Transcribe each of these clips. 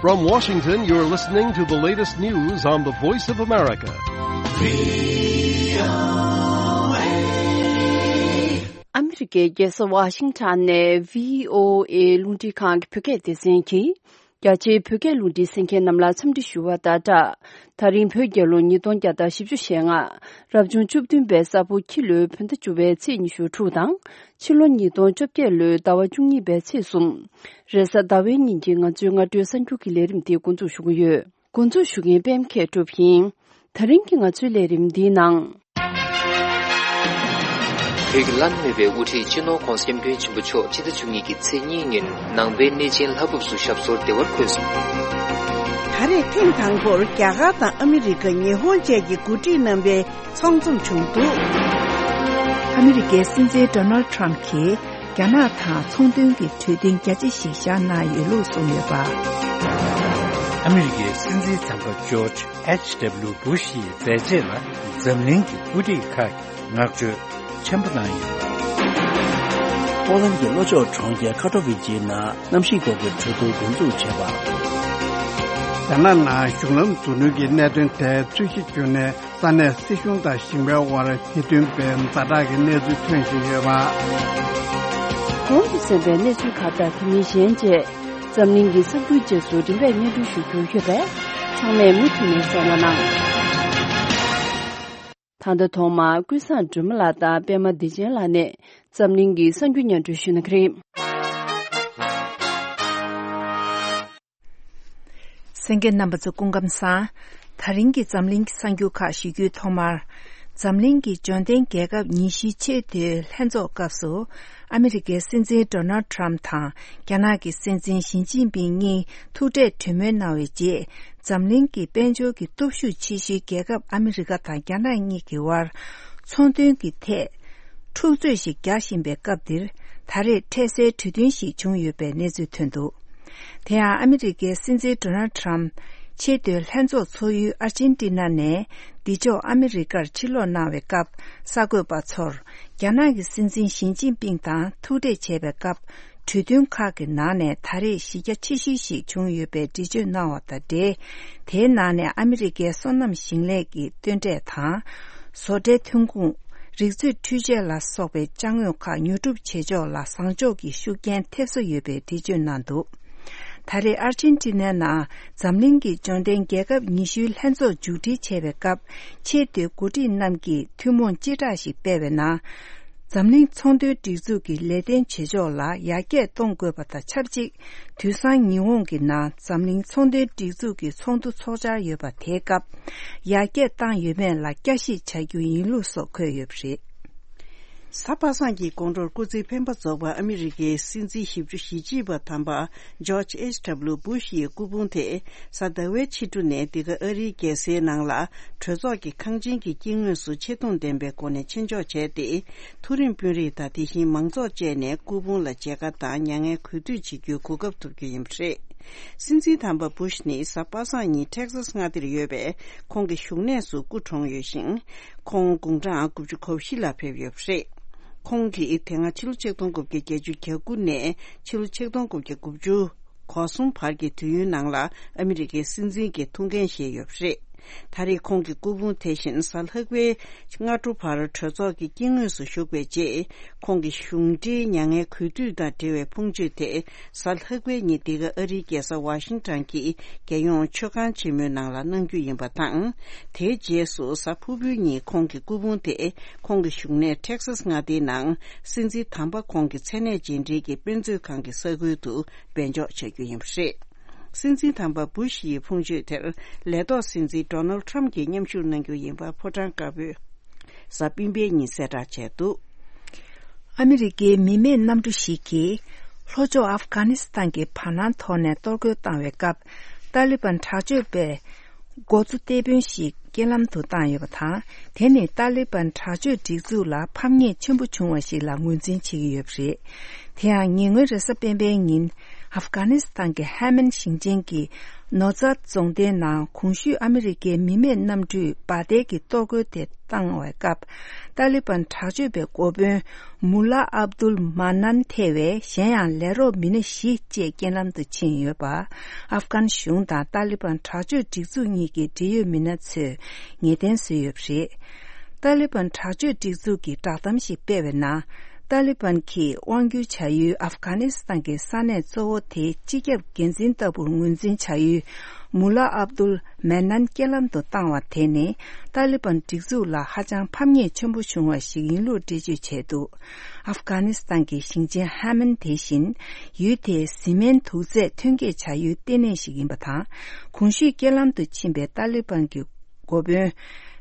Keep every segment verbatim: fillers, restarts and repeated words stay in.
From Washington, you're listening to the latest news on the Voice of America. ཨ་མི་རི་ཀའི་རྒྱལ་ས་ཝ་ཤིང་ཊོན་ནས་བྷི་ཨོ་ཨེ་རླུང་འཕྲིན་ཁང་གི་བོད་སྐད་སྡེ་ཚན་གྱིས། རྒྱ་ཆེའི་བོད་སྐད་རླུང་འཕྲིན་གསན་མཁན་རྣམས་ལ་འཚམས་འདྲི་ཞུ་བ་དང་སྦྲགས། ད་རིང་བོད་རྒྱལ་ལོ་ཉིས་སྟོང་བརྒྱ་དང་བཞི་བཅུ་ཞེ་ལྔ། རབ་བྱུང་བཅུ་བདུན་པའི་ས་ཕོ་ཁྱི་ལོའི་བོད་ཟླ་བཅུ་པའི་ཚེས་ཉི་ཤུ་དྲུག་དང་། ཕྱི་ལོ་ཉིས་སྟོང་བཅོ་བརྒྱད་ལོའི་ཟླ་བ་བཅུ་གཉིས་པའི་ཚེས་གསུམ། རེས་གཟའ་ཟླ་བའི་ཉིན་གྱི་ང་ཚོའི་སྔ་དྲོའི་གསར་འགྱུར་གྱི་ལས་རིམ་དེ་འགོ་འཛུགས་ཞུ་གི་ཡོད། འགོ་འཛུགས་ཞུ་མཁན་པད་མ་མཁས་གྲུབ་ཡིན། ད་རིང་གི་ང་ཚོའི་ལས་རིམ་འདིའི་ནང་། བོད་ཀྱི་བླ་ན་མེད་པའི་དབུ་ཁྲིད་སྤྱི་ནོར་༧གོང་ས་༧སྐྱབས་མགོན་ཆེན་པོ་མཆོག་ཕྱི་ཟླ་བཅུ་གཉིས་ཀྱི་ཚེས་གཉིས་ཉིན་ནང་པའི་གནས་ཆེན་ལྷ་བབས་སུ་ཞབས་སོར་བདེ་བར་འཁོད་སོང་། ད་རེས་ཐེངས་དང་པོར་རྒྱ་གར་དང་ཨ་མི་རི་ཀ། ཉི་ཧོང་བཅས་ཀྱི་འགོ་ཁྲིད་རྣམ་པའི་ཚོགས་འཛོམས་བྱུང་འདུག། ཨ་མི་རི་ཀའི་སྲིད་འཛིན་ཌོ་ནལ་ཊམ་གྱིས་རྒྱ་ནག་དང་ཚོང་དོན་གྱི་གྲོས་མཐུན་རྒྱ་ཆེ་ཞིག་བཞག་གནང་ཡོད་ལུགས་གསུངས་ཡོད་པ། ཨ་མི་རི་ཀའི་སྲིད་འཛིན་དམ་པ་ཇོརྗ་ཨེཆ་ཌབ་ལིའུ་བུ་ཤི་ཡི་མཛད་རྗེས་ལ་འཛམ་གླིང་གི་དབུ་ཁྲིད་ཁག་གིས་བསྔགས་བརྗོད་ཆེན་པོ་གནང་ཡོད། ཕོ་ལན་གྱི་ལྷོ་ཕྱོགས་གྲོང་ཁྱེར་ཁ་ཏོ་ཝི་ཅེའི་ནང་གནམ་གཤིས་སྐོར་གྱི་གྲོས་བསྡུར་འགོ་འཛུགས་བྱས་པ། རྒྱ་ནག་ནང་གཞུང་ལམ་རྫུ་འཕྲུལ་གྱི་གནད་དོན་ཐད་རྩོད་གཞི་བརྒྱུད་ནས། ས་གནས་སྲིད་གཞུང་དང་ཞིང་པའི་དབར་ཉེས་དོན་པའི་ཛ་དྲག་གི་གནས་ཚུལ་ཐོན་བཞིན་ཡོད་པ། གོང་དུ་གསན་པའི་གནས་ཚུལ་ཁག་དང་དེ་མིན་གཞན་བཅས་འཛམ་གླིང་གི་གསར་འགྱུར་རྗེས་སུ་རིམ་པས་སྙན་སྒྲོན་ཞུ་རྒྱུ་ཡོད་པས། ཚང་མས་མུ་མཐུད་ནས་གསན་རོགས་གནང་། ད་ལྟ་ཐོག་མར་ཀུན་བཟང་སྒྲོལ་མ་ལགས་དང་པད་མ་བདེ་ཆེན་ལགས་ནས་འཛམ་གླིང་གི་གསར་འགྱུར་སྙན་སྒྲོན་ཞུ་གནང་གི་རེད། གསན་མཁན་རྣམ་པ་ཚོ་སྐུ་ཁམས་བཟང་། ད་རིང་གི་འཛམ་གླིང་གི་གསར་འགྱུར་ཁག་ཞུ་རྒྱུའི་ཐོག་མར། འཛམ་གླིང་གི་འབྱོར་ལྡན་རྒྱལ་ཁབ་ཉི་ཤུའི་ཆེས་མཐོའི་ལྷན་ཚོགས་སྐབས་སུ། ཨ་མི་རི་ཀའི་སྲིད་འཛིན་ཌོ་ནལ་ཊམ་དང་རྒྱ་ནག་གི་སྲིད་འཛིན་ཞི་ཅིན་ཕིང་གཉིས་ཐུག་འཕྲད་གྲོས་མོལ་གནང་བའི་རྗེས། འཛམ་གླིང་གི་དཔལ་འབྱོར་གྱི་སྟོབས་ཤུགས་ཆེ་ཤོས་རྒྱལ་ཁབ་ཨ་མི་རི་ཀ་དང་རྒྱ་ནག་གཉིས་ཀྱི་དབར། ཚོང་དོན་གྱི་ཐད། འཁྲུག་རྩོད་ཞིག་རྒྱག་བཞིན་པའི་སྐབས་འདིར། ད་རེས་འཕྲལ་སེལ་གྲོས་མཐུན་ཞིག་བྱུང་ཡོད་པའི་གནས་ཚུལ་ཐོན་འདུག། དེ་ཡང་ཨ་མི་རི་ཀའི་སྲིད་འཛིན་ཌོ་ནལ་ཊམ་ཆེས་མཐོའི་ལྷན་ཚོགས་ཚོགས་ཡུལ་ཨར་ཅན་ཏི་ན་ནས་འདི་ཕྱོགས་ཨ་མི་རི་ཀར་ཕྱིར་ལོག་གནང་བའི་སྐབས། གསར་འགོད་པ་ཚོར་རྒྱ་ནག་གི་སྲིད་འཛིན་ཞི་ཅིན་ཕིང་དང་ཐུག་འཕྲད་བྱས་པའི་སྐབས། གྲོས་མཐུན་ཁག་གི་ནང་ནས་ད་རེས་གཞི་རྒྱ་ཆེ་ཤོས་ཤིག་བྱུང་ཡོད་པའི་འགྲེལ་བརྗོད་གནང་བ་དང་འབྲེལ། དེའི་ནང་ནས་ཨ་མི་རི་ཀའི་སོ་ནམ་ཞིང་ལས་ཀྱི་སྟོན་འབྲས་དང་། བཟོ་གྲྭའི་ཐོན་ཁུངས། རིག་མཛོད་འཕྲུལ་ཆས་ལ་སོགས་པའི་ཅ་དངོས་ཁག་ཉོ་སྒྲུབ་བྱེད་ཕྱོགས་ལ་བཟང་ཕྱོགས་ཀྱི་ཤུགས་རྐྱེན་ཐེབས་ས་ཡོད་པའི་འགྲེལ་བརྗོད་གནང་འདུག། ད་རེས་ཨར་ཅན་ཏི་ནའི་ནང་འཛམ་གླིང་གི་འབྱོར་ལྡན་རྒྱལ་ཁབ་ཉི་ཤུའི་ལྷན་ཚོགས་མཇུག་སྒྲིལ་བྱས་པའི་སྐབས། ཆེས་མཐོའི་འགོ་ཁྲིད་རྣམས་ཀྱིས་ཐུན་མོང་སྤྱི་བསྒྲགས་ཤིག་སྤེལ་བའི་ནང་། འཛམ་གླིང་ཚོང་དོན་སྒྲིག་འཛུགས་ཀྱི་ལས་དོན་བྱེད་ཕྱོགས་ལ་ཡར་རྒྱས་གཏོང་དགོས་པ་དང་ཆབས་ཅིག། དུས་སང་ཉི་ཧོང་གི་ནང་འཛམ་གླིང་ཚོང་དོན་སྒྲིག་འཛུགས་ཀྱི་ཚོགས་འདུ་ཚོགས་འཆར་ཡོད་པ་དེའི་སྐབས། ཡར་རྒྱས་བཏང་ཡོད་མེད་ལ་བསྐྱར་ཞིབ་བྱ་རྒྱུ་ཡིན་ལུགས་སོགས་འཁོད་ཡོད་པ་རེད། གཟའ་པ་སངས་ཀྱི་དགོང་དྲོར་སྐུ་ཚེ་འཕེན་པ་རྫོགས་པ་ཨ་མི་རི་ཀའི་སྲིད་འཛིན་བཞི་བཅུ་ཞེ་གཅིག་པ་དམ་པ་ཇོརྗ་ཨེཆ་ཌབ་ལིའུ་བུ་ཤི་ཡི་སྐུ་ཕུང་དེ། གཟའ་ཟླ་བའི་ཕྱི་དྲོ་ནས་འདི་ག་ཨ་རིའི་རྒྱལ་སའི་ནང་ལ་གྲོས་ཚོགས་ཀྱི་ཁང་ཆེན་གྱི་དཀྱིལ་ངོས་སུ་ཆེ་མཐོང་ལྡན་པའི་སྒོ་ནས་ཆེད་འཇོག་བྱས་ཏེ། མཐོ་རིམ་དཔོན་རིགས་དང་དེ་བཞིན་མང་ཚོགས་བཅས་ནས་སྐུ་ཕུང་ལ་མཇལ་ཁ་དང་མྱ་ངན་གུས་འདུད་བྱེད་རྒྱུའི་གོ་སྐབས་ཐོབ་རྒྱུ་ཡིན་པ་རེད། སྲིད་འཛིན་དམ་པ་བུ་ཤི་ནི་གཟའ་པ་སངས་ཉིན་ཊེག་སཱས་མངའ་སྡེར་ཡོད་པའི་ཁོང་གི་བཞུགས་གནས་སུ་སྐུ་གྲོངས་ཡོད་ཞིང་། ཁོང་དགུང་གྲངས་དགུ་བཅུ་གོ་བཞི་ལ་ཕེབས་ཡོད་པ་རེད། ཁོང་གིས་དེ་སྔ་ཕྱི་ལོ་ཆིག་སྟོང་དགུ་བརྒྱ་བརྒྱད་ཅུ་གྱ་དགུ་ནས་ཕྱི་ལོ་ཆིག་སྟོང་དགུ་བརྒྱ་དགུ་བཅུ་གོ་གསུམ་བར་གྱི་དུས་ཡུན་ནང་ལ་ཨ་མི་རི་ཀའི་སྲིད་འཛིན་གྱི་ཐུགས་འགན་བཞེས་ཡོད་པ་རེད། ད་རེས་ཁོང་གི་སྐུ་ཕུང་དེ་བཞིན་གཟའ་ལྷག་པའི་སྔ་དྲོ་བར་གྲོས་ཚོགས་ཀྱི་དཀྱིལ་ངོས་སུ་བཞུགས་པའི་རྗེས། ཁོང་གི་གཞུང་འབྲེལ་མྱ་ངན་གུས་འདུད་དང་འབྲེལ་བའི་ཕུང་མཆོད་དེ། གཟའ་ལྷག་པའི་ཉིན་འདི་ག་ཨ་རིའི་རྒྱལ་ས་ཝ་ཤིང་ཊོན་གྱི་རྒྱལ་ཡོངས་མཆོད་ཁང་ཆེན་མོའི་ནང་ལ་གནང་རྒྱུ་ཡིན་པ་དང་། དེའི་རྗེས་སུ་གཟའ་ཕུར་བུའི་ཉིན་ཁོང་གི་སྐུ་ཕུང་དེ་ཁོང་གི་བཞུགས་གནས་ཊེག་སཱས་མངའ་སྡེའི་ནང་སྲིད་འཛིན་དམ་པ་ཁོང་གི་མཚན་གནས་རྗེས་འབྲེལ་གྱི་དཔེ་མཛོད་ཁང་གི་ས་ཁུལ་དུ་སྦས་འཇོག་བྱ་རྒྱུ་ཡིན་པ་རེད། སྲིད་འཛིན་དམ་པ་བུ་ཤི་ཡི་ཕུང་མཆོད་དེར་ལས་ཐོག་སྲིད་འཛིན་ཌོ་ནལ་ཊམ་གྱིས་མཉམ་ཞུགས་གནང་རྒྱུ་ཡིན་པ་ཕོ་བྲང་དཀར་པོས་གཟའ་སྤེན་པའི་ཉིན་གསལ་བསྒྲགས་བྱས་འདུག། ཨ་མི་རི་ཀའི་མི་མེད་གནམ་གྲུ་ཞིག་གིས་ལྷོ་ཕྱོགས་ཨབ་གྷ་ནི་སི་ཐན་གྱི་བར་སྣང་ཐོག་ནས་གཏོར་རྒོལ་བཏང་བའི་སྐབས། ཏཱ་ལི་བན་དྲག་སྤྱོད་པས་འགོ་གཙོ་ཏེ་དཔོན་ཞིག་རྐྱེན་ལམ་དུ་བཏང་ཡོད་པ་དང་། དེ་ནི་ཏཱ་ལི་བན་དྲག་སྤྱོད་སྒྲིག་འཛུགས་ལ་ཕམ་ཉེས་ཆེན་པོ་བྱུང་བ་ཞིག་ལ་ངོས་འཛིན་བྱེད་ཀྱི་ཡོད་པ་རེད། དེ་ཡང་ཉེ་སྔོན་རེས་གཟའ་སྤེན་པའི་ཉིན། ཨབ་གྷ་ནི་སི་ཐན་གྱི་ཧེ་མན་ཞིང་ཆེན་གྱི་ནོ་ཛཱད་རྫོང་སྡེའི་ནང་གོང་ཞུས་ཨ་མི་རི་ཀའི་མི་མེད་གནམ་གྲུས་འབར་མདེལ་གྱི་གཏོར་རྒོལ་དེ་བཏང་བའི་སྐབས། ཏཱ་ལི་བན་དྲག་སྤྱོད་པའི་འགོ་དཔོན་མུ་ལ་ཨབ་དུལ་མ་ནན་ཐེ་བའི་གཞན་ཡང་ལས་རོགས་མི་སྣ་བཞི་བཅས་རྐྱེན་ལམ་དུ་ཕྱིན་ཡོད་པ། ཨབ་གྷན་གཞུང་དང་ཏཱ་ལི་བན་དྲག་སྤྱོད་སྒྲིག་འཛུགས་གཉིས་ཀྱི་འབྲེལ་ཡོད་མི་སྣ་ཚོས་ངེས་གཏན་བཟོས་ཡོད་པ་རེད། ཏཱ་ལི་བན་དྲག་སྤྱོད་སྒྲིག་འཛུགས་ཀྱིས་བསྒྲགས་གཏམ་ཞིག་སྤེལ་བའི་ནང་། ཏཱ་ལི་བན་གྱིས་དབང་སྒྱུར་བྱ་ཡུལ་ཨབ་གྷ་ནི་སི་ཐན་གྱི་ས་གནས་གཙོ་བོ་དེའི་སྤྱི་ཁྱབ་འགན་འཛིན་ལྟ་བུར་ངོས་འཛིན་བྱ་ཡུལ་མུ་ལ་ཨབ་དུལ་མེ་ནན་རྐྱེན་ལམ་དུ་བཏང་བ་དེ་ནི་ཏཱ་ལི་བན་སྒྲིག་འཛུགས་ལ་ཧ་ཅང་ཕམ་ཉེས་ཆེན་པོ་བྱུང་བ་ཞིག་ཡིན་ལུགས་འགྲེལ་བརྗོད་བྱས་འདུག་ཨབ་གྷ་ནི་སི་ཐན་གྱི་ཞིང་ཆེན་ཧ་མན་དེ་བཞིན་ཡུལ་དེའི་བཟི་སྨན་དུག་རྫས་ཐོན་སྐྱེད་བྱ་ཡུལ་ལྟེ་གནས་ཤིག་ཡིན་པ་དང་། གོང་ཞུས་རྐྱེན་ལམ་དུ་ཕྱིན་པའི་ཏཱ་ལི་བན་གྱི་འགོ་དཔོན་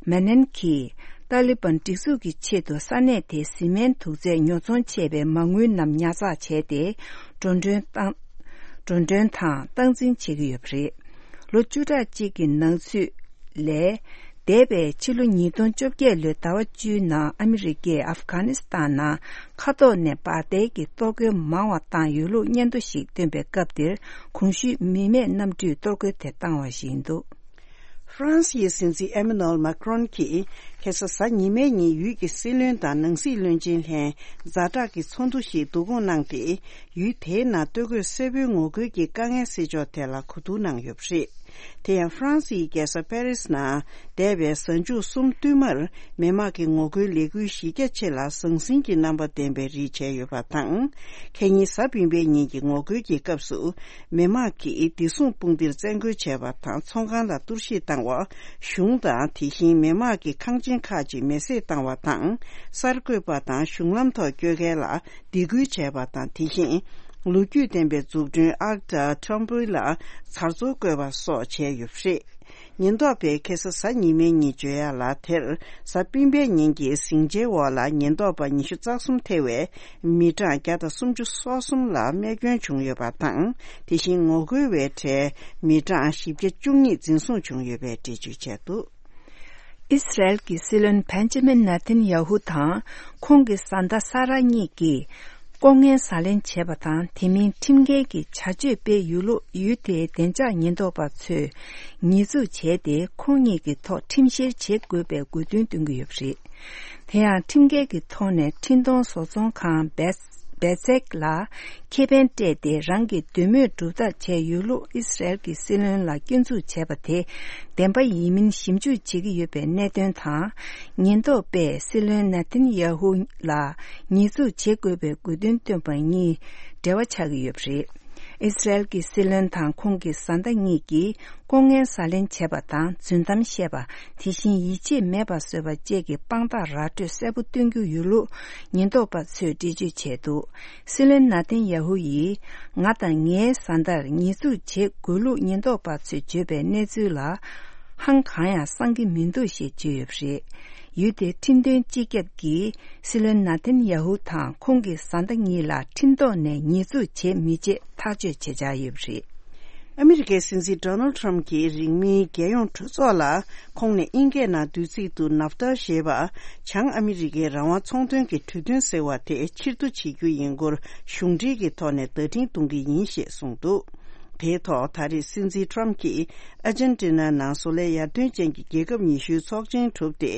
མ་ནན་གྱིས་ཏཱ་ལི་བན་སྒྲིག་འཛུགས་ཀྱི་ཆེད་དུ་ས་གནས་དེའི་བཟི་སྨན་དུག་རྫས་ཉོ་ཚོང་བྱས་པའི་མ་དངུལ་རྣམས་ཉར་ཚགས་བྱས་ཏེ། འགྲོ་གྲོན་བཏང་། འགྲོ་གྲོན་དང་སྟངས་འཛིན་བྱེད་ཀྱི་ཡོད་པ་རེད། ལོ་བཅུ་ཕྲག་གཅིག་གི་ནང་ཚུད་ལས། འདས་པའི་ཕྱི་ལོ་ཉིས་སྟོང་བཅོ་བརྒྱད་ལོའི་ཟླ་བ་བཅུའི་ནང་ཨ་མི་རི་ཀས་ཨབ་གྷ་ནི་སི་ཐན་ནང་མཁའ་ཐོག་ནས་འབར་མདེལ་གྱི་གཏོར་རྒོལ་མང་བ་བཏང་ཡོད་ལུགས་སྙན་ཐོ་ཞིག་བཏོན་པའི་སྐབས་དེར། གོང་ཞུས་མི་མེད་གནམ་གྲུས་གཏོར་རྒོལ་དེ་བཏང་བ་ཞིག་ཡིན་འདུག་ཧྥ་རན་སིའི་སྲིད་འཛིན་ཨེ་མ་ནུ་ཨེལ་མཱ་ཀྲོན་གྱིས་ཁ་སང་གཟའ་ཉི་མའི་ཉིན་ཡུལ་གྱི་སྲིད་བློན་དང་ནང་སྲིད་བློན་ཆེན་ལྷན་ཛ་དྲག་གི་ཚོགས་འདུ་ཞིག་བསྡུ་སྐོང་གནང་སྟེ། ཡུལ་དེའི་ནང་སྟོད་གོས་སེར་པོའི་ངོ་རྒོལ་གྱི་དཀའ་ངལ་སེལ་ཕྱོགས་ཐད་ལ་གོ་བསྡུར་གནང་ཡོད་པ་རེད། དེ་ཡང་ཧྥ་རན་སིའི་རྒྱལ་ས་པེ་རིས་ནང་འདས་པའི་གཟའ་མཇུག་གསུམ་བསྟུད་མར་མི་དམངས་ཀྱི་ངོ་རྒོལ་ལས་འགུལ་གཞི་རྒྱ་ཆེ་ལ་ཟང་ཟིང་གི་རྣམ་པ་ལྡན་པའི་རིགས་བྱས་ཡོད་པ་དང་། ཁ་ཉིན་གཟའ་སྤེན་པའི་ཉིན་གྱི་ངོ་རྒོལ་གྱི་སྐབས་སུ། མི་དམངས་ཀྱིས་བདེ་སྲུང་དཔུང་སྡེར་བཙན་རྒོལ་བྱས་པ་དང་ཚོང་ཁང་ལ་གཏོར་བཤིག་བཏང་བ། གཞུང་དང་དེ་བཞིན་མི་དམངས་ཀྱི་ཁང་ཆེན་ཁག་ཅིག་མེ་བསྲེགས་བཏང་བ་དང་། གསར་འགོད་པ་དང་གཞུང་ལམ་ཐོག་བསྐྱོད་མཁན་ལ་སྡིགས་སྐུལ་བྱས་པ་དང་། དེ་བཞིན་ལོ་རྒྱུས་ལྡན་པའི་འཛུགས་སྐྲུན་ཨརཀ་དང་ཁྲོམ་བུ་ལ་ཚར་ཚོར་བཀོད་པ་སོགས་བྱས་ཡོད་པ་རེད། ཉེན་རྟོག་པས་ཁ་སང་གཟའ་ཉི་མའི་ཉིན་བརྗོད་ཡག་ལ་དེར། གཟའ་སྤེན་པའི་ཉིན་གྱི་ཟིང་ཆའི་འོག་ལ་ཉེན་རྟོག་པ་ཉི་ཤུ་རྩ་གསུམ་ཐེ་བའི་མི་གྲངས་བརྒྱ་དང་སུམ་ཅུ་སོ་གསུམ་ལ་རྨས་སྐྱོན་བྱུང་ཡོད་པ་དང་། དེ་བཞིན་ངོ་རྒོལ་བའི་གྲས་མི་གྲངས་བཞི་བརྒྱ་བཅུ་གཉིས་འཛིན་བཟུང་བྱུང་ཡོད་པའི་འགྲེལ་བརྗོད་བྱས་འདུག་ཨི་སི་རལ་གྱི་སྲིད་བློན་བན་ཇི་མིན་ནེ་ཐན་ཡ་ཧུ་དང་ཁོང་གི་བཟའ་ཟླ་ས་ར་གཉིས་ཀྱིས་ལྐོག་རྔན་ཟ་ལེན་བྱས་པ་དང་། དེ་མིན་ཁྲིམས་འགལ་གྱི་བྱ་སྤྱོད་སྤེལ་ཡོད་ལུགས་ཡུལ་དེའི་བདེ་འཇགས་ཉེན་རྟོག་པ་ཚོས་ཉེས་འཛུགས་བྱས་ཏེ། ཁོང་གཉིས་ཀྱི་ཐོག་ཁྲིམས་བཤེར་བྱེད་དགོས་པའི་དགོས་འདུན་བཏོན་གྱི་ཡོད་པ་རེད། དེ་ཡང་ཁྲིམས་འགལ་གྱི་ཐོག་ནས་འཕྲིན་གཏོང་བཟོ་ཚོང་ཁང་བེ་བེ་ཚེག་ལ་ཁེ་ཕན་སྤྲད་དེ་རང་གི་འདོད་མོས་སྒྲུབ་ཐབས་བྱས་ཡོད་ལུགས་ཨི་སི་རལ་གྱི་སྲིད་བློན་ལ་སྐྱོན་འཛུགས་བྱས་པ་དེ་བདེན་པ་ཡིན་མིན་ཞིབ་འཇུག་བྱེད་ཀྱི་ཡོད་པའི་གནད་དོན་དང་། ཉེན་རྟོག་པས་སྲིད་བློན་ནེ་ཐན་ཡ་ཧུ་ལ་ཉེས་འཛུགས་བྱེད་དགོས་པའི་དགོས་འདུན་བཏོན་པ་གཉིས་འབྲེལ་བ་ཆགས་ཀྱི་ཡོད་པ་རེད། ཨི་སི་རལ་གྱི་སྲིད་བློན་དང་ཁོང་གི་བཟའ་ཟླ་གཉིས་ཀྱིས་ལྐོག་རྔན་ཟ་ལེན་བྱས་པ་དང་རྫུན་གཏམ་བཤད་པ། དེ་བཞིན་ཡིད་ཆེས་མེད་པ་བཟོས་པ་བཅས་ཀྱི་དཔང་རྟགས་ར་སྤྲོད་གསལ་པོ་སྟོན་རྒྱུ་ཡོད་ལུགས་ཉེན་རྟོག་པ་ཚོས་འགྲེལ་བརྗོད་བྱས་འདུག་སྲིད་བློན་ནེ་ཐན་ཡ་ཧུ་ཡིས་ང་དང་ངའི་བཟའ་ཟླར་ཉེས་འཛུགས་བྱེད་དགོས་ལུགས་ཉེན་རྟོག་པ་ཚོས་བརྗོད་པའི་གནས་ཚུལ་ལ་ཧང་གང་ཡང་སང་གི་མི་འདུག་ཞེས་བརྗོད་ཡོད་པ་རེད། ཡུལ་དེའི་ཁྲིམས་དོན་སྤྱི་ཁྱབ་ཀྱིས་སྲིད་བློན་ནེ་ཐན་ཡ་ཧུ་དང་ཁོང་གི་བཟའ་ཟླ་གཉིས་ལ་ཁྲིམས་ཐོག་ནས་ཉེས་འཛུགས་བྱེད་མི་བྱེད་ཐག་གཅོད་བྱེད་འཆར་ཡོད་པ་རེད། ཨ་མི་རི་ཀའི་སྲིད་འཛིན་ཌོ་ནལ་ཌི་ཊརམ་ཕི་གྱིས་རིང་མིན་རྒྱལ་ཡོངས་གྲོས་ཚོགས་ལ་ཁོང་ནས་དབྱིན་སྐད་ནང་བསྡུས་ཚིག་ཏུ་ནབ་ཏཱ་ཞེས་པ་བྱང་ཨ་མི་རི་ཀའི་རང་དབང་ཚོང་དོན་གྱི་གྲོས་མཐུན་ཟེར་བ་དེ་ཕྱིར་བསྡུ་བྱེད་རྒྱུ་ཡིན་སྐོར་གཞུང་འབྲེལ་གྱི་ཐོག་ནས་བརྡ་འཕྲིན་གཏོང་གི་ཡིན་ཞེས་གསུངས་འདུག་དེའི་ཐོག་ད་རེས་སྲིད་འཛིན་ཊརམ་ཕི་གྱིས་ཨར་ཇན་ཊི་ན་ནང་བཟོ་ལས་ཡར་ཐོན་ཅན་གྱི་རྒྱལ་ཁབ་ཉི་ཤུའི་ཚོགས་ཆེན་གྲུབ་སྟེ་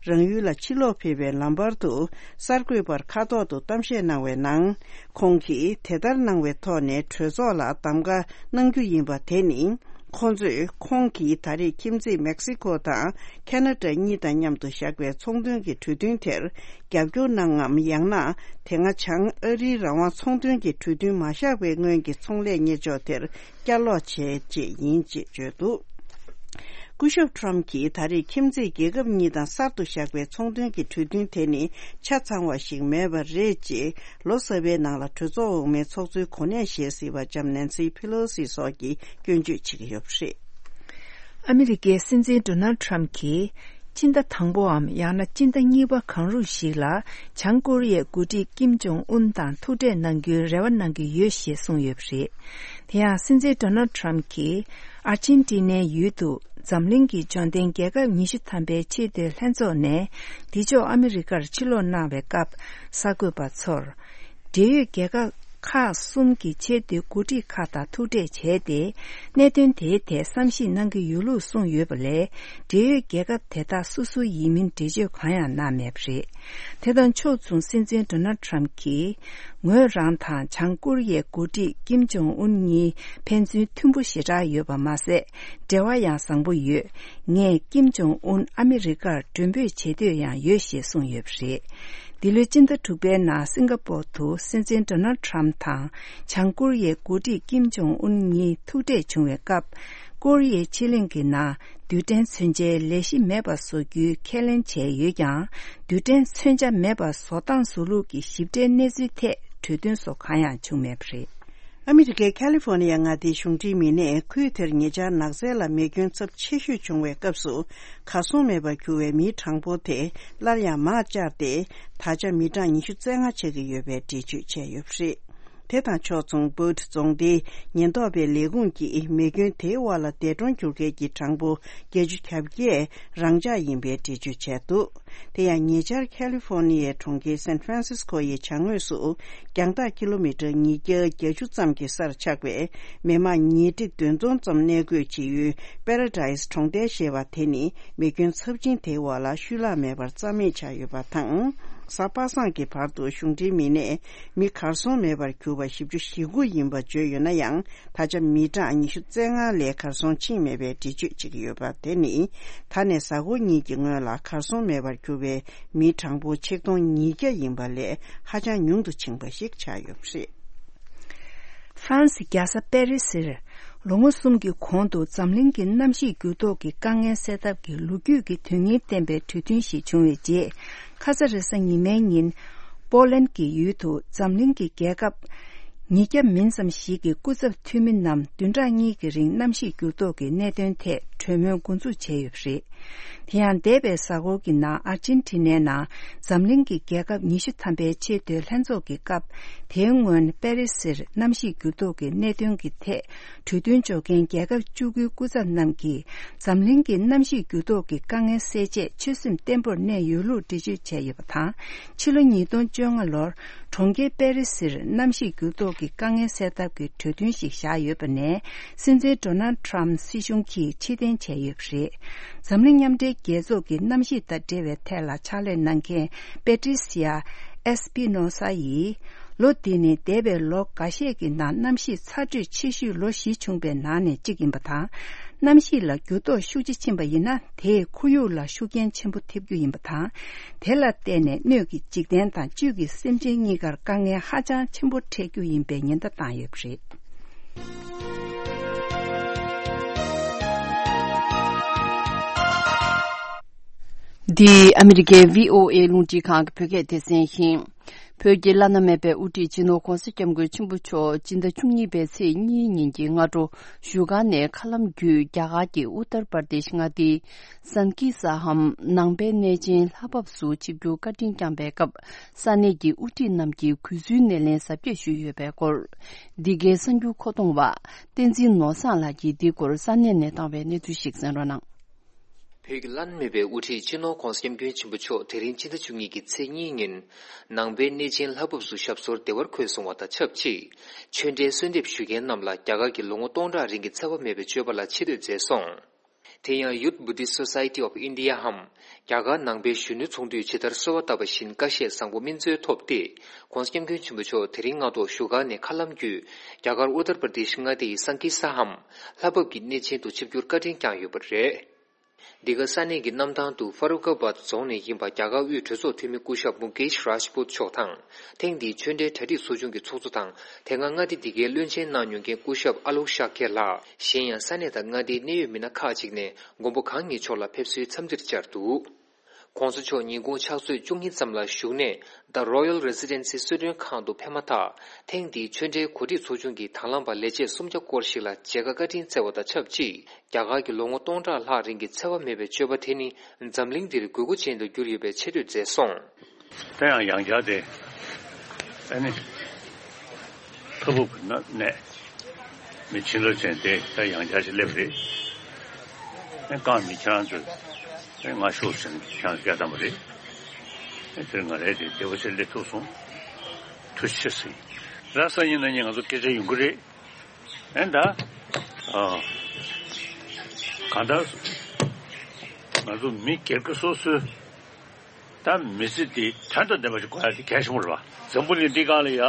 རང་ཡུལ་ལ་ཕྱིར་ལོག་ཕེབས་པའི་ལམ་བར་དུ་གསར་འགོད་པར་ཁ་ཐོག་ཏུ་གཏམ་བཤད་གནང་བའི་ནང་། ཁོང་གིས་དེ་ལྟར་གནང་བའི་ཐོག་ནས་གྲོས་ཚོགས་ལ་གདམ་ག་གནང་རྒྱུ་ཡིན་པ་དེ་ནི། ཁོང་ཚོས་ཁོང་གིས་ད་རེས་ཁྱིམ་མཚེས་མེག་སི་ཁོ་དང་ཁ་ན་ཌ་གཉིས་དང་མཉམ་དུ་བཞག་པའི་ཚོང་དོན་གྱི་གྲོས་མཐུན་དེར་རྒྱབ་སྐྱོར་གནང་ངམ། ཡང་ན་དེ་སྔ་བྱང་ཨ་རིའི་རང་དབང་ཚོང་དོན་གྱི་གྲོས་མཐུན་མ་བཞག་པའི་སྔོན་གྱི་ཚོང་ལས་གཉེར་ཕྱོགས་དེར་བསྐྱར་ལོག་བྱེད་ཅེས་ཡིན་ཅེས་བརྗོད་འདུག་སྐུ་ཞབས་ཊརམ་གྱིས་ད་རེས་ཁྱིམ་མཚེས་རྒྱལ་ཁབ་གཉིས་དང་གསར་དུ་བཞག་པའི་ཚོང་དོན་གྱི་གྲོས་མཐུན་དེ་ནི་ཆ་ཚང་བ་ཞིག་མེད་པ་རེད་ཅེས། ལོ་གསར་པའི་ནང་ལ་གྲོས་ཚོགས་འོག་མའི་ཚོགས་གཙོའི་གོ་གནས་བཞེས་སྲིད་པ་ལྕམ་ནན་སི་ཕི་ལོ་སི་སོགས་ཀྱིས་སྐྱོན་བརྗོད་བྱེད་ཀྱི་ཡོད་པ་རེད། ཨ་མི་རི་ཀའི་སྲིད་འཛིན་ཌོ་ནལ་ཌི་ཊརམ་ཕི་གྱིས། སྤྱི་ཟླ་དང་པོའམ་ཡང་ན་སྤྱི་ཟླ་གཉིས་པ་གང་རུང་ཞིག་ལ་བྱང་ཀོ་རི་ཡའི་འགོ་ཁྲིད་ཀིམ་ཇོང་ཨུན་དང་ཐུག་འཕྲད་གནང་རྒྱུའི་རེ་བ་གནང་གི་ཡོད་ཞེས་གསུངས་ཡོད་པ་རེད། དེ་ཡང་སྲིད་འཛིན་ཌོ་ནལ་ཌི་ཊརམ་ཕི་གྱིས་ཨར་ཇེན་ཊི་ནའི་ཡུལ་དུ་འཛམ་གླིང་གི་འབྱོར་ལྡན་རྒྱལ་ཁབ་ཉི་ཤུ་ཐམ་པའི་ཆེས་མཐོའི་ལྷན་ཚོགས་ནས་འདི་ཕྱོགས་ཨ་མི་རི་ཀར་ཕྱིར་ལོག་གནང་བའི་སྐབས། གསར་འགོད་པ་ཚོར། འབྲེལ་ཡོད་རྒྱལ་ཁབ། ཁག་གསུམ་གྱི་ཆེས་མཐོའི་འགོ་ཁྲིད་ཁག་དང་ཐུག་འཕྲད་བྱས་ཏེ། གནད་དོན་དེའི་ཐད་བསམ་གཞིག་གནང་གི་ཡོད་ལུགས་གསུངས་ཡོད་པ་ལས། འབྲེལ་ཡོད་རྒྱལ་ཁབ་དེ་དག་སོ་སོ་ཡིན་མིན་འགྲེལ་བརྗོད་གང་ཡང་གནང་མེད་པ་རེད། དེ་དང་ཕྱོགས་མཚུངས། སྲིད་འཛིན་ཌོ་ནལ་ཊམ་གྱིས། ངོས་རང་དང་བྱང་ཀོ་རི་ཡའི་འགོ་ཁྲིད་ཀིམ་ཇོང་ཨུན་གཉིས་ཕན་ཚུན་མཐུན་པོ་ཞེ་དྲག་ཡོད་པ་མ་ཟད། འབྲེལ་བ་ཡང་བཟང་པོ་ཡོད། ངས་ཀིམ་ཇོང་ཨུན་ཨ་མི་རི་ཀར་མགྲོན་འབོད་བྱེད་འདོད་ཡང་ཡོད་ཞེས་གསུངས་ཡོད་པ་རེད། འདི་ལོའི་སྤྱི་ཟླ་དྲུག་པའི་ནང་སིང་ག་པོར་དུ་སྲིད་འཛིན་ཌོ་ནལ་ཊམ་དང་བྱང་ཀོ་རི་ཡའི་འགོ་ཁྲིད་ཀིམ་ཇོང་ཨུན་གཉིས་ཐུག་འཕྲད་བྱུང་བའི་སྐབས། ཀོ་རི་ཡའི་ཕྱེད་གླིང་གི་ནང་རྡུལ་ཕྲན་མཚོན་ཆའི་ལས་གཞི་མེད་པ་བཟོ་རྒྱུའི་ཁས་ལེན་བྱས་ཡོད་ཀྱང་། རྡུལ་ཕྲན་མཚོན་ཆ་མེད་པ་བཟོ་སྟངས་བཟོ་ལུགས་ཀྱི་ཞིབ་ཕྲའི་གནས་ཚུལ་ཐད་གྲོས་མཐུན་སོགས་གང་ཡང་བྱུང་མེད་པ་རེད། ཨ་མི་རི་ཀའི་ཁ་ལི་ཧྥོ་ནི་ཡ་མངའ་སྡེའི་གཞུང་འབྲེལ་མི་སྣས་ཁུལ་དེར་ཉེ་ཆར་ནགས་ཚལ་ལ་མེ་སྐྱོན་ཚབས་ཆེ་ཤོས་བྱུང་བའི་སྐབས་སུ་གར་སོང་མེད་པར་གྱུར་བའི་མིའི་གྲངས་འབོར་དེ་སླར་ཡང་མར་བཅར་ཏེ། ད་ཆ་མི་གྲངས་ཉི་ཤུ་རྩ་ལྔ་ཆགས་ཀྱི་ཡོད་པའི་འགྲེལ་བརྗོད་བྱས་ཡོད་པ་རེད། དེ་དང་ཕྱོགས་མཚུངས། བྷུཊ་རྫོང་སྡེའི་ཉེན་རྟོག་པའི་ལས་ཁུངས་ཀྱིས་མེ་སྐྱོན་དེའི་འོག་ལ་འདས་གྲོངས་གྱུར་མཁན་གྱི་གྲངས་འབོར་བརྒྱད་ཅུ་གྱ་བརྒྱད་རང་འཇགས་ཡིན་པའི་འགྲེལ་བརྗོད་བྱས་འདུག་དེ་ཡང་ཉེ་ཆར་ཁ་ལི་ཧྥོ་ནི་ཡའི་གྲོང་ཁྱེར་སན་ཧྥ་རན་སིས་ཀོ་ཡི་བྱང་ངོས་སུ་རྒྱང་ཐག་ཀི་ལོ་མི་ཊར་ཉིས་བརྒྱ་བརྒྱད་ཅུ་ཙམ་གྱི་སར་ཆགས་པའི་མི་མང་ཉིས་ཁྲི་བདུན་སྟོང་ཙམ་གནས་སྡོད་བྱེད་ཡུལ་པེ་ར་ཌའི་སི་གྲོང་རྡལ་ཞེས་པ་དེ་ནི་མེ་སྐྱོན་ཚབས་ཆེན་དེའི་འོག་ལ་ཤུལ་བརླག་མེད་པར་རྩ་མེད་ཆགས་ཡོད་པ་དང་། གཟའ་པ་སངས་ཀྱི་བར་དུ་གཞུང་འབྲེལ་མི་སྣས་མི་གར་སོང་མེད་པར་གྱུར་པ་བཞི་བཅུ་ཞེ་དགུ་ཡིན་པ་བརྗོད་ཡོད་ན་ཡང་། ད་ཆ་མི་གྲངས་ཉི་ཤུ་རྩ་ལྔ་ལས་གར་སོང་ཕྱིན་མེད་པའི་འགྲེལ་བརྗོད་བྱེད་ཀྱི་ཡོད་པ་དེ་ནི། ད་ནས་གཟའ་འཁོར་གཉིས་ཀྱི་སྔོན་ལ་གར་སོང་མེད་པར་གྱུར་པའི་མིའི་གྲངས་འབོར་ཆིག་སྟོང་ཉིས་བརྒྱ་ཡིན་པ་ལས་ཧ་ཅང་ཉུང་དུ་ཕྱིན་པ་ཞིག་ཆགས་ཡོད་པ་རེད། ཧྥ་རན་སི་རྒྱལ་ས་པེ་རི་སིར་ལོ་ངོ་གསུམ་གྱི་གོང་དུ་འཛམ་གླིང་གི་གནམ་གཤིས་འགྱུར་ལྡོག་གི་དཀའ་ངལ་སེལ་ཐབས་ཀྱི་ལོ་རྒྱུས་ཀྱི་དོན་སྙིང་ལྡན་པའི་གྲོས་མཐུན་ཞིག་བྱུང་བའི་རྗེས། ཁ་ས་རེས་གཟའ་ཉི་མའི་ཉིན། པོ་ལན་གྱི་ཡུལ་དུ་འཛམ་གླིང་གི་རྒྱལ་ཁབ་ཉིས་བརྒྱ་མིན་ཙམ་ཞིག་གི་སྐུ་ཚབ་འཐུས་མི་རྣམས་བདུན་ཕྲག་གཉིས་ཀྱི་རིང་གནམ་གཤིས་འགྱུར་ལྡོག་གི་གནད་དོན་ཐད་གྲོས་མོལ་འགོ་འཛུགས་བྱས་ཡོད་པ་རེད། དེ་ཡང་འདས་པའི་གཟའ་འཁོར་གྱི་ནང་ཨར་ཇེན་ཊི་ནའི་ནང་འཛམ་གླིང་གི་རྒྱལ་ཁབ་ཉི་ཤུ་ཐམ་པའི་ཆེས་མཐོའི་ལྷན་ཚོགས་ཀྱི་སྐབས། དེའི་སྔོན་པེ་རི་སིར་གནམ་གཤིས་འགྱུར་ལྡོག་གི་གནད་དོན་གྱི་ཐད་གྲོས་མཐུན་འཇོག་མཁན་རྒྱལ་ཁབ་བཅུ་དགུའི་སྐུ་ཚབ་རྣམས་ཀྱིས་འཛམ་གླིང་གི་གནམ་གཤིས་འགྱུར་ལྡོག་གི་དཀའ་ངལ་སེལ་ཆེད་ཆོད་སེམས་བརྟན་པོར་གནས་ཡོད་ལུགས་འགྲེལ་བརྗོད་བྱས་ཡོད་པ་དང་། ཕྱི་ལོ་ཉིས་སྟོང་བཅོ་ལྔ་ལོར་གྲོང་ཁྱེར་པེ་རི་སིར་གནམ་གཤིས་འགྱུར་ལྡོག་གི་དཀའ་ངལ་སེལ་ཐབས་ཀྱི་གྲོས་མཐུན་ཞིག་བཞག་ཡོད་པ་ནས། སྲིད་འཛིན་ཌོ་ནལ་ཊམ་སྲིད་གཞུང་གིས་ཕྱིར་འཐེན་བྱས་ཡོད་པ་རེད། འཛམ་གླིང་མཉམ་འབྲེལ་རྒྱལ་ཚོགས་ཀྱི་གནམ་གཤིས་དང་འབྲེལ་བའི་ཐད་ལ་ཕྱག་ལས་གནང་མཁན་པེ་ཏྲི་སི་ཡ་ཨེ་སི་པི་ནོ་ས་ཡིས། ལོ་འདི་ནི་འདས་པའི་ལོ་འགའ་ཤས་ཀྱི་ནང་གནམ་གཤིས་ཚ་དྲོད་ཆེ་ཤོས་ལོ་བཞི་བྱུང་པའི་ནང་ནས་གཅིག་ཡིན་པ་དང་། གནམ་གཤིས་ལ་འགྱུར་ལྡོག་ཤུགས་ཆེ་ཕྱིན་པ་ཡིན་ན། དེས་ཁོར་ཡུག་ལ་ཤུགས་རྐྱེན་ཆེན་པོ་ཐེབས་རྒྱུ་ཡིན་པ་དང་། དེ་ལ་བརྟེན་ནས་སྣོད་ཀྱི་འཇིག་རྟེན་དང་བཅུད་ཀྱི་སེམས་ཅན་གཉིས་ཀར་དཀའ་ངལ་ཧ་ཅང་ཆེན་པོ་འཕྲད་རྒྱུ་ཡིན་པའི་ཉེན་བརྡ་བཏང་ཡོད་པ་རེད། འདི་ཨ་མི་རི་ཀའི་བྷི་ཨོ་ཨེ་རླུང་འཕྲིན་ཁང་གི་བོད་སྐད་སྡེ་ཚན་ཡིན། བོད་ཀྱི་བླ་ན་མེད་པའི་དབུ་ཁྲིད་སྤྱི་ནོར་༧གོང་ས་༧སྐྱབས་མགོན་ཆེན་པོ་མཆོག་སྤྱི་ཟླ་བཅུ་གཉིས་པའི་ཚེས་གཉིས་ཉིན་གྱི་སྔ་དྲོ་བཞུགས་སྒར་ནས་མཁའ་ལམ་བརྒྱུད་རྒྱ་གར་གྱི་ཨུ་ཏར་པར་དེཤ་མངའ་སྡེའི་སན་ཀི་ས་ཧམ་ནང་པའི་གནས་ཆེན་ལྷ་བབས་སུ་ཆིབས་བསྒྱུར་བཀའ་དྲིན་བསྐྱངས་པའི་སྐབས། ས་གནས་ཀྱི་དབུ་ཁྲིད་རྣམས་ཀྱིས་གུས་བསུའི་སྣེ་ལེན་གཟབ་རྒྱས་ཞུས་ཡོད་པའི་སྐོར། འདི་གའི་གསར་འགྱུར་མཁོ་གཏོང་བ་བསྟན་འཛིན་ནོར་བཟང་ལགས་ཀྱིས་འདིའི་སྐོར་ས་གནས་ནས་བཏང་བའི་གནས་ཚུལ་ཞིག་གསན་རོགས་གནང་། བོད་ཀྱི་བླ་ན་མེད་པའི་དབུ་ཁྲིད་སྤྱི་ནོར་༧གོང་ས་༧སྐྱབས་མགོན་ཆེན་པོ་མཆོག་དེ་རིང་སྤྱི་ཟླ་བཅུ་གཉིས་ཀྱི་ཚེས་གཉིས་ཉིན། ནང་པའི་གནས་ཆེན་ལྷ་བབས་སུ་ཞབས་སོར་བདེ་བར་འཁོད་སོང་བ་དང་ཆབས་ཅིག་ཆོས་འབྲེལ་གསོལ་འདེབས་ཞུ་མཁན་རྣམས་ལ་རྒྱ་གར་གྱི་ལོ་ངོ་སྟོང་ཕྲག་རིང་གི་འཚེ་བ་མེད་པའི་སྤྱོད་པ་ལ་ཆེ་བསྟོད་མཛད་སོང་། དེ་ཡང་Youth Buddhist Society of India འམ། རྒྱ་གར་ནང་པའི་གཞོན་ནུ་ཚོགས་འདུས་ཇི་ལྟར་གསོལ་བ་བཏབ་པ་བཞིན་བཀའ་བཞེས་བཟང་པོ་སྨིན་སྩོལ་ཐོབ་སྟེ། ༧གོང་ས་༧སྐྱབས་མགོན་ཆེན་པོ་མཆོག་དེ་རིང་སྔ་དྲོ་བཞུགས་སྒར་ནས་མཁའ་ལམ་བརྒྱུད། རྒྱ་གར་ཨུ་ཏར་པར་དེཤ་མངའ་སྡེ་ཡི་སན་ཀི་ས་ཧམ། ལྷ་བབས་ཀྱི་གནས་ཆེན་དུ་ཆིབས་བསྒྱུར་བཀའ་དྲིན་བསྐྱངས་ཡོད་པ་རེད། འདི་ག་ས་གནས་ཀྱི་གནམ་ཐང་དུ་ཧྥ་རུ་ཀ་བཱད་རྫོང་ནས་ཡིན་པ་རྒྱ་གར་དབུས་གྲོས་ཚོགས་འཐུས་མི་སྐུ་ཞབས་མུ་ཀེཤ་རཱཇ་པུད་མཆོག་དང་། ཐེངས་འདིའི་ཆོས་འབྲེལ་གྲ་སྒྲིག་ཚོགས་ཆུང་གི་ཚོགས་གཙོ་དང་། དེ་སྔ་མངའ་སྡེ་འདི་གའི་བློན་ཆེན་གནང་མྱོང་མཁན་སྐུ་ཞབས་ཨ་ལོག་ཤཱ་ཀྱ་ལགས། གཞན་ཡང་ས་གནས་དང་མངའ་སྡེའི་གནད་ཡོད་མི་སྣ་ཁག་ཅིག་ནས་མགོན་པོ་གང་ཉིད་མཆོག་ལ་ཕེབས་བསུའི་འཚམས་འདྲིར་བཅར་འདུག ༸གོང་ས་མཆོག་ཉིན་གུང་ཕྱག་ཚོད་བཅུ་གཉིས་ཙམ་ལ་བཞུགས་གནས་The Royal Residency གསོལ་མགྲོན་ཁང་དུ་ཕེབས་མ་ཐག་ཐེངས་འདིའི་ཆོས་འབྲེལ་གོ་སྒྲིག་ཚོགས་ཆུང་གི་དང་བླངས་པ་ལས་བྱེད་སུམ་བརྒྱ་སྐོར་ཞིག་ལ་མཇལ་ཁ་བཀའ་དྲིན་སྩལ་བ་དང་ཆབས་ཅིག་རྒྱ་གར་གྱི་ལོ་ངོ་སྟོང་ཕྲག་ལྷག་རིང་གི་འཚེ་བ་མེད་པའི་སྤྱོད་པ་དེ་ནི་འཛམ་གླིང་འདིར་དགོས་མཁོ་ཅན་དུ་གྱུར་ཡོད་པའི་ཆེ་བསྟོད་མཛད་སོང་། ད་ཡང་ཡང་བསྐྱར་དེ། ཨ་ནི། ཐབ་ཕུབ་ཀྱི་ནང་ནས་མི་ཕྱི་ལོགས་ཅན་དེ་ད་ཡང་བསྐྱར་ཞིག་སླེབས་རེད། ཨ་རྐང་མི་ཁྱེད་རང་ཚོས་ཨ་ང་ཤོག་ཟེར་ནས་ཁྱེད་རང་བསྐྱལ་བཏང་བ་རེད། ཨ་དེར་ང་རས་དེ་བདེ་པོ་ཞིག་སླེབས་ཐུབ་སོང་། ཐུགས་རྗེ་ཆེ་ཟེར། ར་སང་ཉིན་གནངས་ཉིན་ང་ཚོ་སྐད་ཆ་ཡོང་གི་རེད། ཨེ་ད། ཨ། གང་ལྟར། ང་ཚོ་མི་སྒེར་གྱི་སོ་སོའི། ད་མི་ཚེ་འདི་དོན་དང་ལྡན་པ་ཞིག་དགོས་ཡ་དེ་གལ་ཆེན་པོ་རེད་པ། འཛམ་བུ་གླིང་འདི་སྒང་ལ་ཡ།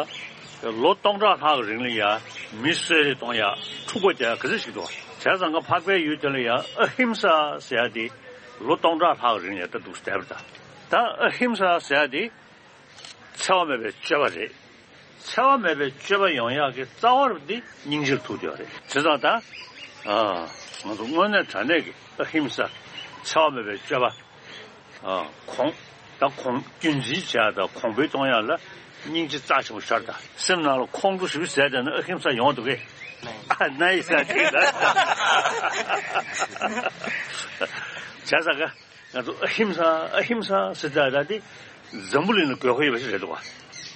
ལོ་སྟོང་ཕྲག་ལྷག་གི་རིང་ལ་ཡ། མི་གསོད་རེས་གཏོང་ཡ། འཁྲུག་པ་རྒྱག་ཡ་ག་ཚོད་ཞིག་འདུག་པ། བྱས་ཙང་ང་འཕགས་པའི་ཡུལ་དེ་ལ་ཡ་ཨ་ཧིམ་ས་ཟེར་ཡ་དེ། ལོ་སྟོང་ཕྲག་ལྷག་གི་རིང་ལ་ཡ་ད་འདུག་སེ་བསྡད་པ་རེད་ད། ད་ཨ་ཧིམ་ས་ཟེར་ཡ་དེ། འཚེ་བ་མེད་པའི་སྤྱོད་པ་རེད། འཚེ་བ་མེད་པའི་སྤྱོད་པ་ཡོང་ཡག་གི་རྩ་བ་རུ་འདི་སྙིང་རྗེ་རུ་ཐུག་བསྡད་ཡོད་རེད། བྱས་ཙང་ད། ཨ། ང་ཚོ་དངོས་གནས་དྲང་གནས་ཀྱི་ཨ་ཧིམ་ས། འཚེ་བ་མེད་པའི་སྤྱོད་པ། ཨ། གོང་། ད་གོང་རྒྱུན་འཛིན་བྱེད་ཡག་དང་གོང་འཕེལ་གཏོང་ཡག་ལ་སྙིང་རྗེ་རྩ་ཆེན་པོ་ཤར་ད། སེམས་ནང་ལ་ཁོང་ཁྲོ་ཞེ་པོ་ཟ་བསྡད་ན་ཨ་ཧིམ་ས་ཡོང་འདུག་གས། ཨ་ན་ཡི་ས་དེ་ད། བྱས་ཙང་ག་ང་ཚོ་ཨ་ཧིམ་ས་ཨ་ཧིམ་ས་ཟེར་ད་ད་དེ་འཛམ་བུ་གླིང་ལ་དགོས་མཁོ་ཡོད་པ་ཞིག་རེད་འདུག་ག་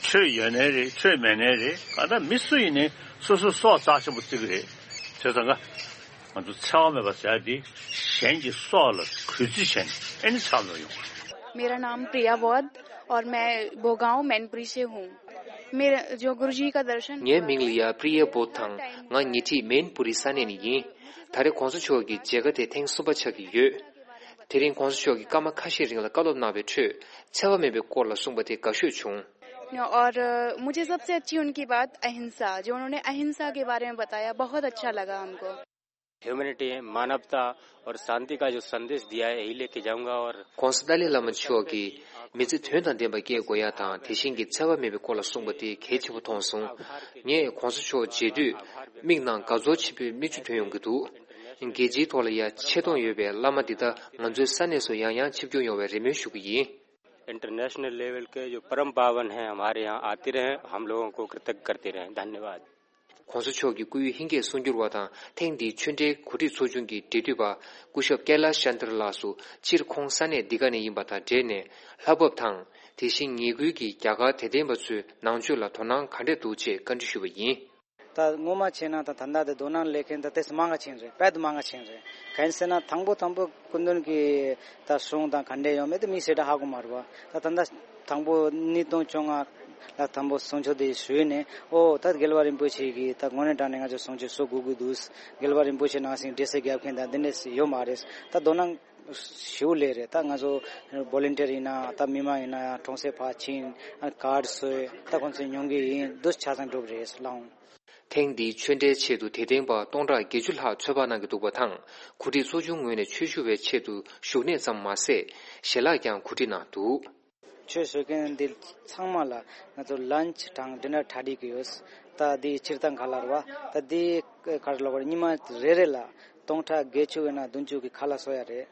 ཆོས་ཡོད་ནའི་རེད། ཆོས་མེད་ནའི་རེད། གང་ལྟར་མི་སུ་ཡིན་ནའི་སོ་སོའི་སྲོག་རྩ་ཆེན་པོ་བརྩི་གི་རེད། བྱས་ཙང་ག་ང་ཚོ་འཚེ་བ་མེད་པ་ཟེར་ཡ་དེ་གཞན་གྱི་སྲོག་ལ་གུས་བརྩི་བྱས་ནས་ཨེ་ནི་འཚེ་བ་མེད་པ་ཡོང་གི་རེད། मेरा नाम प्रिया बौद्ध और मैं भोगांव मैनपुरी से हूँ। मेरा जो गुरुजी का दर्शन ངའི་མིང་ལ་ཡ་པྲི་ཡ་བོད་དང་། ང་ཉེ་འཁྲིས་མེན་པུ་རི་ས་གནས་ནས་ཡིན། ད་རེས་༸གོང་ས་མཆོག་གི་མཇལ་ཁ་དེ་ཐེངས་གསུམ་པ་ཆགས་ཀྱི་ཡོད། དེ་རིང་༸གོང་ས་མཆོག་གིས་སྐར་མ་ཁ་ཤས་རིང་ལ་བཀའ་སློབ་གནང་བའི་ཁྲོད་འཚེ་བ་མེད་པའི་སྐོར་ལ་གསུངས་པ་དེ་དགའ་ཤོས་བྱུང་། और अ, मुझे सबसे अच्छी उनकी बात अहिंसा, जो उन्होंने अहिंसा के बारे में बताया, बहुत अच्छा लगा हमको। ह्यूमैनिटी, मानवता और शांति का जो संदेश दिया है, यही लेके जाऊंगा। और༸གོང་ས་ཏཱ་ལའི་བླ་མ་མཆོག་གིས་མི་ཚེ་དོན་དང་ལྡན་པ་སྐྱེལ་དགོས་ཡ་དང་། དེ་བཞིན་གྱི་འཚེ་བ་མེད་པའི་སྐོར་ལ་གསུངས་པ་དེ་གལ་ཆེན་པོ་མཐོང་སོང་། ངས་༸གོང་ས་མཆོག་མཇལ་དུས་མིག་ནང་དགའ་ཚོར་ཆེན་པོའི་མིག་ཆུ་ཐོན་ཡོང་གི་འདུག་རྒྱལ་སྤྱིའི་ཐོག་ལ་ཡ་ཆེ་མཐོང་ཡོད་པའི་བླ་མ་འདི་དག་ང་ཚོའི་ས་གནས་སུ་ཡང་ཡང་ཆིབས་བསྒྱུར་ཡོང་བའི་རེ་སྨོན་ཞུ་གི་ཡིན། इंटरनेशनल लेवल के जो परम पावन हैं, हमारे यहाँ आते रहें, हम लोगों को कृतज्ञ करते रहें। धन्यवाद। ༸གོང་ས་མཆོག་གི་སྐུའི་ཧིན་སྐད་གསུང་སྒྱུར་བ་དང་། ཐེངས་འདིའི་ཆོས་འབྲེལ་གོ་སྒྲིག་ཚོགས་ཆུང་གི་འབྲེལ་མཐུད་པ་སྐུ་ཞབས་ཀེ་ལ་ཤན་ཏར་ལགས་སུ། སྤྱིར་ཁོང་ས་གནས་འདི་ག་ནས་ཡིན་པ་དང་འབྲེལ་ནས་ལྷ་བབས་དང་། དེ་བཞིན་ངེད་ཁུལ་གྱི་རྒྱ་གར་དད་ལྡན་པ་ཚོའི་ནང་ཆོས་ལ་དོ་སྣང་ག་འདྲས་འདུག་ཅེས་བཀའ་འདྲི་ཞུས་པ་ཡིན། ད་ངོ་མ་བྱས་ན་ད་ད་ལྟ་དེ་དོ་སྣང་སླེབས་མཁན་ད་ཏོག་ཙམ་མང་ང་ཕྱིན་རེད། དཔེ་དུ་མང་ང་ཕྱིན་རེད། གང་ཡིན་ཟེར་ན་དང་པོ་དང་པོ་སྐུ་མདུན་གྱི་ད་གསུང་དང་ག་འདྲས་ཡོད་མེད་དེ་མི་སེར་ད་ཧ་གོ་མ་རེད་པ། ད་ད་ལྟ་དང་པོ་ཉིས་སྟོང་བཅོ་ལྔ་ལ་དང་པོ་གསུང་ཆོས་དེ་ཞུས་ནས། ཨོ་ད་རྒྱལ་བ་རིན་པོ་ཆེ་གིས་ད་དངོས་གནས་དྲང་གནས་ང་ཚོ་གསུང་ཆོས་གསོ་དགོས་ཀྱི་འདུག་རྒྱལ་བ་རིན་པོ་ཆེ་ནང་བཞིན་འབྲེལ་སེལ་རྒྱབ་མཁན་ད་འདི་འདྲས་ཡོད་མ་རེད། ད་དོ་སྣང་ཞེ་པོ་སླེབས་རེད། ད་ང་ཚོ་བོ་ལན་ཊིར་ཡིན་ན་ད་མི་མང་ཡིན་ན་ཡང་གྲོང་གསེབ་ཕར་ཕྱིན། ཨ་ཀར་བཟོས། ད་ཁོང་ཚོས་ཉོ་གི་ཡིན། འདུག་ཆ་ཚང་འགྲུབ་རེད་ལགས། ཐེངས་འདིའི་ཆོས་འབྲེལ་ཆེད་དུ་དད་ལྡན་པ་སྟོང་ཕྲག་བརྒྱད་ཅུ་ལྷག་ཚོད་དཔག་གནང་གི་འདུག་པ་དང་། གོ་སྒྲིག་ཚོགས་ཆུང་ངོས་ནས་ཆོས་ཞུ་བའི་ཆེད་དུ་བཞུགས་གནས་ཙམ་མ་ཟད། ཞལ་ལག་ཀྱང་གོ་སྒྲིག་གནང་འདུག་ཆོས་ཞུ་མཁན་འདི་ཚང་མ་ལ་ང་ཚོ་ལན་ཆི་དང་ཌི་ནར་གྲ་སྒྲིག་གི་ཡོད། ད་འདི་སྤྱིར་བཏང་ཁ་ལག་རེད་པ། ད་འདི་ག་རེ་ལབ་དགོས་རེད། ཉི་མ་རེ་རེ་ལ་སྟོང་ཕྲག་བརྒྱད་ཅུ་ཡིན་ན་བདུན་ཅུ་གི་ཁ་ལག་བཟོ་ཡ་རེད།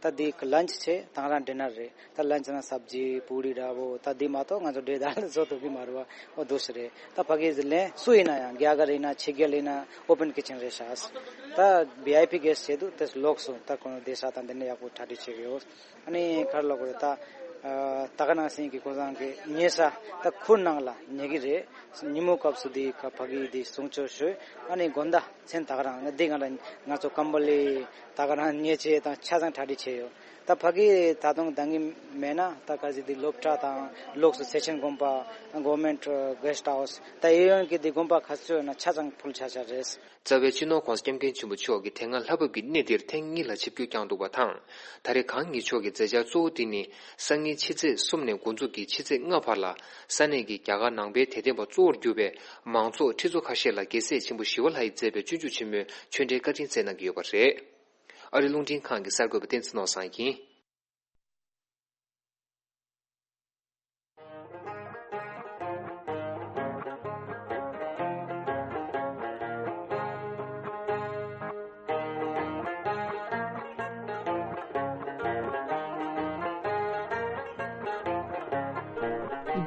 ད་འདི་ལན་ཆི་བྱས་དང་རང་ཌི་ནར་རེད། ད་ལན་ཆི་ན་སབ་ཇི་པུ་རི་འདྲ་པོ་ད་འདི་མ་གཏོགས་ང་ཚོ་འབྲས་དང་བཟོ་ཐུབ་ཀྱི་མ་རེད་པ། ཨོ་འདུག་སེ་རེད། ད་ཕ་གི་ལན་སུ་ཡིན་ན་ཡང་རྒྱ་གར་ཡིན་ན་ཕྱི་རྒྱལ་ཡིན་ན་ཨོ་པན་ཀི་ཆན་རེད་ཤག་ད་བི་ཨའི་པི་གེ་སི་ཆེད་དུ་དེ་ལོགས་སུ་ད་ཁོང་བསྡད་ས་དང་དེ་ནས་ཡག་པོ་གྲ་སྒྲིག་བྱེད་ཀྱི་ཡོད། ཨ་ནི་ག་རེ་ལབ་དགོས་རེད། ད་ད་ག་ནང་བཞིན་གྱི་ཁོང་ཚང་གི་ཉལ་ས་ད་ཁུར་ནང་ལ་ཉལ་གི་རེད། ཉིན་མོ་སྐབས་སུ་འདི་ཁ་ཕ་གི་འདི་གསུང་ཆོས་ཞུས། ཨ་ནི་དགོང་དག་མཚན་ད་ག་རང་འདི་ང་ལ་ང་ཚོ་ཀམ་བ་ལི་ད་ག་རང་ཉལ་ཆས་དང་ཆ་ཚང་གྲ་སྒྲིག་བྱས་ཡོད། ད་ཕ་གི་ད་དུང་འདང་གི་མེད་ན་ད་ག་ཟིག་འདི་སློབ་གྲྭ་དང་ལོགས་སུ་སེ་ཆེན་དགོན་པ། གོ་ཝར་མེན་ཊི་གེ་སི་ཊི་ཧའུ་སི། ད་གཡས་གཡོན་གྱི་འདི་དགོན་པ་ག་ཚོད་ཡོད་ན་ཆ་ཚང་ཕུལ་ཆ་ཆ་རེད། རྩ་བའི་སྤྱི་ནོར་༸གོང་ས་༸སྐྱབས་མགོན་ཆེན་པོ་མཆོག་གིས་དེ་སྔ་ལྷ་བབས་ཀྱི་གནས་འདིར་ཐེངས་གཉིས་ལ་ཆིབས་བསྒྱུར་བསྐྱངས་འདུག་པ་དང་། ད་རེས་གང་ཉིད་མཆོག་གི་མཛད་འཆར་གཙོ་བོ་འདི་ནི་སང་ཉིན་ཕྱི་ཚེས་གསུམ་ནས་འགོ་འཛུགས་ཀྱིས་ཕྱི་ཚེས་ལྔ་བར་ལ་ས་གནས་ཀྱི་རྒྱ་གར་ནང་པའི་དད་ལྡན་པ་གཙོ་བོར་གྱུར་པའི་མང་ཚོགས་ཁྲི་ཚོ་ཁ་ཤས་ལ་རྒྱལ་སྲས་ཆེན་པོ་ཞི་བ་ལྷ་ཡིས་མཛད་པའི་སྤྱོད་འཇུག་ཆེན་མོའི་ཆོས་འབྲེལ་བཀའ་དྲིན་སྩལ་གནང་གི་ཡོད་པ་རེད། ཨ་རི་རླུང་འཕྲིན་ཁང་གི་གསར་འགོད་པ་བསྟན་འཛིན་ནོར་བཟང་ཡིན།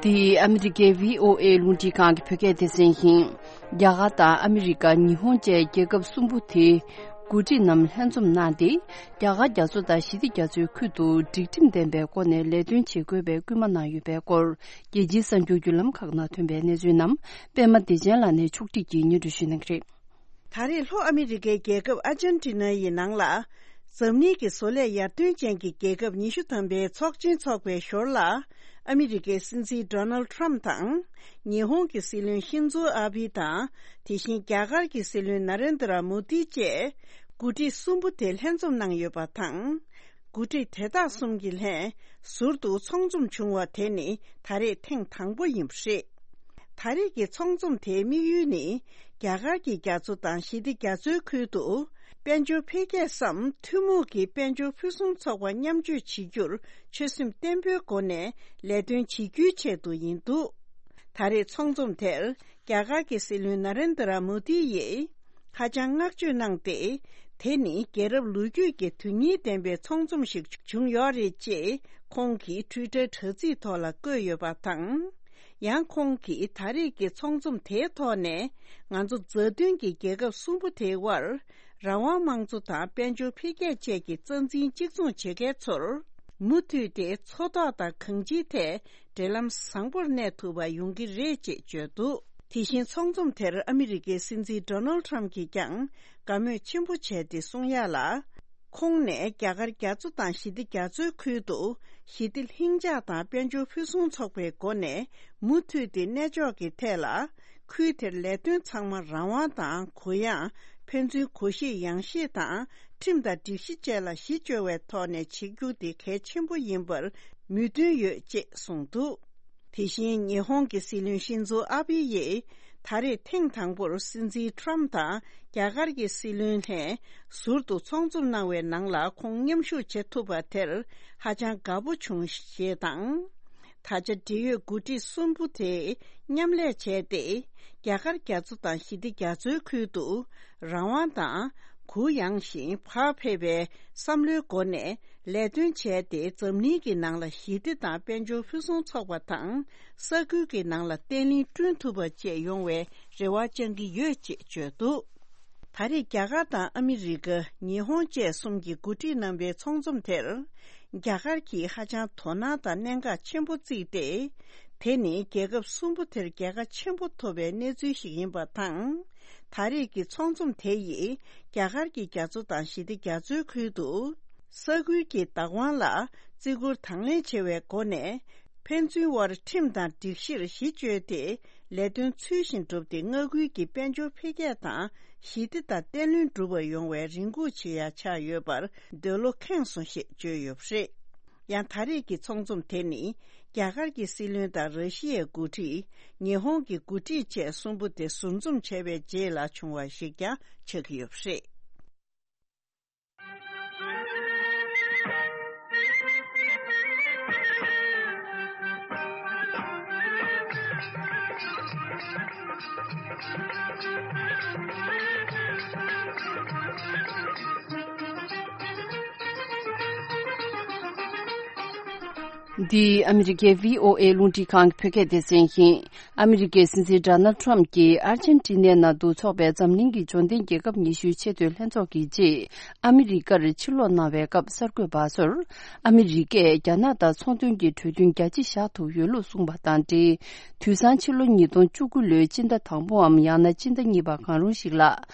འདི་ཨ་མི་རི་ཀའི་བྷི་ཨོ་ཨེ་རླུང་འཕྲིན་ཁང་གི་བོད་སྐད་སྡེ་ཚན་ཡིན། རྒྱ་གར་དང་ཨ་མི་རི་ཀ། ཉི་ཧོང་བཅས་རྒྱལ་ཁབ་གསུམ་པོ་དེའི་འགོ་ཁྲིད་རྣམས་ལྷན་འཛོམས་གནང་སྟེ། རྒྱ་གར་རྒྱ་མཚོ་དང་ཞི་བདེ་རྒྱ་མཚོའི་ཁུལ་དུ་སྒྲིག་ཁྲིམས་ལྡན་པའི་སྒོ་ནས་ལས་དོན་བྱེད་དགོས་པའི་སྐུལ་མ་གནང་ཡོད་པའི་སྐོར། རྒྱལ་སྤྱིའི་གསར་འགྱུར་བརྒྱུད་ལམ་ཁག་ནང་ཐོན་པའི་གནས་ཚུལ་རྣམས་པད་མ་བདེ་ཆེན་ལགས་ནས་ཕྱོགས་སྒྲིག་གིས་སྙན་སྒྲོན་ཞུ་གནང་གི་རེད། ད་རེས་ལྷོ་ཨ་མི་རི་ཀའི་རྒྱལ་ཁབ་ཨར་ཇན་ཊི་ན་ཡི་ནང་ལ། འཛམ་གླིང་གི་བཟོ་ལས་ཡར་ཐོན་ཅན་གྱི་རྒྱལ་ཁབ་ཉི་ཤུ་ཐམ་པའི་ཚོགས་ཆེན་འཚོགས་པའི་ཞོར་ལ། ཨ་མི་རི་ཀའི་སྲིད་འཛིན་ཌོ་ནལ་ཊམ་དང་། ཉི་ཧོང་གི་སྲིད་བློན་ཤིན་ཛོ་ཨ་བྷི་དང་། དེ་བཞིན་རྒྱ་གར་གྱི་སྲིད་བློན་ན་རེན་དྲ་མོ་དི་བཅས། འགོ་ཁྲིད་གསུམ་པོ་དེ་ལྷན་འཛོམས་གནང་ཡོད་པ་དང་། འགོ་ཁྲིད་དེ་དག་གསུམ་གྱི་ལྷན་ཟུར་དུ་ཚོགས་འཛོམས་བྱུང་བ་དེ་ནི་ད་རེས་ཐེངས་དང་པོ་ཡིན་པ་རེད། ད་རེས་ཀྱི་ཚོགས་འཛོམས་དེའི་དམིགས་ཡུལ་ནི། རྒྱ་གར་གྱི་རྒྱ་མཚོ་དང་ཞི་བདེ་རྒྱ་མཚོའི་ཁུལ་དུ། དཔལ་འབྱོར་འཕེལ་རྒྱས་སམ་ཐུན་མོང་གི་དཔལ་འབྱོར་ཕུན་སུམ་ཚོགས་པ་མཉམ་སྤྱོད་བྱེད་རྒྱུར་ཆོད་སེམས་བརྟན་པོའི་སྒོ་ནས་ལས་དོན་བྱེད་རྒྱུའི་ཆེད་དུ་ཡིན་འདུག་ད་རེས་ཚོགས་འཛོམས་དེར་རྒྱ་གར་གྱི་སྲིད་བློན་ན་རེན་དྲ་མོ་དི་ཡིས་ཧ་ཅང་བསྔགས་བརྗོད་གནང་སྟེ། དེ་ནི་རྒྱལ་རབས་ལོ་རྒྱུས་ཀྱི་དོན་སྙིང་ལྡན་པའི་ཚོགས་འཛོམས་ཤིག་བྱུང་ཡོད་རེད་ཅེས་ཁོང་གིས་ཊུའི་ཊར་དྲ་ཚིགས་ཐོག་ལ་བཀོད་ཡོད་པ་དང་། ཡང་ཁོང་གིས་ད་རེས་ཀྱི་ཚོགས་འཛོམས་དེའི་ཐོག་ནས་ང་ཚོ་མཛའ་མཐུན་གྱི་རྒྱལ་ཁབ་གསུམ་པོ་དེའི་དབར། རང་དབང་དམངས་གཙོ་དང་དཔལ་འབྱོར་འཕེལ་རྒྱས་བཅས་ཀྱི་རྩ་འཛིན་གཅིག་མཚུངས་བྱེད་མཁན་ཚོར། མུ་མཐུད་དེ་འཚོ་ཐོག་དང་གང་ཅིའི་ཐད་འབྲེལ་ལམ་བཟང་པོར་གནས་ཐུབ་པ་ཡོང་གི་རེད་ཅེས་བརྗོད་འདུག་དེ་བཞིན་ཚོགས་འཛོམས་དེར་ཨ་མི་རི་ཀའི་སྲིད་འཛིན་ཌོ་ནལ་ཊམ་གྱིས་ཀྱང་དགའ་མོས་ཆེན་པོ་བྱས་ཏེ་གསུང་ཡ་ལ། ཁོང་ནས་རྒྱ་གར་རྒྱ་མཚོ་དང་ཞི་བདེ་རྒྱ་མཚོའི་ཁུལ་དུ་ཞི་བདེ་ལྷིང་འཇགས་དང་དཔལ་འབྱོར་ཕུན་སུམ་ཚོགས་པའི་སྒོ་ནས་མུ་མཐུད་དེ་གནས་འཇོག་གི་ཐད་ལ། ཁུལ་དེར་ལས་དོན་ཚང་མ་རང་དབང་དང་གུ་ཡངས། ཕན་ཚུན་གུ་ཤེས་ཡངས་ཤེས་དང་ཁྲིམས་དང་སྒྲིག་གཞི་བཅས་ལ་གཞི་བཅོལ་བའི་ཐོག་ནས་བྱེད་རྒྱུ་དེ་གལ་ཆེན་པོ་ཡིན་པར་མོས་མཐུན་ཡོད་ཅེས་གསུངས་འདུག་དེ་བཞིན་ཉི་ཧོང་གི་སྲིད་བློན་ཤིན་ཛོ་ཨ་བྷི་ཡིས་ད་རེས་ཐེངས་དང་པོར་སྲིད་འཛིན་ཊམ་དང་རྒྱ་གར་གྱི་སྲིད་བློན་ལྷན་ཟུར་དུ་ཚོགས་འཛོམས་གནང་བའི་ནང་ལ་ཁོང་མཉམ་ཞུགས་བྱེད་ཐུབ་པ་དེར་ཧ་ཅང་དགའ་པོ་བྱུང་ཞེས་དང་། ད་ཆ་འབྲེལ་ཡོད་འགོ་ཁྲིད་གསུམ་པོ་དེ་མཉམ་ལས་བྱས་ཏེ། རྒྱ་གར་རྒྱ་མཚོ་དང་ཞི་བདེ་རྒྱ་མཚོའི་ཁུལ་དུ་རང་དབང་དང་གུ་ཡངས་ཤིང་བག་ཕེབས་པའི་བསམ་བློའི་སྒོ་ནས་ལས་དོན་བྱས་ཏེ། འཛམ་གླིང་གི་ནང་ལ་ཞི་བདེ་དང་དཔལ་འབྱོར་ཕུན་སུམ་ཚོགས་པ་དང་། ས་ཁུལ་གྱི་ནང་ལ་བརྟན་ལྷིང་བསྐྲུན་ཐུབ་པ་བཅས་ཡོང་བའི་རེ་བ་བཅང་གི་ཡོད་ཅེས་བརྗོད་འདུག་ད་རེས་རྒྱ་གར་དང་ཨ་མི་རི་ཀ། ཉི་ཧོང་བཅས་གསུམ་གྱི་འགོ་ཁྲིད་རྣམ་པའི་ཚོགས་འཛོམས་དེར། རྒྱ་གར་གྱིས་ཧ་ཅང་དོ་སྣང་དང་གནད་འགག་ཆེན་པོ་བརྩིས་ཏེ། དེ་ནི་རྒྱལ་ཁབ་གསུམ་པོ་དེར་རྒྱལ་ཁ་ཆེན་པོ་ཐོབ་པའི་གནས་ཚུལ་ཞིག་ཡིན་པ་དང་། ད་རེས་ཀྱི་ཚོགས་འཛོམས་དེ་ཡིས་རྒྱ་གར་གྱི་རྒྱ་མཚོ་དང་ཞི་བདེ་རྒྱ་མཚོའི་ཁུལ་དུ། ས་ཁུལ་གྱི་བདག་དབང་ལ་བརྩི་བཀུར་དང་ལེན་བྱེད་པའི་སྒོ་ནས། ཕན་ཚུན་དབར་ཁྲིམས་དང་སྒྲིག་གཞིར་གཞི་བཅོལ་ཏེ། ལས་དོན་ཚུལ་བཞིན་བསྒྲུབས་ཏེ། མངའ་ཁུལ་གྱི་དཔལ་འབྱོར་འཕེལ་རྒྱས་དང་ཞི་བདེ་དང་བརྟན་ལྷིང་སྒྲུབ་པ་ཡོང་བའི་རེ་སྒུག་བྱེད་ཡ་ཆགས་ཡོད་པར་འདོད་བློ་ཁེངས་སོང་ཞེས་བརྗོད་ཡོད་པ་རེད། ཡང་ད་རེས་ཀྱི་ཚོགས་འཛོམས་དེ་ནི། རྒྱ་གར་གྱི་སྲིད་བློན་དང་ར་ཤི་ཡའི་འགོ་ཁྲིད། ཉི་ཧོང་གི་འགོ་ཁྲིད་བཅས་གསུམ་པོ་དེ་ཟུར་འཛོམས་བྱས་པའི་རྗེས་ལ་བྱུང་བ་ཞིག་ཀྱང་ཆགས་ཀྱི་ཡོད་པ་རེད། འདི་ཨ་མི་རི་ཀའི་བྷི་ཨོ་ཨེ་རླུང་འཕྲིན་ཁང་གི་བོད་སྐད་སྡེ་ཚན་ཡིན། ཨ་མི་རི་ཀའི་སྲིད་འཛིན་ཌོ་ནལ་ཊམ་གྱིས་ཨར་ཇེན་ཊི་ནའི་ནང་དུ་འཚོགས་པའི་འཛམ་གླིང་གི་འབྱོར་ལྡན་རྒྱལ་ཁབ་ཉི་ཤུའི་ཆེས་མཐོའི་ལྷན་ཚོགས་ཀྱི་རྗེས། ཨ་མི་རི་ཀར་ཕྱིར་ལོག་གནང་བའི་སྐབས་གསར་འགོད་པ་ཚོར། ཨ་མི་རི་ཀས་རྒྱ་ནག་དང་ཚོང་དོན་གྱི་གྲོས་མཐུན་རྒྱ་ཆེ་བཞག་ཐུབ་ཡོད་ལུགས་གསུངས་པ་དང་འབྲེལ། དུས་སང་ཕྱི་ལོ་ཉིས་སྟོང་བཅུ་དགུ་ལོའི་སྤྱི་ཟླ་དང་པོའམ་ཡང་ན་སྤྱི་ཟླ་གཉིས་པ་གང་རུང་ཞིག་ལ།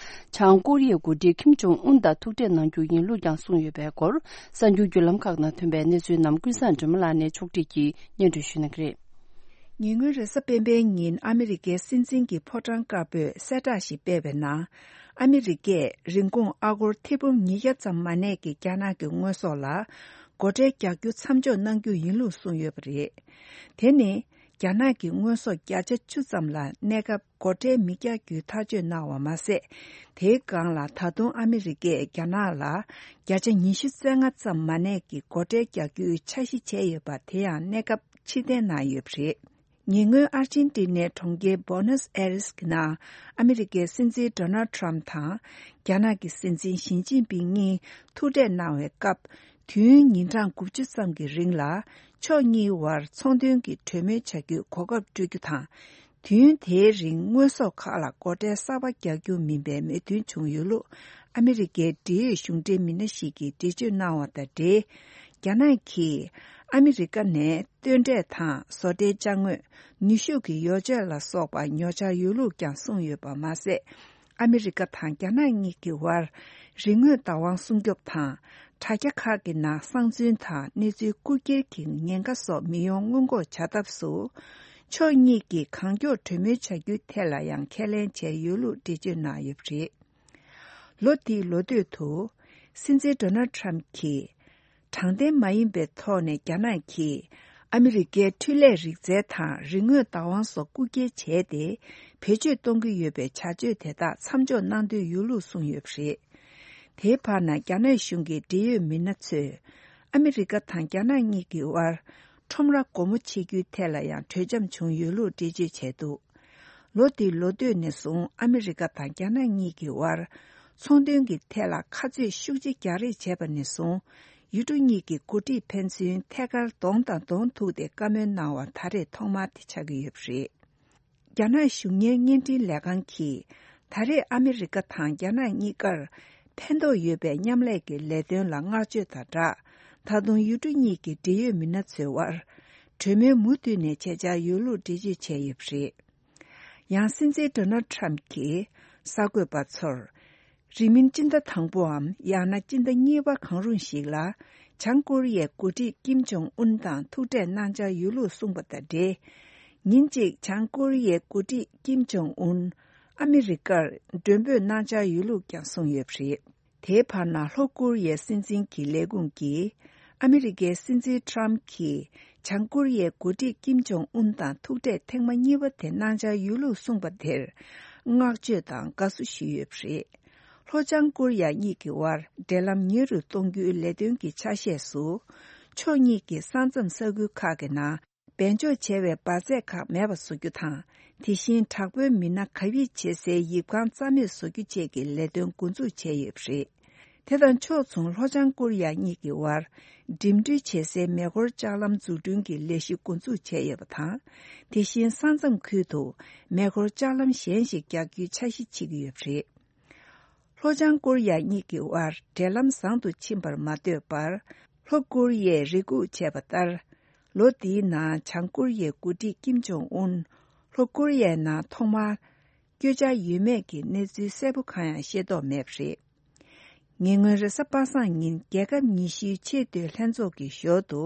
བྱང་ཀོ་རི་ཡའི་འགོ་ཁྲིད་ཁིམ་ཇོང་ཨུན་དང་ཐུག་འཕྲད་གནང་རྒྱུ་ཡིན་ལུགས་ཀྱང་གསུངས་ཡོད་པའི་སྐོར། གསར་འགྱུར་བརྒྱུད་ལམ་ཁག་ནང་ཐོན་པའི་གནས་ཚུལ་རྣམས་ཀུན་བཟང་སྒྲོལ་མ་ལགས་ནས་ཕྱོགས་སྒྲིག་གིས་སྙན་སྒྲོན་ཞུ་གནང་གི་རེད། ཉེ་སྔོན་རེས་གཟའ་སྤེན་པའི་ཉིན་ཨ་མི་རི་ཀའི་སྲིད་འཛིན་གྱི་ཕོ་བྲང་དཀར་པོས་གསལ་བསྒྲགས་ཤིག་སྤེལ་བའི་ནང་། ཨ་མི་རི་ཀས་རིན་གོང་ཨ་སྒོར་ཐེར་འབུམ་ཉིས་བརྒྱ་ཙམ་མ་གནས་ཀྱི་རྒྱ་ནག་གི་དངོས་ཟོག་ལ་སྒོ་ཁྲལ་རྒྱག་རྒྱུ་མཚམས་འཇོག་གནང་རྒྱུ་ཡིན་ལུགས་གསུངས་ཡོད་པ་རེད། དེ་ནི། རྒྱ་ནག་གི་དངོས་ཟོག་བརྒྱ་ཆ་བཅུ་ཙམ་ལ་གནས་སྐབས་སྒོ་ཁྲལ་མི་རྒྱག་རྒྱུའི་ཐག་གཅོད་གནང་བ་མ་ཟད། དེའི་སྒང་ལ་ད་དུང་ཨ་མི་རི་ཀས་རྒྱ་ནག་ལ་བརྒྱ་ཆ་ཉི་ཤུ་རྩ་ལྔ་ཙམ་མ་གནས་ཀྱི་སྒོ་ཁྲལ་རྒྱག་རྒྱུའི་འཆར་གཞི་བྱས་ཡོད་པ་དེ་ཡང་གནས་སྐབས་ཕྱིར་འཐེན་གནང་ཡོད་པ་རེད། ཉེ་སྔོན་ཨར་ཅན་ཏི་ནའི་གྲོང་ཁྱེར་བྷོ་ནོས་ཨེ་རེས་ཀྱི་ནང་ཨ་མི་རི་ཀའི་སྲིད་འཛིན་ཌོ་ནལ་ཊམ་དང་རྒྱ་ནག་གི་སྲིད་འཛིན་ཞི་ཅིན་ཕིང་གཉིས་ཐུག་འཕྲད་གནང་བའི་སྐབས། དུས་ཡུན་ཉིན་གྲངས་དགུ་བཅུ་ཙམ་གྱི་རིང་ལ་ཕྱོགས་གཉིས་བར་ཚོང་དོན་གྱི་གྲོས་མོལ་བྱ་རྒྱུའི་གོ་སྐབས་སྤྲོད་རྒྱུ་དང་། དུས་ཡུན་དེའི་རིང་དངོས་ཟོག་ཁག་ལ་སྒོ་ཁྲལ་གསར་པ་རྒྱག་རྒྱུ་མིན་པའི་མོས་མཐུན་བྱུང་ཡོད་ལུགས་ཨ་མི་རི་ཀའི་འབྲེལ་ཡོད་གཞུང་འབྲེལ་མི་སྣ་ཞིག་གིས་འགྲེལ་བརྗོད་གནང་བ་དང་འབྲེལ། རྒྱ་ནག་གིས་ཨ་མི་རི་ཀ་ནས་སྟོན་འབྲས་དང་བཟོ་གྲྭའི་ཅ་དངོས། ནུས་ཤུགས་ཀྱི་ཡོ་བྱད་ལ་སོགས་པ་ཉོ་འཆར་ཡོད་ལུགས་ཀྱང་གསུངས་ཡོད་པ་མ་ཟད། ཨ་མི་རི་ཀ་དང་རྒྱ་ནག་གཉིས་ཀྱི་དབར་རིག་དངོས་བདག་དབང་སྲུང་སྐྱོབ་དང་། དྲ་རྒྱ་ཁག་གི་ནང་གསང་འཛུལ་དང་གནས་ཚུལ་རྐུ་འཁྱེར་གྱི་ཉེན་ཁ་སོགས་མི་ཡོང་སྔོན་འགོག་བྱ་ཐབས་སུ། ཕྱོགས་གཉིས་ཀྱིས་གང་མགྱོགས་གྲོས་མོལ་བྱ་རྒྱུའི་ཐད་ལ་ཡང་ཁས་ལེན་བྱས་ཡོད་ལུགས་འགྲེལ་བརྗོད་གནང་ཡོད་པ་རེད། ལོ་འདིའི་ལོ་སྟོད་དུ། སྲིད་འཛིན་ཌོ་ནལ་ཊྲམ་གྱིས། དྲང་བདེན་མ་ཡིན་པའི་ཐོག་ནས་རྒྱ་ནག་གིས་ཨ་མི་རི་ཀའི་འཕྲུལ་ལས་རིག་རྩལ་དང་རིག་དངོས་བདག་དབང་སོགས་རྐུ་འཁྱེར་བྱས་ཏེ། བེད་སྤྱོད་གཏོང་གི་ཡོད་པའི་བྱ་སྤྱོད་དེ་དག་མཚམས་འཇོག་གནང་འདོད་ཡོད་ལུགས་གསུངས་ཡོད་པ་རེད། དེའི་བར་ན་རྒྱ་ནག་གཞུང་གི་འབྲེལ་ཡོད་མི་སྣ་ཚོས། ཨ་མི་རི་ཀ་དང་རྒྱ་ནག་གཉིས་ཀྱི་དབར། ཁྲོམ་ར་སྒོ་མོ་ཕྱེ་རྒྱུའི་ཐད་ལ་ཡང་གྲོས་འཆམ་བྱུང་ཡོད་ལུགས་འགྲེལ་བརྗོད་བྱས་འདུག་ལོ་འདིའི་ལོ་སྟོད་ནས་བཟུང་ཨ་མི་རི་ཀ་དང་རྒྱ་ནག་གཉིས་ཀྱི་དབར། ཚོང་དོན་གྱི་ཐད་ལ་ཁ་རྩོད་ཤུགས་ཆེ་རྒྱག་རེས་བྱས་པ་ནས་བཟུང་། ཡུལ་གྲུ་གཉིས་ཀྱི་འགོ་ཁྲིད་ཕན་ཚུན་ཐད་ཀར་གདོང་དང་གདོང་ཐུག་སྟེ་བཀའ་མོལ་གནང་བ་ད་རེས་ཐོག་མ་དེ་ཆགས་ཀྱི་ཡོད་པ་རེད། རྒྱ་ནག་གཞུང་གཉེར་བརྙན་འཕྲིན་ལས་ཁང་གིས། ད་རེས་ཨ་མི་རི་ཀ་དང་རྒྱ་ནག་གཉིས་ཀར་ཕན་ཐོགས་ཡོད་པའི་མཉམ་ལས་ཀྱི་ལས་དོན་ལ་བསྔགས་བརྗོད་དང་སྦྲགས། ད་དུང་ཡུལ་གྲུ་གཉིས་ཀྱི་འབྲེལ་ཡོད་མི་སྣ་ཚོའི་དབར། གྲོས་མོལ་མུ་མཐུད་ནས་བྱེད་འཆར་ཡོད་ལུགས་འགྲེལ་བརྗོད་བྱས་ཡོད་པ་རེད། ཡང་སྲིད་འཛིན་ཌོ་ནལ་ཊྲམ་གྱིས་གསར་འགོད་པ་ཚོར། རིང་མིན་སྤྱི་ཟླ་དང་པོའམ་ཡང་ན་སྤྱི་ཟླ་གཉིས་པ་གང་རུང་ཞིག་ལ། བྱང་ཀོ་རི་ཡའི་འགོ་ཁྲིད་ཀིམ་ཇོང་ཨུན་དང་ཐུག་འཕྲད་གནང་འཆར་ཡོད་ལུགས་གསུངས་པ་དང་འབྲེལ། ཉིན་གཅིག་བྱང་ཀོ་རི་ཡའི་འགོ་ཁྲིད་ཀིམ་ཇོང་ཨུན། ཨ་མི་རི་ཀར་མགྲོན་འབོད་གནང་འཆར་ཡོད་ལུགས་ཀྱང་གསུངས་ཡོད་པ་རེད། དེའི་བར་ན་ལྷོ་ཀོ་རི་ཡའི་སྲིད་འཛིན་གྱི་ལས་ཁུངས་ཀྱིས། ཨ་མི་རི་ཀའི་སྲིད་འཛིན་ཊྲམ་གྱིས། བྱང་ཀོ་རི་ཡའི་འགོ་ཁྲིད་ཀིམ་ཇོང་ཨུན་དང་ཐུག་འཕྲད་ཐེངས་མ་གཉིས་པ་དེ་གནང་འཆར་ཡོད་ལུགས་གསུངས་པ་དེར། བསྔགས་བརྗོད་དང་དགའ་བསུ་ཞུས་ཡོད་པ་རེད། ལྷོ་བྱང་ཀོ་རི་ཡ་གཉིས་ཀྱི་དབར་འབྲེལ་ལམ་ཉེ་རུ་གཏོང་རྒྱུའི་ལས་དོན་གྱི་ཆ་ཤས་སུ། ཕྱོགས་གཉིས་ཀྱི་ས་མཚམས་ས་ཁུལ་ཁག་གི་ནང་། སྦས་འཇོག་བྱས་པའི་འབར་རྫས་ཁག་མེད་པ་བཟོ་རྒྱུ་དང་། དེ་བཞིན་དྲག་པོའི་མི་སྣ་གབ་ཡིབ་བྱེད་སའི་ཡིབ་ཁང་རྩ་མེད་བཟོ་རྒྱུ་བཅས་ཀྱི་ལས་དོན་འགོ་འཛུགས་བྱས་ཡོད་པ་རེད། དེ་དང་ཕྱོགས་མཚུངས་ལྷོ་བྱང་ཀོ་རི་ཡ་གཉིས་ཀྱི་དབར། འགྲིམ་འགྲུལ་བྱེད་སའི་མེ་འཁོར་ལྕགས་ལམ་འཛུགས་སྐྲུན་གྱི་ལས་གཞི་འགོ་འཛུགས་བྱས་ཡོད་པ་དང་། དེ་བཞིན་ས་མཚམས་ཁུལ་དུ་མེ་འཁོར་ལྕགས་ལམ་གཞན་ཞིག་རྒྱག་རྒྱུའི་འཆར་གཞི་བྱེད་ཀྱི་ཡོད་པ་རེད། ལྷོ་བྱང་ཀོ་རི་ཡ་གཉིས་ཀྱི་དབར་འབྲེལ་ལམ་བཟང་དུ་ཕྱིན་པར་མ་ལྟོས་པར། ལྷོ་ཀོ་རི་ཡས་རེ་སྒུག་བྱས་པ་ལྟར། ལོ་འདིའི་ནང་བྱང་ཀོ་རི་ཡའི་འགོ་ཁྲིད་ཀིམ་ཇོང་ཨུན། ལྷོ་ཀོ་རི་ཡའི་ནང་ཐོག་མར། བསྐྱོད་འཆར་ཡོད་མེད་ཀྱི་གནས་ཚུལ་གསལ་པོ་གང་ཡང་ཤེས་རྟོགས་མེད་པ་རེད། ཉེ་སྔོན་རེས་གཟའ་པ་སངས་ཉིན་རྒྱལ་ཁབ་ཉི་ཤུའི་ཆེས་མཐོའི་ལྷན་ཚོགས་ཀྱི་ཞོར་དུ།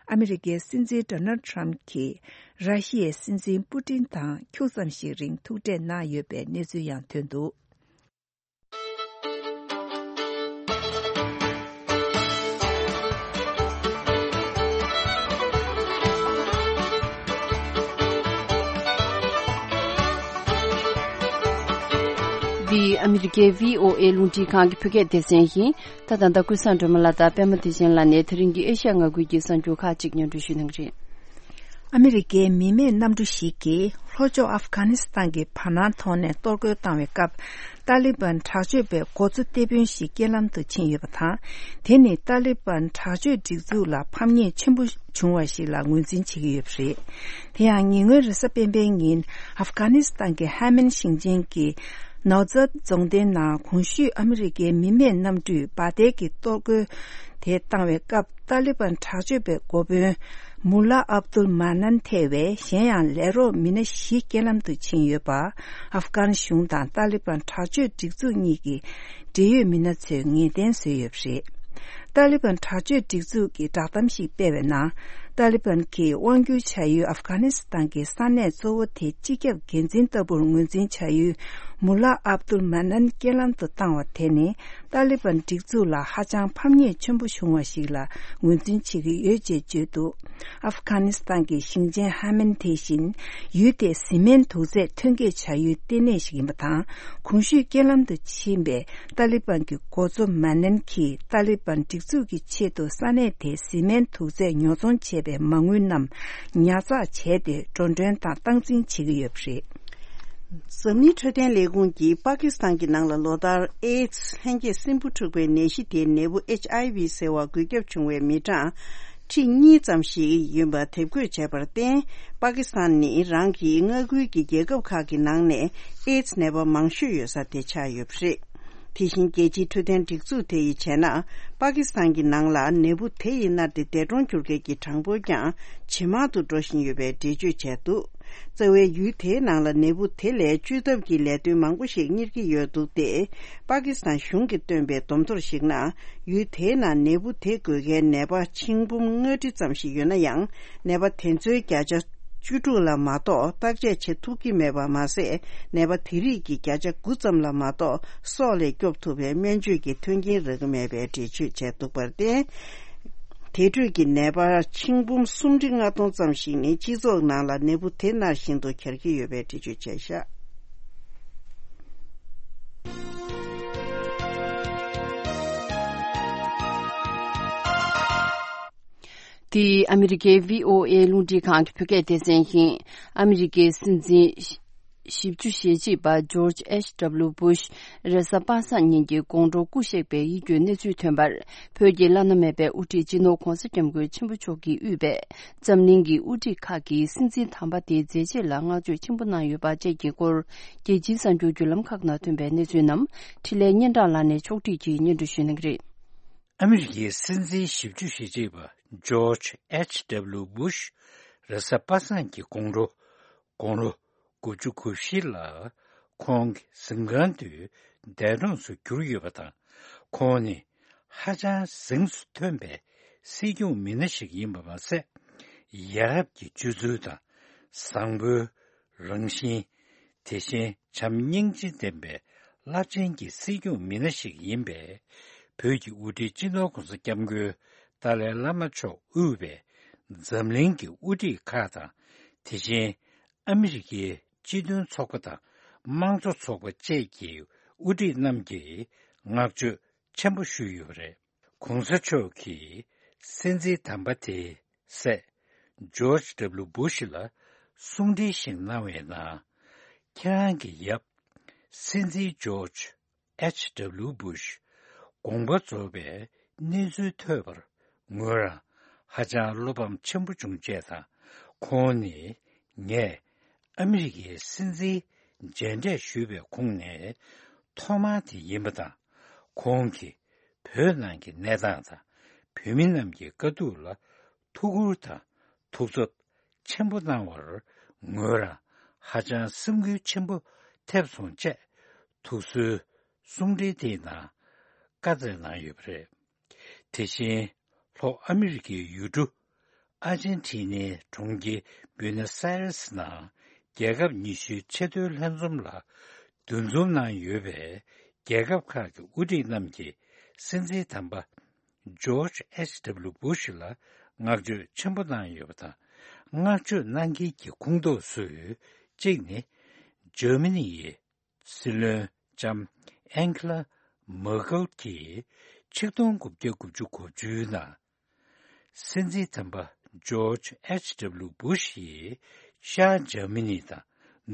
ཨ་མི་རི་ཀའི་སྲིད་འཛིན་ཌོ་ནལ་ཊྲམ་གྱིས་ར་ཤི་ཡའི་སྲིད་འཛིན་པུ་ཏིན་དང་ཁྱུག་ཙམ་ཞིག་རིང་ཐུག་འཕྲད་གནང་ཡོད་པའི་གནས་ཚུལ་ཡང་ཐོན་འདུག་འདི་ཨ་མི་རི་ཀའི་བྷི་ཨོ་ཨེ་རླུང་འཕྲིན་ཁང་གི་བོད་སྐད་སྡེ་ཚན་ཡིན། ད་ད་ལྟ་ཀུན་བཟང་སྒྲོལ་མ་ལགས་དང་པད་མ་བདེ་ཆེན་ལགས་ནས་དེ་རིང་གི་ཨེ་ཤ་ཡ་མངའ་ཁུལ་གྱི་གསར་འགྱུར་ཁག་ཅིག་སྙན་སྒྲོན་ཞུ་གནང་གི་རེད། ཨ་མི་རི་ཀའི་མི་མེད་གནམ་གྲུ་ཞིག་གིས་ལྷོ་ཕྱོགས་ཨབ་གྷ་ནི་སི་ཐན་གྱི་བར་སྣང་ཐོག་ནས་གཏོར་རྒོལ་བཏང་བའི་སྐབས། ཏཱ་ལི་བན་དྲག་སྤྱོད་པས་འགོ་གཙོ་སྟེགས་དཔོན་ཞིག་རྐྱེན་ལམ་དུ་ཕྱིན་ཡོད་པ་དང་། དེ་ནི་ཏཱ་ལི་བན་དྲག་སྤྱོད་སྒྲིག་འཛུགས་ལ་ཕམ་ཉེས་ཆེན་པོ་བྱུང་བ་ཞིག་ལ་ངོས་འཛིན་བྱེད་ཀྱི་ཡོད་པ་རེད། དེ་ཡང་ཉེ་སྔོན་རེས་གཟའ་སྤེན་པའི་ཉིན་ཨབ་གྷ་ནི་སི་ཐན་གྱི་ཧ་མན་ཞིང་ཆེན་གྱི་ནའོ་ཛད་རྫོང་སྡེའི་ནང་གོང་ཞུས་ཨ་མི་རི་ཀའི་མི་མེད་གནམ་གྲུས་འབར་མདེལ་གྱི་གཏོར་རྒོལ་དེ་བཏང་བའི་སྐབས། ཏཱ་ལི་བན་དྲག་སྤྱོད་པའི་འགོ་དཔོན་མུ་ལ་ཨབ་དུལ་མ་ནན་ཐེ་བའི་གཞན་ཡང་ལས་རོགས་མི་སྣ་བཞི་རྐྱེན་ལམ་དུ་ཕྱིན་ཡོད་པ། ཨབ་གྷན་གཞུང་དང་ཏཱ་ལི་བན་དྲག་སྤྱོད་སྒྲིག་འཛུགས་གཉིས་ཀྱི་འབྲེལ་ཡོད་མི་སྣ་ཚོས་ངེས་གཏན་བཟོས་ཡོད་པ་རེད། ཏཱ་ལི་བན་དྲག་སྤྱོད་སྒྲིག་འཛུགས་ཀྱིས་བསྒྲགས་གཏམ་ཞིག་སྤེལ་བའི་ནང་། ཏཱ་ལི་བན་གྱིས་དབང་སྒྱུར་བྱ་ཡུལ་ཨབ་གྷ་ནི་སི་ཐན་གྱི་ས་གནས་གཙོ་བོ་དེ་སྤྱི་ཁྱབ་འགན་འཛིན་ལྟ་བུར་ངོས་འཛིན་བྱ་ཡུལ་མུ་ལ་ཨབ་དུལ་མ་ནན་རྐྱེན་ལམ་དུ་བཏང་བ་དེ་ནི། ཏཱ་ལི་བན་སྒྲིག་འཛུགས་ལ་ཧ་ཅང་ཕམ་ཉེས་ཆེན་པོ་བྱུང་བ་ཞིག་ལ་ངོས་འཛིན་བྱེད་ཀྱི་ཡོད་ཅེས་བརྗོད་འདུག་ཨབ་གྷ་ནི་སི་ཐན་གྱི་ཞིང་ཆེན་ཧ་མན་དེ་བཞིན་ཡུལ་དེའི་བཟི་སྨན་དུག་རྫས་ཐོན་སྐྱེད་བྱ་ཡུལ་ལྟེ་གནས་ཤིག་ཡིན་པ་དང་། གོང་ཞུས་རྐྱེན་ལམ་དུ་ཕྱིན་པའི་ཏཱ་ལི་བན་གྱི་འགོ་གཙོ་མ་ནན་གྱིས་ཏཱ་ལི་བན་སྒྲིག་འཛུགས་ཀྱི་ཆེད་དུ་ས་གནས་དེའི་བཟི་སྨན་དུག་རྫས་ཉོ་ཚོང་བྱས་པའི་མ་དངུལ་རྣམས་ཉར་ཚགས་བྱས་ཏེ་འགྲོ་གྲོན་དང་སྟངས་འཛིན་བྱེད་ཀྱི་ཡོད་པ་རེད། འཛམ་གླིང་འཕྲོད་བསྟེན་ལས་ཁུངས་ཀྱིས་པ་ཀི་སི་ཐན་གྱི་ནང་ལ་ལོ་ལྟར་ཨེ་ཌི་སི་ལྷན་སྐྱེས་སྲིན་འབུ་འཁྲུགས་པའི་ནད་གཞི་དེའི་ནད་འབུ་ཨེཆ་ཨའི་ཝི་ཟེར་བ་འགོས་ཁྱབ་བྱུང་བའི་མི་གྲངས་ཁྲི་གཉིས་ཙམ་ཞིག་ཡོད་པ་དེབ་འགོད་བྱས་པར་བརྟེན། པ་ཀི་སི་ཐན་ནི་རང་གི་མངའ་ཁུལ་གྱི་རྒྱལ་ཁབ་ཁག་གི་ནང་ནས་ཨེ་ཌི་སི་ནད་པ་མང་ཤོས་ཡོད་ས་དེ་ཆགས་ཡོད་པ་རེད། དེ་བཞིན་རྒྱལ་སྤྱིའི་འཕྲོད་བསྟེན་སྒྲིག་འཛུགས་དེ་ཡིས་བྱས་ན། པ་ཀི་སི་ཐན་གྱི་ནང་ལ་ནད་འབུ་དེ་ཡི་མནར་ཏེ་འདས་གྲོངས་གྱུར་མཁན་གྱི་གྲངས་འབོར་ཀྱང་ཇེ་མང་དུ་འགྲོ་བཞིན་ཡོད་པའི་འགྲེལ་བརྗོད་བྱས་འདུག་རྩ་བའི་ཡུལ་དེའི་ནང་ལ་ནད་འབུ་དེ་ལས་བཅོས་ཐབས་ཀྱི་ལས་དོན་མང་པོ་ཞིག་གཉེར་གྱི་ཡོད་འདུག་སྟེ། པ་ཀི་སི་ཐན་གཞུང་གིས་བཏོན་པའི་བསྡོམས་ཐོར་ཞིག་ནང་། ཡུལ་དེའི་ནང་ནད་འབུ་དེ་འགོས་མཁན་ནད་པ་ཆིག་འབུམ་ལྔ་ཁྲི་ཙམ་ཞིག་ཡོད་ན་ཡང་། ནད་པ་དེ་ཚོའི་བརྒྱ་ཆ་བཅུ་དྲུག་ལ་མ་གཏོགས་བརྟག་དཔྱད་བྱེད་ཐུབ་ཀྱི་མེད་པ་མ་ཟད། ནད་པ་དེ་རིགས་ཀྱི་བརྒྱ་ཆ་དགུ་ཙམ་ལ་མ་གཏོགས་སྲོག་ལས་སྐྱོབ་ཐུབ་པའི་སྨན་བཅོས་ཀྱི་མཐུན་རྐྱེན་རག་གི་མེད་པའི་འགྲེལ་བརྗོད་བྱས་འདུག་པར་བརྟེན། དེ་འཕྲོས་ཀྱི་ནད་པ་ཆིག་འབུམ་སུམ་ཁྲི་ལྔ་སྟོང་ཙམ་ཞིག་ནི་སྤྱི་ཚོགས་ནང་ལ་ནད་འབུ་དེ་ནར་བཞིན་དུ་གྱར་གྱི་ཡོད་པའི་འགྲེལ་བརྗོད་བྱས་བཞག། འདི་ཨ་མི་རི་ཀའི་བྷི་ཨོ་ཨེ་རླུང་འཕྲིན་ཁང་གི་བོད་སྐད་སྡེ་ཚན་ཡིན། ཨ་མི་རི་ཀའི་སྲིད་འཛིན་བཞི་བཅུ་ཞེ་གཅིག་པ་ཇོརྗ་ཨེཆ་ཌབ་ལིའུ་བུ་ཤ་རེས་གཟའ་པ་སངས་ཉིན་གྱི་དགོང་དྲོ་སྐུ་གཤེགས་པའི་ཡིད་སྐྱོའི་གནས་ཚུལ་ཐོན་པར། བོད་ཀྱི་བླ་ན་མེད་པའི་དབུ་ཁྲིད་སྤྱི་ནོར་༧གོང་ས་༧སྐྱབས་མགོན་ཆེན་པོ་མཆོག་གིས་དབུས་པའི་འཛམ་གླིང་གི་དབུ་ཁྲིད་ཁག་གིས་སྲིད་འཛིན་དམ་པ་དེའི་མཛད་རྗེས་ལ་བསྔགས་བརྗོད་ཆེན་པོ་གནང་ཡོད་པ་བཅས་ཀྱི་སྐོར། རྒྱལ་སྤྱིའི་གསར་འགྱུར་བརྒྱུད་ལམ་ཁག་ནང་ཐོན་པའི་གནས་ཚུལ་རྣམས་འཕྲིན་ལས་སྙན་གྲགས་ལགས་ནས་ཕྱོགས་སྒྲིག་གིས་སྙན་སྒྲོན་ཞུ་གནང་གི་རེད། ཨ་མི་རི་ཀའི་སྲིད་འཛིན་བཞི་བཅུ་ཞེ་གཅིག་པ་ཇོརྗ་ཨེཆ་ཌབ་ལིའུ་བུ་ཤ་རེས་གཟའ་པ་སངས་ཀྱི་དགོང་དྲོ་དགུང་ལོ་དགུ་བཅུ་གོ་བཞི་ལ་ཁོང་གི་གཟིམ་ཁང་དུ་འདས་གྲོངས་སུ་གྱུར་ཡོད་པ་དང་། ཁོང་ནི་ཧ་ཅང་གཟེངས་སུ་ཐོན་པའི་སྲིད་སྐྱོང་མི་སྣ་ཞིག་ཡིན་པ་མ་ཟད། ཡ་རབས་ཀྱི་སྤྱོད་ཚུལ་དང་བཟང་པོའི་རང་བཞིན། དེ་བཞིན་བྱམས་སྙིང་རྗེ་ལྡན་པའི་རླབས་ཆེན་གྱི་སྲིད་སྐྱོང་མི་སྣ་ཞིག་ཡིན་པས། བོད་ཀྱི་དབུ་ཁྲིད་སྤྱི་ནོར་༧གོང་ས་༧སྐྱབས་མགོན་ཏཱ་ལའི་བླ་མ་མཆོག་དབུས་པའི་འཛམ་གླིང་གི་དབུ་ཁྲིད་ཁག་དང་། དེ་བཞིན་ཨ་མི་རི་ཀའི་སྤྱི་མཐུན་ཚོགས་པ་དང་དམངས་གཙོ་ཚོགས་པ་བཅས་ཀྱི་དབུ་ཁྲིད་རྣམས་ཀྱིས་བསྔགས་བརྗོད་ཆེན་པོ་ཞུས་ཡོད་པ་རེད། ༸གོང་ས་མཆོག་གིས་སྲིད་འཛིན་དམ་པ་དེའི་སྲས་ཇོརྗ་ཌབ་ལིའུ་བུ་ཤ་ལ་གསུང་འཕྲིན་ཞིག་གནང་བའི་ནང་། ཁྱེད་རང་གི་ཡབ་སྲིད་འཛིན་ཇོརྗ་ཨེཆ་ཌབ་ལིའུ་བུ་ཤ་དགོངས་པ་རྫོགས་པའི་གནས་ཚུལ་ཐོས་པར་ངོས་རང་ཧ་ཅང་བློ་ཕམ་ཆེན་པོ་བྱུང་བཅས་དང་། ཁོང་ནི་ངས་ཨ་མི་རི་ཀའི་སྲིད་འཛིན་མཇལ་འཕྲད་ཞུས་པའི་ཁོངས་ནས་ཐོག་མ་དེ་ཡིན་པ་དང་། ཁོང་གིས་བོད་ནང་གི་གནས་སྟངས་དང་། བོད་མི་རྣམས་ཀྱི་དཀའ་སྡུག་ལ་ཐུགས་ཁུར་དང་ཐུགས་འཚབ་ཆེན་པོ་གནང་བར་ངོས་རང་ཧ་ཅང་སེམས་འགུལ་ཆེན་པོ་ཐེབས་སོང་བཅས། ཐུགས་གསོའི་གསུང་འཕྲིན་དེའི་ནང་བཀའ་སྩལ་གནང་ཡོད་པ་རེད། དེ་བཞིན་ལྷོ་ཨ་མི་རི་ཀའི་ཡུལ་གྲུ་ཨར་ཇན་ཊི་ནའི་གྲོང་ཁྱེར་བུ་ནོ་སི་ཨ་རེ་སི་ནང་རྒྱལ་ཁབ་ཉི་ཤུའི་ཆེས་མཐོའི་ལྷན་འཛོམས་ལ་འདུ་འཛོམས་གནང་ཡོད་པའི་རྒྱལ་ཁབ་ཁག་གི་དབུ་ཁྲིད་རྣམས་ཀྱིས་སྲིད་འཛིན་དམ་པ་ཇོརྗ་ཨེཆ་ཌབ་ལིའུ་བུ་ཤ་ལ་བསྔགས་བརྗོད་ཆེན་པོ་གནང་ཡོད་པ་དང་། བསྔགས་བརྗོད་གནང་མཁན་གྱི་ཁོངས་གཏོགས་སུ་གཅིག་ནི་འཇར་མ་ནི་ཡི་སྲིད་བློན་ལྕམ་ཨན་ཁི་ལ་མར་ཀལ་གྱིས་ཆིག་སྟོང་དགུ་བརྒྱ་དགུ་བཅུ་གོ་བཅུའི་ནང་སྲིད་འཛིན་དམ་པ་ཇོརྗ་ཨེཆ་ཌབ་ལིའུ་བུ་ཤ་ཡིས་ཤར་འཇར་མ་ནི་དང་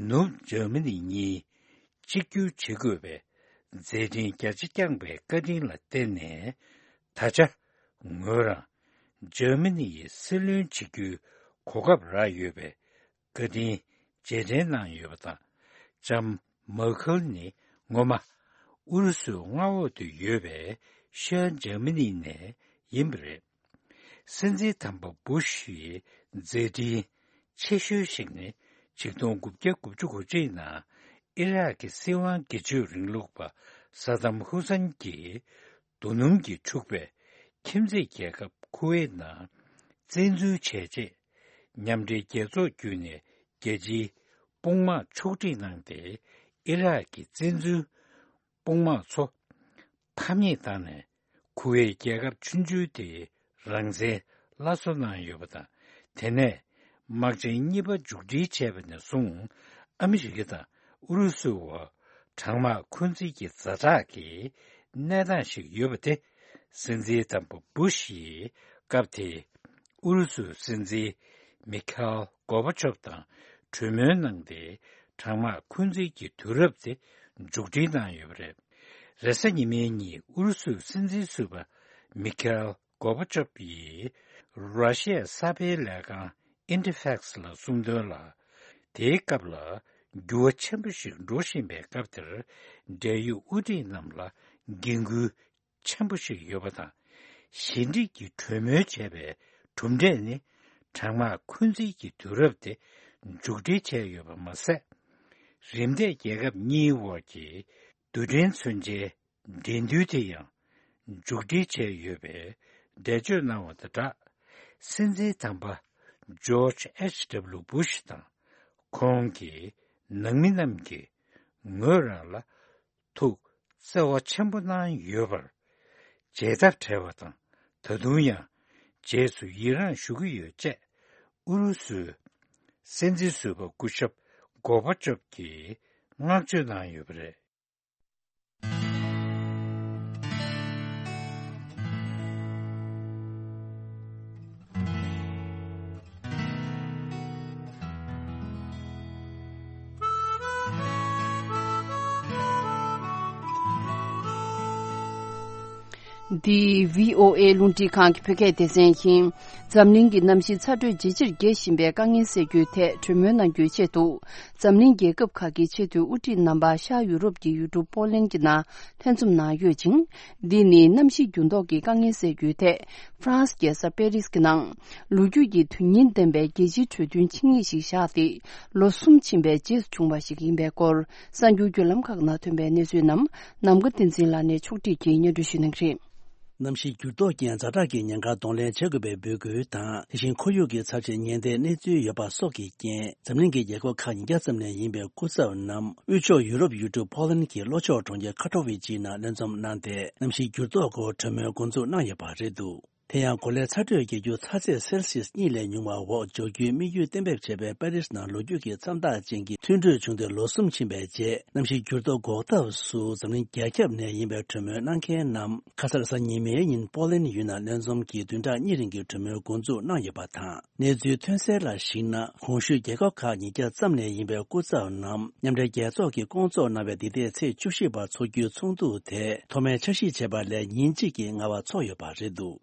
ནུབ་འཇར་མ་ནི་གཉིས་གཅིག་གྱུར་བྱེད་དགོས་པའི་མཛད་འཕྲིན་རྒྱ་ཆེ་བསྐྱངས་པའི་བཀའ་དྲིན་ལ་བརྟེན་ནས། ད་ཆ་ངོས་རང་འཇར་མ་ནི་ཡི་སྲིད་བློན་བྱེད་རྒྱུའི་གོ་སྐབས་རག་ཡོད་པའི་བཀའ་དྲིན་རྗེས་དྲན་གནང་ཡོད་པ་དང་། ལྕམ་མར་ཁལ་ནི་སྔོན་མ་ཨུ་རུ་སུའི་མངའ་འོག་ཏུ་ཡོད་པའི་ཤར་འཇར་མ་ནི་ནས་ཡིན་པ་རེད། སྲིད་འཛིན་དམ་པ་བུ་ཤ་ཡི་མཛད་འཕྲིན་ཆེ་ཤོས་ཤིག་ནི་ཆིག་སྟོང་དགུ་བརྒྱ་དགུ་བཅུ་གོ་གཅིག་ནང་ཨི་རག་གི་སྲིད་དབང་སྒེར་གཅོད་རིང་ལུགས་པ་ས་དམ་ཧུ་སན་གྱིས་རྡོ་སྣུམ་གྱིས་འཁྲུགས་པའི་ཁྱིམ་མཚེས་རྒྱལ་ཁབ་ཁུ་ཝེད་ནང་བཙན་འཛུལ་བྱས་རྗེས། མཉམ་འབྲེལ་རྒྱལ་ཚོགས་བརྒྱུད་ནས་རྒྱལ་སྤྱིའི་དཔུང་དམག་ཕྱོགས་སྒྲིག་གནང་སྟེ། ཨི་རག་གི་བཙན་འཛུལ་དཔུང་དམག་ཚོ་ཕམ་ཉེས་བཏང་ནས། ཁུ་ཝེད་རྒྱལ་ཁབ་ཆུང་ཆུང་དེའི་རང་བཙན་སླར་གསོ་གནང་ཡོད་པ་དང་། དེ་ནས་དམག་ཆེན་གཉིས་པ་མཇུག་སྒྲིལ་བྱས་པ་ནས་བཟུང་། ཨ་མི་རི་ཀ་དང་ཨུ་རུ་སུའི་བར་གྲང་དམག་འཁོན་འཛིན་གྱི་ཛ་དྲག་གི་གནས་སྟངས་ཤིག་ཡོད་པ་དེ། སྲིད་འཛིན་དམ་པ་བུ་ཤ་ཡིས་སྐབས་དེའི་ཨུ་རུ་སུའི་སྲིད་འཛིན་མི་ཁ་ཨེལ་གོ་བ་ཆོབ་དང་གྲོས་མོལ་གནང་སྟེ། གྲང་དམག་འཁོན་འཛིན་གྱི་དུས་རབས་དེ་མཇུག་སྒྲིལ་གནང་ཡོད་པ་རེད། རེས་གཟའ་ཉི་མའི་ཉིན་ཨུ་རུ་སུའི་སྲིད་འཛིན་ཟུར་པ་མི་ཁ་ཨེལ་གོ་བ་ཆོབ་ཡིས་ར་ཤི་ཡའི་གསར་སྤེལ་ལས་ཁང་ཨིན་ཊར་ཕེག་སི་ལ་གསུངས་དོན་ལ། དེའི་སྐབས་ལ་འགྱུར་བ་ཆེན་པོ་ཞིག་འགྲོ་བཞིན་པའི་སྐབས་དེར། འབྲེལ་ཡོད་དབུ་ཁྲིད་རྣམས་ལ་འགན་ཁུར་ཆེན་པོ་ཞིག་ཡོད་པ་དང་། ཞི་འགྲིག་གི་གྲོས་མོལ་བྱས་པའི་གྲུབ་འབྲས་ནི། གྲང་དམག་འཁོན་འཛིན་གྱི་དུས་རབས་དེ་ མཇུག་སྒྲིལ་བྱས་ཡོད་པ་མ་ཟད། རིམ་འདས་རྒྱལ་ཁབ་གཉིས་དབར་གྱི་རྡུལ་ཕྲན་མཚོན་ཆའི་འགྲན་བསྡུར་དེ་ཡང་མཇུག་སྒྲིལ་བྱས་ཡོད་པས། འགྲེལ་བརྗོད་གནང་བ་དང་སྦྲགས། སྲིད་འཛིན་དམ་པ་ཇོརྗ་ཨེཆ་ཌབ་ལུ་བུ་ཤ་དང་ཁོང་གི་ནང་མི་རྣམས་ཀྱིས་ངོས་རང་ལ་ཐུགས་བརྩེ་བ་ཆེན་པོ་གནང་ཡོད་པར་བྱེད་ཐབས་བྲལ་བ་དང་། ད་དུང་ཡང་རྗེས་སུ་ཡི་རངས་ཞུ་གི་ཡོད་ཅེས་ཨུ་རུ་སུའི་སྲིད་འཛིན་ཟུར་པ་སྐུ་ཞབས་གོར་བྷ་ཅོབ་ཀྱིས་བསྔགས་བརྗོད་གནང་ཡོད་པ་རེད། འདི་བྷི་ཨོ་ཨེ་རླུང་འཕྲིན་ཁང་གི་བོད་སྐད་སྡེ་ཚན་ཡིན། འཛམ་གླིང་གི་གནམ་གཤིས་ཚ་དྲོད་ཇེ་ཆེར་རྒྱས་བཞིན་པའི་དཀའ་ངལ་སེལ་རྒྱུའི་ཐད་གྲོས་མོལ་གནང་རྒྱུའི་ཆེད་དུ། འཛམ་གླིང་རྒྱལ་ཁབ་ཁག་གི་ཆེས་མཐོའི་དབུ་ཁྲིད་རྣམ་པ་ཤར་ཡུ་རོབ་ཀྱི་ཡུལ་གྲུ་པོ་ལན་གྱི་ནང་ལྷན་འཛོམས་གནང་ཡོད་ཅིང་། འདི་ནི་གནམ་གཤིས་འགྱུར་ལྡོག་གི་དཀའ་ངལ་སེལ་རྒྱུའི་ཐད་ཧྥ་རན་སི་རྒྱལ་ས་པེ་རིས་ཀྱི་ནང་ལོ་རྒྱུས་ཀྱི་དོན་སྙིང་ལྡན་པའི་རྒྱལ་སྤྱིའི་གྲོས་མཐུན་ཆིངས་ཡིག་ཞིག་བཞག་སྟེ་ལོ་གསུམ་ཕྱིན་པའི་རྗེས་སུ་བྱུང་བ་ཞིག་ཡིན་པའི་སྐོར། གསར་འགྱུར་བརྒྱུད་ལམ་ཁག་ནང་ཐོན་པའི་གནས་ཚུལ་རྣམས་ནམ་མཁའ་བསྟན་འཛིན་ལགས་ནས་ཕྱོགས་སྒྲིག་གིས་སྙན་སྒྲོན་ཞུ་གནང་གི་རེད། གནམ་གཤིས་འགྱུར་ལྡོག་རྐྱེན་ཛ་དྲག་གི་ཉེན་ཁ་གདོང་ལེན་བྱེད་དགོས་པའི་འབོད་སྐུལ་དང་། དེ་བཞིན་ཁོར་ཡུག་གི་ཚབས་ཆེའི་ཉེན་བརྡའི་གནས་ཚུལ་ཡོད་པ་སོགས་ཀྱི་རྐྱེན། འཛམ་གླིང་གི་རྒྱལ་ཁབ་ཁག་ཉིས་བརྒྱ་ཙམ་ནས་ཡིན་པའི་སྐུ་ཚབ་རྣམས་དབུས་ཕྱོགས་ཡུ་རོབ་ཡུལ་གྲུ་ཕོ་ལན་གྱི་ལྷོ་ཕྱོགས་གྲོང་ཁྱེར་ཁ་ཐོ་ཝི་ཅིའི་ནང་མཉམ་འཛོམས་གནང་སྟེ། གནམ་གཤིས་འགྱུར་ལྡོག་སྐོར་གྲོས་མོལ་འགོ་འཛུགས་གནང་ཡོད་པ་རེད་འདུག་དེ་ཡང་གོ་ལའི་ཚ་དྲོད་རྒྱག་རྒྱུ་ཚ་ཚད་སེལ་སིས་གཉིས་ལས་ཉུང་བ་འོག་འཇོག་རྒྱུའི་དམིགས་ཡུལ་གཏན་འབེབས་བྱས་པའི་པེ་རིས་ནང་ལོ་རྒྱུས་ཀྱི་མཚམས་རྟགས་ཅན་གྱི་མཐུན་གྲོས་བྱུང་སྟེ་ལོ་གསུམ་ཕྱིན་པའི་རྗེས། གནམ་གཤིས་འགྱུར་ལྡོག་འགོག་ཐབས་སུ་འཛམ་གླིང་རྒྱ་ཁྱབ་ནས་ཡིན་པའི་གྲོས་མོལ་གནང་མཁན་རྣམས་ཁ་སང་གཟའ་ཉི་མའི་ཉིན་པོ་ལན་ཡུལ་ནང་མཉམ་འཛོམས་ཀྱིས་བདུན་ཕྲག་གཉིས་རིང་གི་གྲོས་མོལ་འགོ་འཛུགས་གནང་ཡོད་པ་དང་། གནས་ཚུལ་ཐོན་གསལ་ལ་གཞིགས་ན། གོང་ཞུས་རྒྱལ་ཁབ་ཁག་ཉིས་བརྒྱ་ཙམ་ནས་ཡིན་པའི་སྐུ་ཚབ་རྣམས་མཉམ་འབྲེལ་རྒྱལ་ཚོགས་ཀྱིས་སྐོང་ཚོགས་གནང་བའི་འདི་ཟླའི་ཚེས་བཅུ་བཞི་བར་འཚོགས་རྒྱུའི་ཚོགས་འདུ་དེ་ཐོག་མའི་འཆར་གཞི་བྱས་པ་ལས་ཉིན་གཅིག་གིས་སྔ་བ་འཚོགས་ཡོད་པ་རེད་འདུག་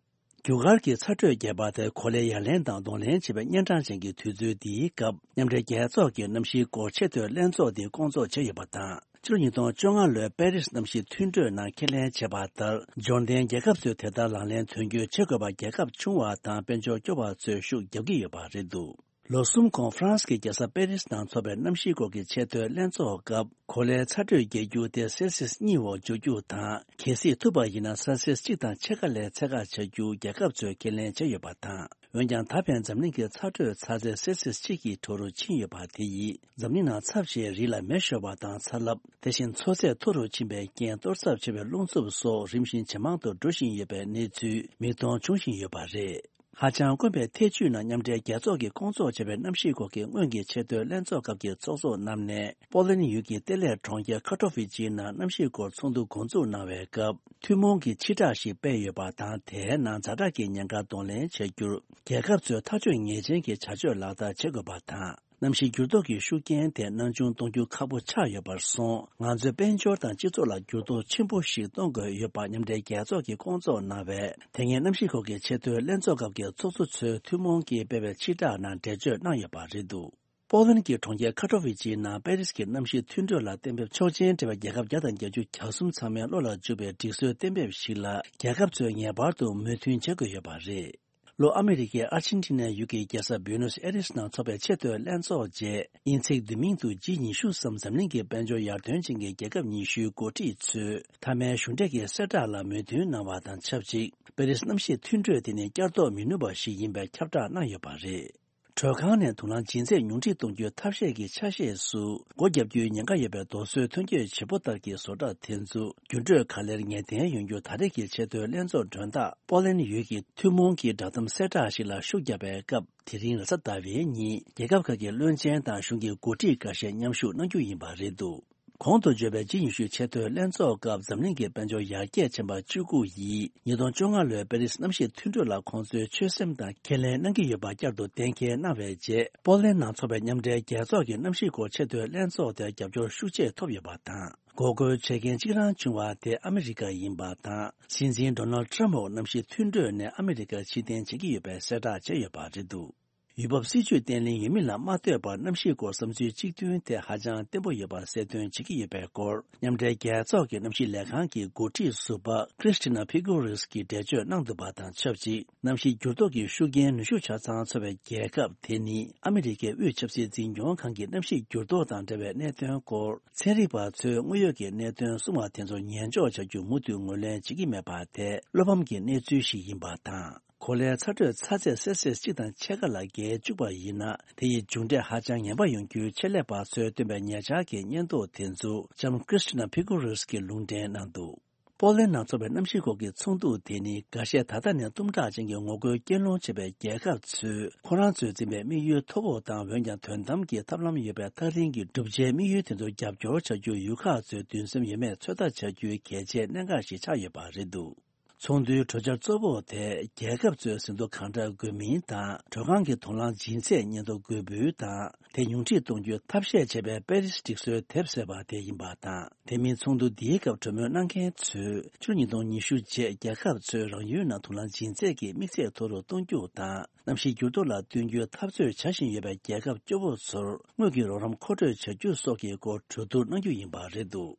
རྒྱུ་སྐར་གྱི་ཚ་དྲོད་རྒྱས་པ་དེ་གོ་ལའི་ཡ་ལན་དང་གདོང་ལེན་བྱེད་པའི་གཉན་འཕྲང་ཅན་གྱི་དུས་ཚོད་འདིའི་སྐབས། མཉམ་འབྲེལ་རྒྱལ་ཚོགས་ཀྱི་གནམ་གཤིས་སྐོར་ཆེས་མཐོའི་ལྷན་ཚོགས་འདི་སྐོང་ཚོགས་བྱས་ཡོད་པ་དང་། ཕྱི་ལོ་ཉིས་སྟོང་བཅོ་ལྔ་ལོའི་པེ་རིས་གནམ་གཤིས་མཐུན་གྲོས་ནང་ཁས་ལེན་བྱས་པ་ལྟར། འབྱོར་ལྡན་རྒྱལ་ཁབ་ཚོས་དེ་ལྟར་ལག་ལེན་དོན་འཁྱོལ་བྱེད་དགོས་པར། རྒྱལ་ཁབ་ཆུང་བ་དང་དཔལ་འབྱོར་སྐྱོ་བ་ཚོས་ཤུགས་རྒྱབ་ཀྱི་ཡོད་པ་རེད་འདུག་ལོ་གསུམ་གོང་ཧྥ་རན་སི་གི་རྒྱལ་ས་པེ་རིས་ནང་འཚོགས་པའི་གནམ་གཤིས་སྐོར་གྱི་ཆེས་མཐོའི་ལྷན་ཚོགས་སྐབས། གོ་ལའི་ཚ་དྲོད་རྒྱག་རྒྱུ་དེ་སེལ་སིས་གཉིས་འོག་འཇོག་རྒྱུ་དང་། གལ་སྲིད་ཐུབ་པ་ཡིན་ན་སེལ་སིས་གཅིག་དང་ཕྱེད་ཀ་ལས་ཚད་བཀག་བྱ་རྒྱུ་རྒྱལ་ཁབ་ཚོས་ཁས་ལེན་བྱས་ཡོད་པ་དང་། འོན་ཀྱང་། ད་ཕན་འཛམ་གླིང་གི་ཚ་དྲོད་ཚ་ཚད་སེལ་སིས་གཅིག་གི་མཐོ་རུ་ཕྱིན་ཡོད་པ་དེ་ཡིས། འཛམ་གླིང་ནང་ཚབས་ཆེའི་རི་ལ་མེ་ཤོར་བ་དང་ཚ་རླབས། དེ་བཞིན་མཚོ་ཚད་མཐོ་རུ་ཕྱིན་པའི་རྐྱེན། གཏོར་ཚབས་ཆེ་བའི་རླུང་འཚུབ་སོགས་རིམ་བཞིན་ཇེ་མང་དུ་འགྲོ་བཞིན་ཡོད་པའི་གནས་ཚུལ་མིག་མཐོང་བྱུང་བཞིན་ཡོད་པ་རེད། ཧ་ཅང་དཀོན་པའི་ཐེ་ཇུས་ནང་མཉམ་འབྲེལ་རྒྱལ་ཚོགས་ཀྱིས་སྐོང་ཚོགས་བྱས་པའི་གནམ་གཤིས་སྐོར་གྱི་སྔོན་གྱི་ཆེས་མཐོའི་ལྷན་ཚོགས་སྐབས་ཀྱི་ཚོགས་གཙོ་རྣམས་ནས། པོ་ལན་ཡུལ་གྱི་ལྟེ་གནས་གྲོང་ཁྱེར་ཁ་ཐོ་ཝི་ཅིའི་ནང་གནམ་གཤིས་སྐོར་ཚོགས་འདུ་འགོ་འཛུགས་གནང་བའི་སྐབས། ཐུན་མོང་གི་ཕྱིར་བསྒྲགས་ཤིག་སྤེལ་ཡོད་པ་དང་། དེའི་ནང་ཛ་དྲག་གི་ཉེན་ཁ་གདོང་ལེན་བྱ་རྒྱུར། རྒྱལ་ཁབ་ཚོས་ཐག་གཅོད་ངེས་ཅན་གྱི་བྱ་སྤྱོད་ལག་བསྟར་བྱེད་དགོས་པ་དང་། གནམ་གཤིས་འགྱུར་ལྡོག་གི་ཤུགས་རྐྱེན་དེ་སྣང་ཆུང་གཏོང་རྒྱུ་ཁག་པོ་ཆགས་ཡོད་པར་སོང་། ང་ཚོའི་དཔལ་འབྱོར་དང་སྤྱི་ཚོགས་ལ་འགྱུར་ལྡོག་ཆེན་པོ་ཞིག་གཏོང་དགོས་ཡོད་པ་མཉམ་འབྲེལ་རྒྱལ་ཚོགས་ཀྱིས་སྐོང་ཚོགས་གནང་བའི་དེ་སྔའི་གནམ་གཤིས་སྐོར་གྱི་ཆེས་མཐོའི་ལྷན་ཚོགས་སྐབས་ཀྱི་ཚོགས་གཙོ་ཚོས་ཐུན་མོང་གིས་སྤེལ་བའི་ཕྱིར་བསྒྲགས་ནང་འགྲེལ་བརྗོད་གནང་ཡོད་པ་རེད་འདུག་པོ་ལན་གྱི་གྲོང་ཁྱེར་ཁ་ཐོ་ཝི་ཅིའི་ནང་པེ་རིས་ཀྱི་གནམ་གཤིས་མཐུན་གྲོས་ལ་གཏན་འབེབས་ཆོག་མཆན་སྤྲད་པའི་རྒྱལ་ཁབ་བརྒྱ་དང་བརྒྱད་ཅུ་གྱ་གསུམ་ཚང་མའི་བློ་ལ་འཇུག་པའི་སྒྲིག་སྲོལ་གཏན་འབེབས་ཤིག་ལ་རྒྱལ་ཁབ་ཚོས་ངེས་པར་དུ་མོས་མཐུན་བྱེད་དགོས་ཡོད་པ་རེད། ལྷོ་ཨ་མི་རི་ཀའི་ཨར་ཅན་ཊི་ནའི་ཡུལ་གྱི་རྒྱལ་ས་བུའེ་ནོས་ཨེ་རེས་ནང་འཚོགས་པའི་ཆེས་མཐོའི་ལྷན་ཚོགས་རྗེས། དབྱིན་ཚིག་བསྡུས་མིང་དུ་ཇི་ཉི་ཤུ་སམ། འཛམ་གླིང་གི་དཔལ་འབྱོར་ཡར་ཐོན་ཅན་གྱི་རྒྱལ་ཁབ་ཉི་ཤུའི་འགོ་ཁྲིད་ཚོས་མཐའ་མའི་གཞུང་འབྲེལ་གྱི་གསལ་བསྒྲགས་ལ་མོས་མཐུན་གནང་བ་དང་ཆབས་ཅིག་པེ་རིས་གནམ་གཤིས་མཐུན་གྲོས་དེ་ནི་བསྐྱར་ལྡོག་མི་ནུས་པ་ཞིག་ཡིན་པའི་ཁྱབ་བསྒྲགས་གནང་ཡོད་པ་རེད། དྲོད་ཁང་ནས་དུག་རླངས་ལྗིད་ཚད་ཉུང་འཕྲི་གཏོང་རྒྱུའི་ཐབས་ཤེས་ཀྱི་ཆ་ཤས་སུ་སྒོ་བརྒྱབ་རྒྱུའི་ཉེན་ཁ་ཡོད་པའི་རྡོ་སོལ་ཐོན་སྐྱེད་བྱེད་པོ་ལྟར་གྱི་བཟོ་གྲྭ་དེ་ཚོ་འགྱུར་འགྲོས་ག་ལེར་ངེས་གཏན་ཡོང་རྒྱུ། ད་རེས་ཀྱི་ཆེས་མཐོའི་ལྷན་ཚོགས་མགྲོན་བདག་པོ་ལན་ཡུལ་གྱི་ཐུན་མོང་གི་བསྒྲགས་གཏམ་གསལ་བསྒྲགས་ཤིག་ལ་ཤུགས་བརྒྱབ་པའི་སྐབས། དེ་རིང་རེས་གཟའ་ཟླ་བའི་ཉིན་རྒྱལ་ཁབ་ཁག་གི་བློན་ཆེན་དང་གཞུང་གི་འགོ་ཁྲིད་འགའ་ཤས་མཉམ་ཞུགས་གནང་རྒྱུ་ཡིན་པ་རེད་འདུག་གོང་དུ་བརྗོད་པའི་ཇི་ཉི་ཤུ་ཆེས་མཐོའི་ལྷན་ཚོགས་སྐབས་འཛམ་གླིང་གི་དཔལ་འབྱོར་ཡར་རྒྱས་ཆེན་པ་བཅུ་དགུ་ཡིས་ཉིས་སྟོང་བཅོ་ལྔ་ལོའི་པེ་རིས་གནམ་གཤིས་མཐུན་གྲོས་ལ་ཁོང་ཚོའི་ཆོད་སེམས་དང་ཁས་ལེན་གནང་གི་ཡོད་པ་བསྐྱར་དུ་གཏན་འཁེལ་གནང་བའི་རྗེས། པོ་ལན་ནང་འཚོགས་པའི་མཉམ་འབྲེལ་རྒྱལ་ཚོགས་ཀྱི་གནམ་གཤིས་སྐོར་ཆེས་མཐོའི་ལྷན་ཚོགས་དེར་རྒྱབ་སྐྱོར་ཤུགས་ཆེ་ཐོབ་ཡོད་པ་དང་། འགོག་རྒོལ་བྱེད་མཁན་གཅིག་རང་བྱུང་བ་དེ་ཨ་མི་རི་ཀ་ཡིན་པ་དང་། སྲིད་འཛིན་ཌོ་ནལ་ཊམ་འོག་གནམ་གཤིས་མཐུན་གྲོས་ནས་ཨ་མི་རི་ཀར་ཕྱིར་འཐེན་བྱེད་ཀྱི་ཡོད་པའི་གསལ་བསྒྲགས་བྱས་ཡོད་པ་རེད་འདུག་ཡུལ་བབ་སྲིད་ཇུས་བརྟན་ལྷིང་ཡོད་མིན་ལ་མ་ལྟོས་པར་གནམ་གཤིས་སྐོར་བསམ་ཚུལ་གཅིག་མཐུན་ཐད་ཧ་ཅང་བརྟན་པོ་ཡོད་པ་གསལ་སྟོན་བྱེད་ཀྱི་ཡོད་པའི་སྐོར། མཉམ་འབྲེལ་རྒྱལ་ཚོགས་ཀྱི་གནམ་གཤིས་ལས་ཁང་གི་འགོ་ཁྲིད་ཟུར་པ་Christina Figueres གྱིས་འགྲེལ་བརྗོད་གནང་འདུག་པ་དང་ཆབས་ཅིག་གནམ་གཤིས་འགྱུར་ལྡོག་གི་ཤུགས་རྐྱེན་ནུས་ཤུགས་ཆ་ཚང་ཚོར་བའི་རྒྱལ་ཁབ་དེ་ནི་ཨ་མི་རི་ཀའི་དབུས་ཆབ་སྲིད་འཛིན་སྐྱོང་ཁང་གི་གནམ་གཤིས་འགྱུར་ལྡོག་དང་འབྲེལ་བའི་གནད་དོན་སྐོར་ཚན་རིག་པ་ཚོས་དངོས་ཡོད་ཀྱི་གནད་དོན་གསུང་བ་དེ་ཚོར་ཉན་འཇོག་བྱ་རྒྱུ་མུ་མཐུད་ངོས་ལེན་བྱེད་ཀྱི་མེད་པ་དེ་བློ་ཕམ་གྱི་གནས་ཚུལ་ཞིག་ཡིན་པ་དང་། གོ་ལའི་ཚ་དྲོད་ཚ་ཚད་སེལ་སིས་གཅིག་དང་ཕྱེད་ཀ་ལ་བརྒལ་བཅུག་པ་ཡིན་ན། དེ་ཡི་མཇུག་འབྲས་ཧ་ཅང་ངན་པ་ཡོང་རྒྱུའི་ཆེད་ལས་པ་ཚོས་བཏོན་པའི་ཉེ་ཆར་གྱི་བརྙན་ཐུང་དེ་ཚོ་ལྕམ་Christina Figueres གྱིས་ལུང་འདྲེན་གནང་འདུག་པོ་ལན་ནང་འཚོགས་པའི་གནམ་གཤིས་སྐོར་གྱི་ཚོགས་འདུ་དེ་ནི་འགའ་ཤས་ད་ལྟ་ནས་གཏུམ་དྲག་ཅན་གྱི་ངོ་རྒོལ་སྐྱེལ་སློང་བྱེད་པའི་རྒྱལ་ཁབ་ཚོས་ཁོ་རང་ཚོས་འཛིན་པའི་དམིགས་ཡུལ་མཐོ་པོ་དང་འོན་ཀྱང་དོན་དམ་གྱི་ཐབས་ལམ་ཡོད་པའི་ཐག་རིང་གི་བསྒྲུབ་བྱའི་དམིགས་ཡུལ་དེ་ཚོར་རྒྱབ་སྐྱོར་བྱ་རྒྱུར་ཡུལ་ཁག་ཚོས་འདུན་སེམས་ཡོད་མེད་ཚོད་ལྟ་བྱ་རྒྱུའི་གལ་ཆེའི་གནད་འགག་ཞིག་ཆགས་ཡོད་པ་རེད་འདུག་ཚོགས་འདུའི་གྲོས་འཆར་གཙོ་བོ་དེ་རྒྱལ་ཁབ་ཚོས་ཟིན་ཐོ་གང་འདྲ་དགོས་མིན་དང་། དྲོད་ཁང་གི་དོ་སྣང་སྦྱིན་ཚད་ཉེན་རྟོག་དགོས་འབུལ་དང་། དེ་ཉུང་འཕྲི་གཏོང་རྒྱུའི་ཐབས་ཤེས་བྱས་པའི་པེ་རིས་སྒྲིག་སྲོལ་དེབ་ཟེར་བ་དེ་ཡིན་པ་དང་། དེ་མིན་ཚོགས་འདུ་འདིའི་སྐབས་གྲོས་མོལ་གནང་མཁན་ཚོས་ཕྱི་ལོ་ཉིས་སྟོང་ཉི་ཤུ་རྗེས་རྒྱལ་ཁབ་ཚོས་རང་ཡུལ་ནང་དོ་སྣང་སྦྱིན་ཚད་ཀྱི་དམིགས་ཚད་མཐོ་རུ་གཏོང་རྒྱུ་དང་། གནམ་གཤིས་འགྱུར་ལྡོག་ལ་བསྟུན་རྒྱུའི་འཐབ་རྩོད་བྱ་བཞིན་ཡོད་པའི་རྒྱལ་ཁབ་སྐྱོ་བོ་ཚོར་དངུལ་གྱི་རོགས་རམ་མཁོ་སྤྲོད་བྱ་རྒྱུ་སོགས་ཀྱི་སྐོར་གྲོས་བསྡུར་གནང་རྒྱུ་ཡིན་པ་རེད་འདུག་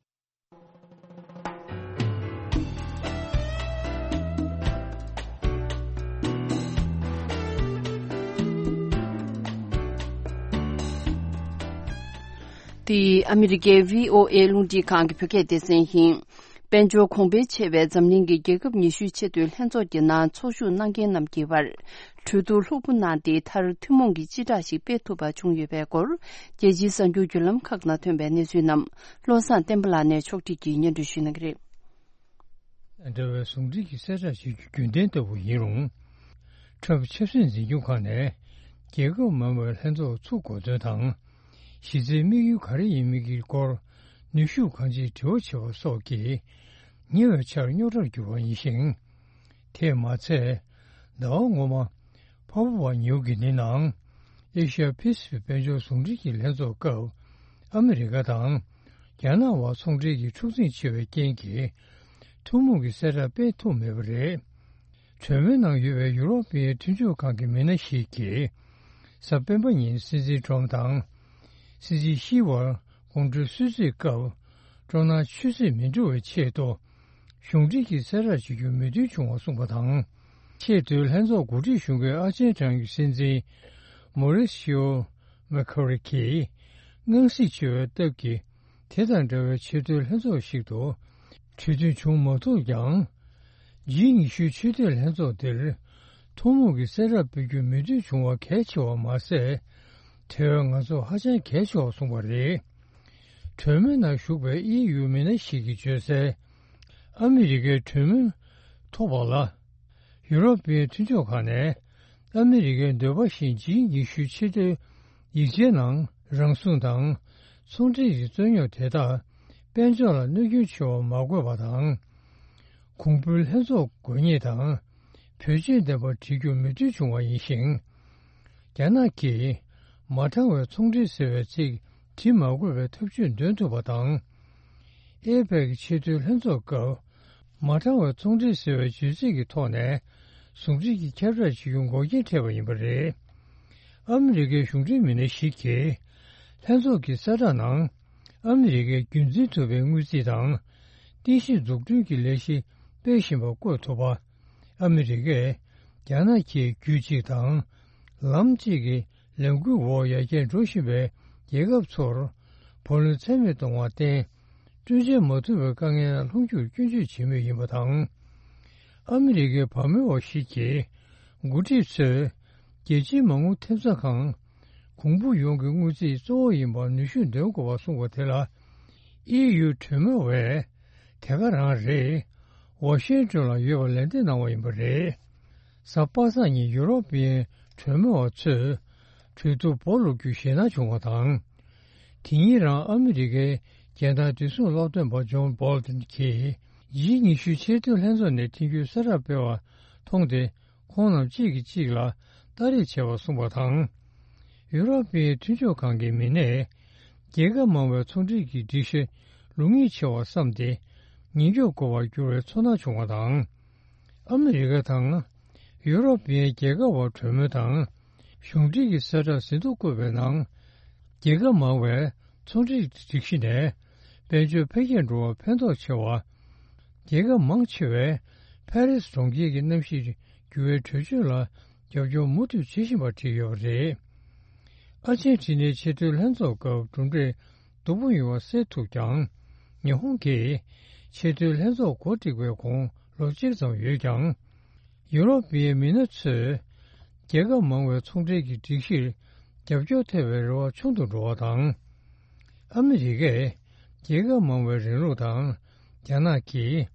འདི་ཨ་མི་རི་ཀའི་བྷི་ཨོ་ཨེ་རླུང་འཕྲིན་ཁང་གི་བོད་སྐད་སྡེ་ཚན་ཡིན། དཔལ་འབྱོར་གོང་འཕེལ་ཆེ་བའི་འཛམ་གླིང་གི་རྒྱལ་ཁབ་ཉི་ཤུའི་ཆེས་མཐོའི་ལྷན་ཚོགས་ཀྱི་ནང་ཚོགས་ཞུགས་གནང་མཁན་རྣམས་ཀྱི་བར། གྲོས་བསྡུར་ལྷུག་པོ་གནང་སྟེ། མཐར་ཐུན་མོང་གི་སྤྱི་བསྒྲགས་ཤིག་སྤེལ་ཐུབ་པ་བྱུང་ཡོད་པའི་སྐོར། རྒྱལ་སྤྱིའི་གསར་འགྱུར་བརྒྱུད་ལམ་ཁག་ནང་ཐོན་པའི་གནས་ཚུལ་རྣམས་བློ་བཟང་བསྟན་པ་ལགས་ནས་ཕྱོགས་སྒྲིག་གིས་སྙན་སྒྲོན་ཞུ་གནང་གི་རེད། འདྲ་བའི་ཟུང་འབྲེལ་གྱི་གསལ་བསྒྲགས་བྱེད་རྒྱུ་རྒྱུན་ལྡན་ལྟ་བུ་ཡིན་རུང་། ཁྲམ་ཆབ་སྲིད་འཛིན་སྐྱོང་ཁང་ནས་རྒྱལ་ཁབ་མང་བའི་ལྷན་ཚོགས་ཚུགས་དགོས་དོན་དང་། གཞི་རྩའི་དམིགས་ཡུལ་ག་རེ་ཡིན་མིན་གྱི་སྐོར་ནུས་ཤུགས་གང་ཅིའི་དྲི་བ་བྱེད་པ་སོགས་ཀྱིས་ཉེ་བའི་ཆར་རྙོག་དྲར་གྱུར་པ་ཡིན་ཞིང་། དེས་མ་ཚད། ཟླ་བ་སྔོན་མ། ཕ་ཕུ་བ་ཉིའུ་གི་ནི་ནང་། ཨེ་ཤ་ཡ་ཕེ་སི་ཕིག་དཔལ་འབྱོར་ཟུང་འབྲེལ་གྱི་ལྷན་ཚོགས་སྐབས། ཨ་མི་རི་ཀ་དང་། རྒྱ་ནག་བར་ཚོང་འབྲེལ་གྱི་འཁྲུག་འཛིང་ཆེ་བའི་རྐྱེན་གྱིས། ཐུན་མོང་གི་གསལ་བསྒྲགས་སྤེལ་ཐུབ་མེད་པ་རེད། གྲོས་མོལ་ནང་ཡོད་པའི་ཡུ་རོབ་པའི་མཐུན་ཕྱོགས་ཁང་གི་མི་སྣ་ཞིག་གིས། གཟའ་སྤེན་པ་ཉིན་སྲིད་འཛིན་ཊམ་དང་། སྲིད་འཛིན་ཤི་བར་དགོང་དྲོའི་གསོལ་ཚིགས་སྐབས། སྤྲོ་སྣང་ཆུད་ཟོས་མི་འགྲོ་བའི་ཆེད་དུ། གཞུང་འབྲེལ་གྱི་གསལ་བསྒྲགས་བྱེད་རྒྱུར་མོས་མཐུན་བྱུང་བ་གསུངས་པ་དང་། ཆེས་མཐོའི་ལྷན་ཚོགས་འགོ་ཁྲིད་གཞུང་གི་ཨ་ཆེན་གྲངས་ཀྱི་སྲིད་འཛིན། མོ་རི་སི་ཨོ། མེ་ཁོ་རི་གིས། སྔགས་སྲིད་འཆོལ་བའི་སྟབས་ཀྱིས། དེ་དང་འདྲ་བའི་ཆེས་མཐོའི་ལྷན་ཚོགས་ཤིག་ཏུ། གྲོས་མཐུན་བྱུང་མ་ཐུབ་ཀྱང་། ཇི་ཉི་ཤུའི་ཆེས་མཐོའི་ལྷན་ཚོགས་འདིར། ཐུན་མོང་གི་གསལ་བསྒྲགས་སྤེལ་རྒྱུར་མོས་མཐུན་བྱུང་བ་གལ་ཆེ་བ་མ་ཟད། དེ་བས་ང་ཚོར་ཧ་ཅང་གལ་ཆེ་བར་གསུངས་པ་རེད། གྲོས་མོལ་ནང་ཞུགས་པའི་ཨི་ཡུ་མི་སྣ་ཞིག་གིས་བརྗོད་གསལ། ཨ་མི་རི་ཀའི་གྲོས་མོལ་ཐོབ་པ་ལ། ཡུ་རོབ་པའི་མཐུན་ཕྱོགས་ཁག་ནས། ཨ་མི་རི་ཀའི་འདོད་པ་བཞིན་ཇི་ཉི་ཤུའི་ཆེས་མཐོའི་ཡིག་ཆའི་ནང་རང་སྲུང་དང་། ཚོང་འབྲེལ་གྱི་རྩོད་རྙོག་དེ་དག་དཔལ་འབྱོར་ལ་གནོད་སྐྱོན་ཆེ་བ་མ་དགོས་པ་དང་། གོང་བུའི་ལྷན་ཚོགས་དགོས་ངེས་དང་། བེད་སྤྱོད་ལྡན་པ་བྱེད་རྒྱུར་མོས་མཐུན་བྱུང་བ་ཡིན་ཞིང་། རྒྱ་ནག་གིས་མ་དྲང་བའི་ཚོང་འབྲེལ་ཟེར་བའི་ཚིག་བྲི་མ་དགོས་པའི་ཐབས་ཇུས་འདོན་ཐུབ་པ་དང་། ཨེ་པེག་ཆེས་མཐོའི་ལྷན་ཚོགས་སྐབས། མ་དྲང་བའི་ཚོང་འབྲེལ་ཟེར་བའི་བརྗོད་ཚིག་གི་ཐོག་ནས། ཟུང་འབྲེལ་གྱི་ཁྱབ་བསྒྲགས་བྱེད་རྒྱུ་འགོག་རྐྱེན་འཕྲད་པ་ཡིན་པ་རེད། ཨ་མི་རི་ཀའི་གཞུང་འབྲེལ་མི་སྣ་ཞིག་གིས། ལྷན་ཚོགས་ཀྱི་གསལ་བསྒྲགས་ནང་། ཨ་མི་རི་ཀས་རྒྱུན་འཛིན་ཐུབ་པའི་དངུལ་རྩིས་དང་། རྟེན་གཞི་འཛུགས་སྐྲུན་གྱི་ལས་གཞི་སྤེལ་བཞིན་པ་བཀོད་ཐུབ་པ། ཨ་མི་རི་ཀས་རྒྱ་ནག་གིས་རྒྱུད་གཅིག་དང་། ལམ་གཅིག་གི་ལས་འགུལ་འོག་ཡར་རྒྱས་འགྲོ་བཞིན་པའི་རྒྱལ་ཁབ་ཚོར། བུ་ལོན་ཚད་མེད་གཏོང་བར་བརྟེན། སྤྲོད་འཇལ་མ་ཐུབ་པའི་དཀའ་ངལ་ལ་ལྷུང་རྒྱུར་སྐྱོན་བརྗོད་བྱེད་མུས་ཡིན་པ་དང་། ཨ་མི་རི་ཀའི་བ་མོའི་བ་ཞིག་གིས། འགོ་ཁྲིད་ཚོས། རྒྱལ་སྤྱིའི་མ་དངུལ་ཐེབས་རྩ་ཁང་། གོང་བུ་ཡོངས་ཀྱི་དངུལ་རྩིས་གཙོ་བོ་ཡིན་པར་ནུས་ཤུགས་འདོན་དགོས་པར་གསུངས་པ་དེ་ལ། ཨི་ཡུ་གྲོས་མོལ་བས། དེ་ག་རང་རེད། ཝ་ཤིང་ཏོན་ལ་ཡོད་པར་ལན་འདེབས་གནང་བ་ཡིན་པ་རེད། གཟའ་པ་སངས་ཉིན་ཡུ་རོབ་པའི་གྲོས་མོལ་བ་ཚོས། གྲོས་བསྡུར་སྦོ་ལོག་རྒྱུ་ཞེད་སྣང་བྱུང་བ་དང་། དེ་ཉིན་རང་ཨ་མི་རི་ཀའི་རྒྱལ་དར་བདེ་སྲུང་སློབ་སྟོན་པ་ཇོན་བྷོལ་ཏིན་གྱིས། ཇི་ཉི་ཤུའི་ཆེས་མཐོའི་ལྷན་ཚོགས་ནས་ཐེངས་རྒྱུན་གསལ་བསྒྲགས་སྤེལ་བ་མཐོང་སྟེ། ཁོང་རྣམས་གཅིག་གིས་གཅིག་ལ་ལྟ་རེས་བྱས་པ་གསུངས་པ་དང་། ཡུ་རོབ་པའི་མཐུན་ཕྱོགས་ཁང་གི་མི་སྣས། རྒྱལ་ཁབ་མང་བའི་ཚོང་འབྲེལ་གྱི་སྒྲིག་གཞི་ལུགས་ངེས་ཆེ་བར་བསམས་ཏེ། ཉེན་སྐྱོབ་དགོས་པར་གྱུར་བའི་ཚོར་སྣང་བྱུང་བ་དང་། ཨ་མི་རི་ཀ་དང་། ཡུ་རོབ་པའི་རྒྱལ་ཁབ་བར་གྲོས་མོལ་དང་། གཞུང་འབྲེལ་གྱི་གསལ་བསྒྲགས་ཟིན་ཐོ་བཀོད་པའི་ནང་། རྒྱལ་ཁབ་མང་བའི་ཚོང་འབྲེལ་སྒྲིག་གཞི་ནས་དཔལ་འབྱོར་འཕེལ་རྒྱས་འགྲོ་བར་ཕན་ཐོགས་ཆེ་བ། རྒྱལ་ཁབ་མང་ཆེ་བས་ཕ་རི་སི་གྲོང་ཁྱེར་གྱི་གནམ་གཤིས་འགྱུར་བའི་གྲོས་ཆོད་ལ་རྒྱབ་སྐྱོར་མུ་མཐུད་བྱེད་བཞིན་པ་བྲིས་ཡོད་པ་རེད། ཨར་ཇེན་ཊི་ནའི་ཆེས་མཐོའི་ལྷན་ཚོགས་སྐབས་གྲུབ་འབྲས་སྡུག་པོ་ཡོང་བ་སེལ་ཐུབ་ཀྱང་། ཉི་ཧོང་གིས་ཆེས་མཐོའི་ལྷན་ཚོགས་གོ་སྒྲིག་པའི་གོང་ལོ་གཅིག་ཙམ་ཡོད་ཀྱང་། ཡུ་རོབ་པའི་མི་སྣ་ཚོས་རྒྱལ་ཁབ་མང་བའི་ཚོང་འབྲེལ་གྱི་སྒྲིག་གཞིར་རྒྱབ་སྐྱོར་ཐེབས་པའི་རེ་བ་ཆུང་དུ་འགྲོ་བ་དང་། ཨ་མི་རི་ཀས་རྒྱལ་ཁབ་མང་བའི་རིང་ལུགས་དང་། རྒྱ་ནག་གིས་